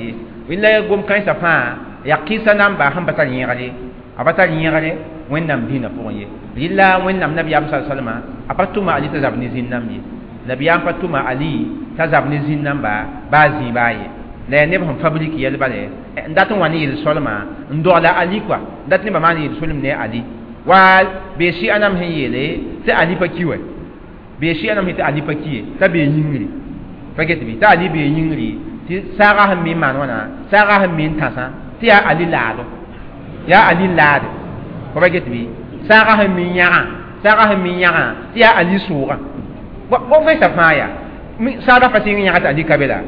ye la gom kãensã fãa yaa kɩsa namba sẽn pa tar yẽgre a pa tar yẽgre wẽnnaam dĩinã pʋgẽ ye rɩla wẽnnaam nabiyaam sa salma a pa tʋma ali t'a zab ne zĩn-nãmb ye nabiyaam pa tʋma ali t'a zab ne zĩn-nãmba baa zĩig baa ye la yaa neb sẽn fabrik yɛl bale n dat n wa ne yel-solma n dogla ali kɔa n dat nebã maan yel-solem ne ali wa bee sɩa nam sẽn yeele tɩ ali pa ki wɛ bee sɩa nam sẽn tɩ ali pa ki ye t'a bee yĩngri pa get bɩ t'a ali bee yĩngri tɩ saaga sẽn mi n maan wãna saaga sẽn mi n tãsã tɩ yaa ali laado yaa ali laade pa pa get bɩ saaga sẽn mi n yãgã saaga sẽn mi n yãgã tɩ yaa ali sʋʋgã bõn vẽnsa fãa yaa saaga pa sɩng yãga tɩ ali ka be la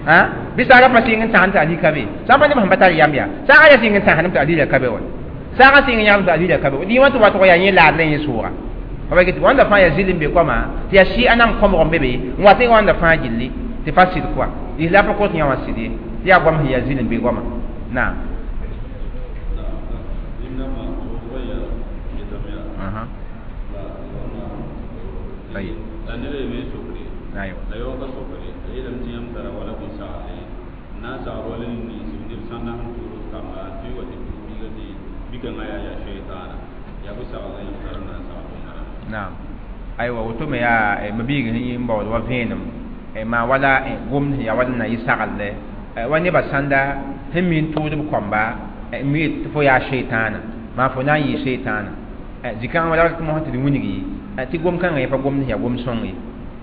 Ha bɩ saaga pa sɩng n tãsem tɩ ali ka be sã n pa neb sẽn pa tar yam yaa saaga ya sɩng n tãsdem tɩ ali la ka be wa saaga sɩng n yãgem tɩ ali la ka be wa dĩĩ wã tɩ watg yaa yẽ laad la yẽ sʋʋga pa get wãnda fãa yaa zɩl n be koama tɩ yaa sɩ a nam kõbg n be be n wat n wãnda fãa gilli tɩ pa sɩd koa lislaam pa kot yã wã sɩd ye tɩ yaa goam sẽn yaa zɩl n be goama naam طيب la ned a yeme sokre aywa la yaooga sokre a yeelame tɩ yãmb tara wala bõn-sagle n na n sagl wala nins neb sã n na n tuud kamba n tɩ wa tɩ biiga tɩ bi-kãngã yaa yaa sheetaana yaa bɩ saglda yãmb tar n na n sagl bũmb rãmba naam aywa woto me yaa mabiig sẽn yɩ n baood wa vẽenem maa wala gomd sẽn yaa wala n na yɩ saglde wa nebã sãnda sẽn mi n tʋʋd b kõmba n mi tɩ fo yaa sheetaana maa fo na n yɩ sheetaana zĩ-kãngã wala tɩ mosã tɩ d wilgi tɩ gom kãngã yẽ pa gomd sẽn yaa gom sõng ye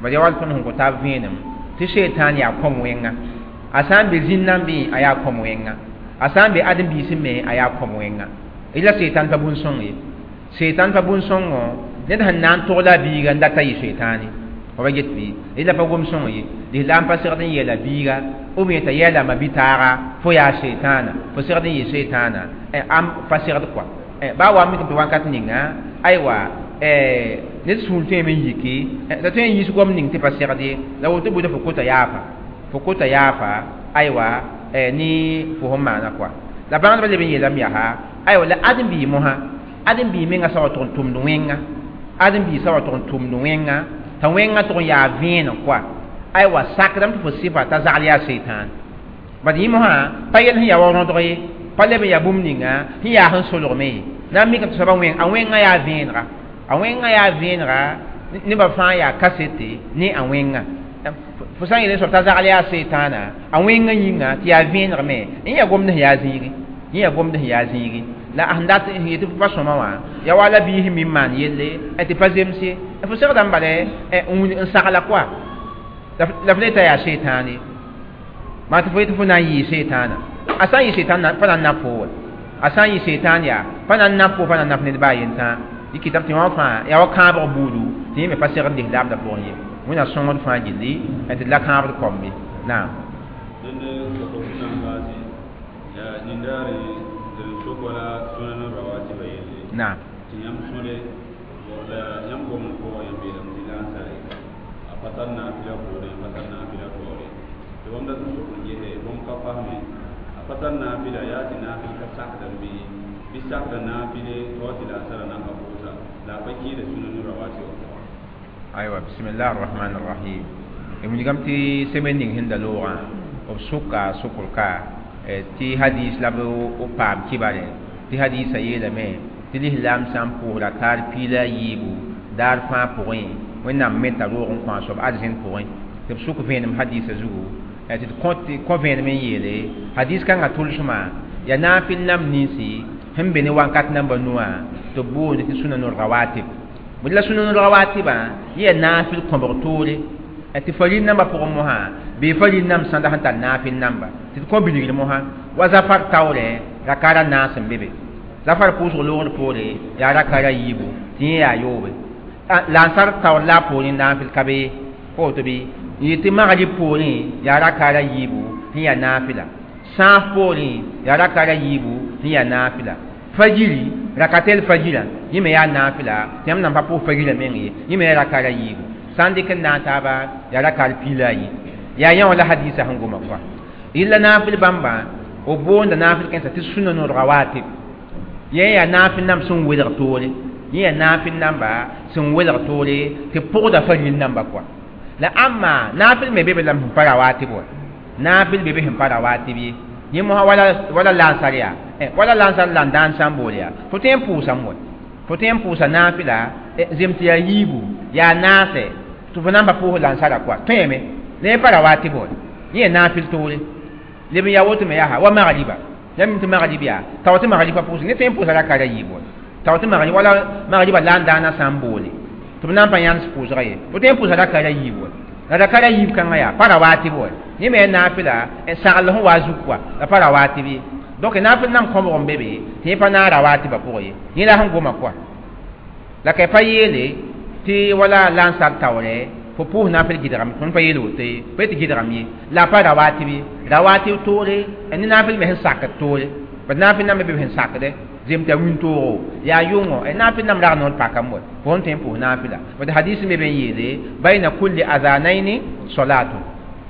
bala yaa wall tõnd sẽn kõ taab vẽenem tɩ sheetaan yaa kõm wẽnga a sã n be zĩn-nambẽ a yaa kõm wẽnga a sã n be ãdem-biisẽ me a yaa kõm wẽnga la setan pa bũn-sõng ye setan pa bũn-sõngõ ned sẽn na n togla a biiga n data yɩ setaane fa ba get bɩ la pa gom sõng ye lislaam pa segd n yeela biiga ou bien t'a yeela ma-bi-taaga fo yaa setaana fo segd n yɩ setaana am pa segd kɔa baa wa mikame tɩ wakat ninga aywa ned sũur tõeme n yiki t'a tõe n yiis gom ning tɩ pa segd ye la woto buda fo kota yaafa fo kota yaafa aywa ne fo sẽn maana kɔa la bãngdbã leb n yeelame yaa aywa la ãdem-biig mosã ãdem-biig menga sã wa tʋg n tʋmd wẽnga ãdem-biig sã wa tʋg n tʋmd wẽnga t'a wẽngã tʋg n yaa vẽenem kɔa aywa sakdame tɩ fo sɩfa t'a zagl yaa seitan bad yẽ mosã pa yel sẽn yaa wa rõdg ye pa leb n yaa bũmb ninga sẽn yaa sẽn solgme ye na n mikame tɩ soaba wẽng a wẽngã yaa vẽenega a wẽngã yaa vẽenega nebã fãa yaa kasete ne a wẽngã fo sã n yeel soab t'a zagl yaa seitaana a wẽngã yĩnga tɩ yaa vẽeneg me n yaa gomd sẽn yaa zĩigi yẽ yaa gomd sẽn yaa zĩigi la sẽn dat n yetɩ fo pa sõma wã yaa wala biis sẽn mi n maan yelle tɩ pa zems ye fo segdame bala n sagla koa la f le t'a yaa seitaan ye maa tɩ fo yetɩ fo na n yɩɩ seitaana a sã n yɩ seitaan pa na n nap fo wa a sã n yɩ seitaan yaa pa na n nap fo pa na n nap ned baa yentã yɩ kɩtame tɩ wã fãa yaa wa kãabg buudu tɩ yẽ me pa segd lislaamdã pʋgẽ ye wẽnna sõngd fãa gilli tɩ d la kãabd kõmbe naam dẽnd sokr sẽn na n baase yaa nindaare d sok wala sũnan rawatiba yelle naam tɩ yãmb sõde la yãmb gom n pʋgã yãmb yeelame tɩ lansare a pa tar naafɩla poorẽ a pa tar naafɩla taoore tɩ bãmb dat n sok n gese bãmb ka fasme a pa tar naafɩla yaa tɩ naafɩl ka sakdame bɩ bɩ sakda naafɩle tɩ wa tɩ lansara nan ka pʋʋsa la a pa kɩɩda sũnan rawati wã pʋgã aywa bismillah arrahman arrahim wilgame tɩ semaine ning sẽn da loogã b sʋka sokr ka tɩ hadis la b paam kibare tɩ hadisa yeelame tɩ lislaam sã n pʋʋsra kaar piila a yiibu daar fãa pʋgẽ wẽnnaam meta roog n kõ a soab arzẽn pʋgẽ tɩ b sʋk vẽenem hadisa zugu tɩ d kõ vẽenem n yeele hadis kãngã tʋlsmã yaa naafɩl nam ninsi sẽn be ne wakat namba nuwã tɩ b boond tɩ sũna rawatib bõe la sũna rawatibã yẽ yaa naafɩl kõbg toore tɩ faril nambã pʋgẽ mosã bee faril namb sãnda sẽn tar naafɩl namba tɩ d kõ bilgr mosã wa zafar taoorɛ rakara naas n be be zafar pʋʋsg loogr poore yaa rakara yiibu tɩ yẽ yaa yoobe lansar taoor la a poorẽ naafɩl ka be ye pa woto bɩ n yetɩ magrib poorẽ yaa rakara yiibu sẽn yaa naafɩla sãaf poorẽ yaa rakara yiibu sẽn yaa naafɩla fajiri rakatel fajira yẽ me yaa naafɩla tɩ yãmb nan pa pʋʋs fajira meng ye yẽ me yaa rakara yiibu sã n dɩk n na n taaba yaa rakar piila a yi yaa yã wã la hadisa sẽn goma kɔa yella naafɩl bãmba b boonda naafɩl kẽnsã tɩ sũna rawatib yẽ yaa naafɩl namb sẽn welg toore yẽ yaa naafɩl namba sẽn welg toore tɩ pʋgda faril namba kɔa la ãmma naafɩl me be be lame sẽn pa rawatib wa naafɩl be be sẽn pa rawatib ye yẽ mosã wala wala lansar yaa wala lansar la n daan sã n bool yaa fo tõe n pʋʋsame wa fo tõe n pʋʋsa naafɩla zem tɩ yaa yiibu yaa naasɛ tɩ fo na n pa pʋʋs lansara kɔa tõeme la yẽ pa rawatib wa yẽ yaa naafɩl toore leb n yaa woto me yaa wa magriba yãmb tɩ magrib yaa tao tɩ magrib pa pʋʋs ne tõe n pʋʋsa rakara yiibu wa tao tɩ magrib wala magriba la n daana sã n boole tɩ b na n pa yãns pʋʋsga ye fo tõe n pʋʋsa rakara yiibu wa la rakara yiib kãngã yaa pa rawatib wa yẽ me yaa naafɩla sagl sẽn wa zug kɔa la pa rawatib ye donc naafɩl nam kõbg n be be tɩ yẽ pa naag rawatibã pʋgẽ ye yẽ la sẽn goma kɔa la ka pa yeele tɩ wala lansar taoorɛ Fo pʋʋs naafɩl gɩdgame, tõnd pa yeel woto ye, pa yet gɩdgame ye, la a pa rawatib ye. Rawatib toore, ne naafɩl me sẽn sakd toore. Bad naafɩl namba be b sẽn sakdɛ zem t'a wĩntoogo yaa yʋngo, naafɩl nam rag noor pakame wa fo sẽn tõe n pʋʋs naafɩla. Bad hadis me be n yeele bayna kulli azanaini solatun.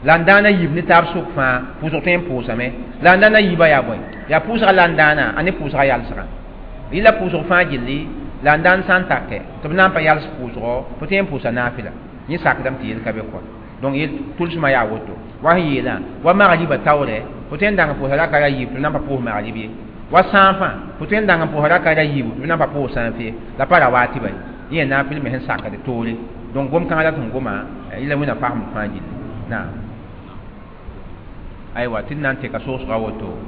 La n dãana yiib ne taab sʋk fãa pʋʋsg tõe n pʋʋsame. La n dãana yiibã yaa bõe? Yaa pʋʋsga la n dãana a ne pʋʋsga yalsgã. Yɩla pʋʋsg fãa gilli la n dãan sã n take tɩ b na n pa yals pʋʋsgɔ, fo tõe n pʋʋsa naafɩla. Yẽ sakdame tɩ yel ka be kɔ. Donc yel tʋlsmã yaa woto. Wa sẽn yeelã wa magriba taoorɛ, fo tõe n dãng n pʋʋsa raka ra yiib tɩ b na n pa pʋʋs magrib ye. Wa sãafã fo tõe n dãng n pʋʋsa raka ra yiibu tɩ b na n pa pʋʋs sãaf ye. La pa rawatiba ye. Yẽ naafɩl me sẽn sakd toore. Donc gom-kãngã la sẽn goma yɩla wẽnna fasem fãa gilli. Naam. Aywa, tɩ d na n teka soosga woto.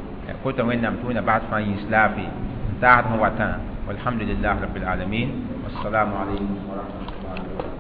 Kota Wẽnnaam tɩ Wẽnna bas fãa yĩns laafɩ n taasd sẽn watã. Walhamdulillah rabbil alamin. Wassalamu alaykum wa rahmatullahi.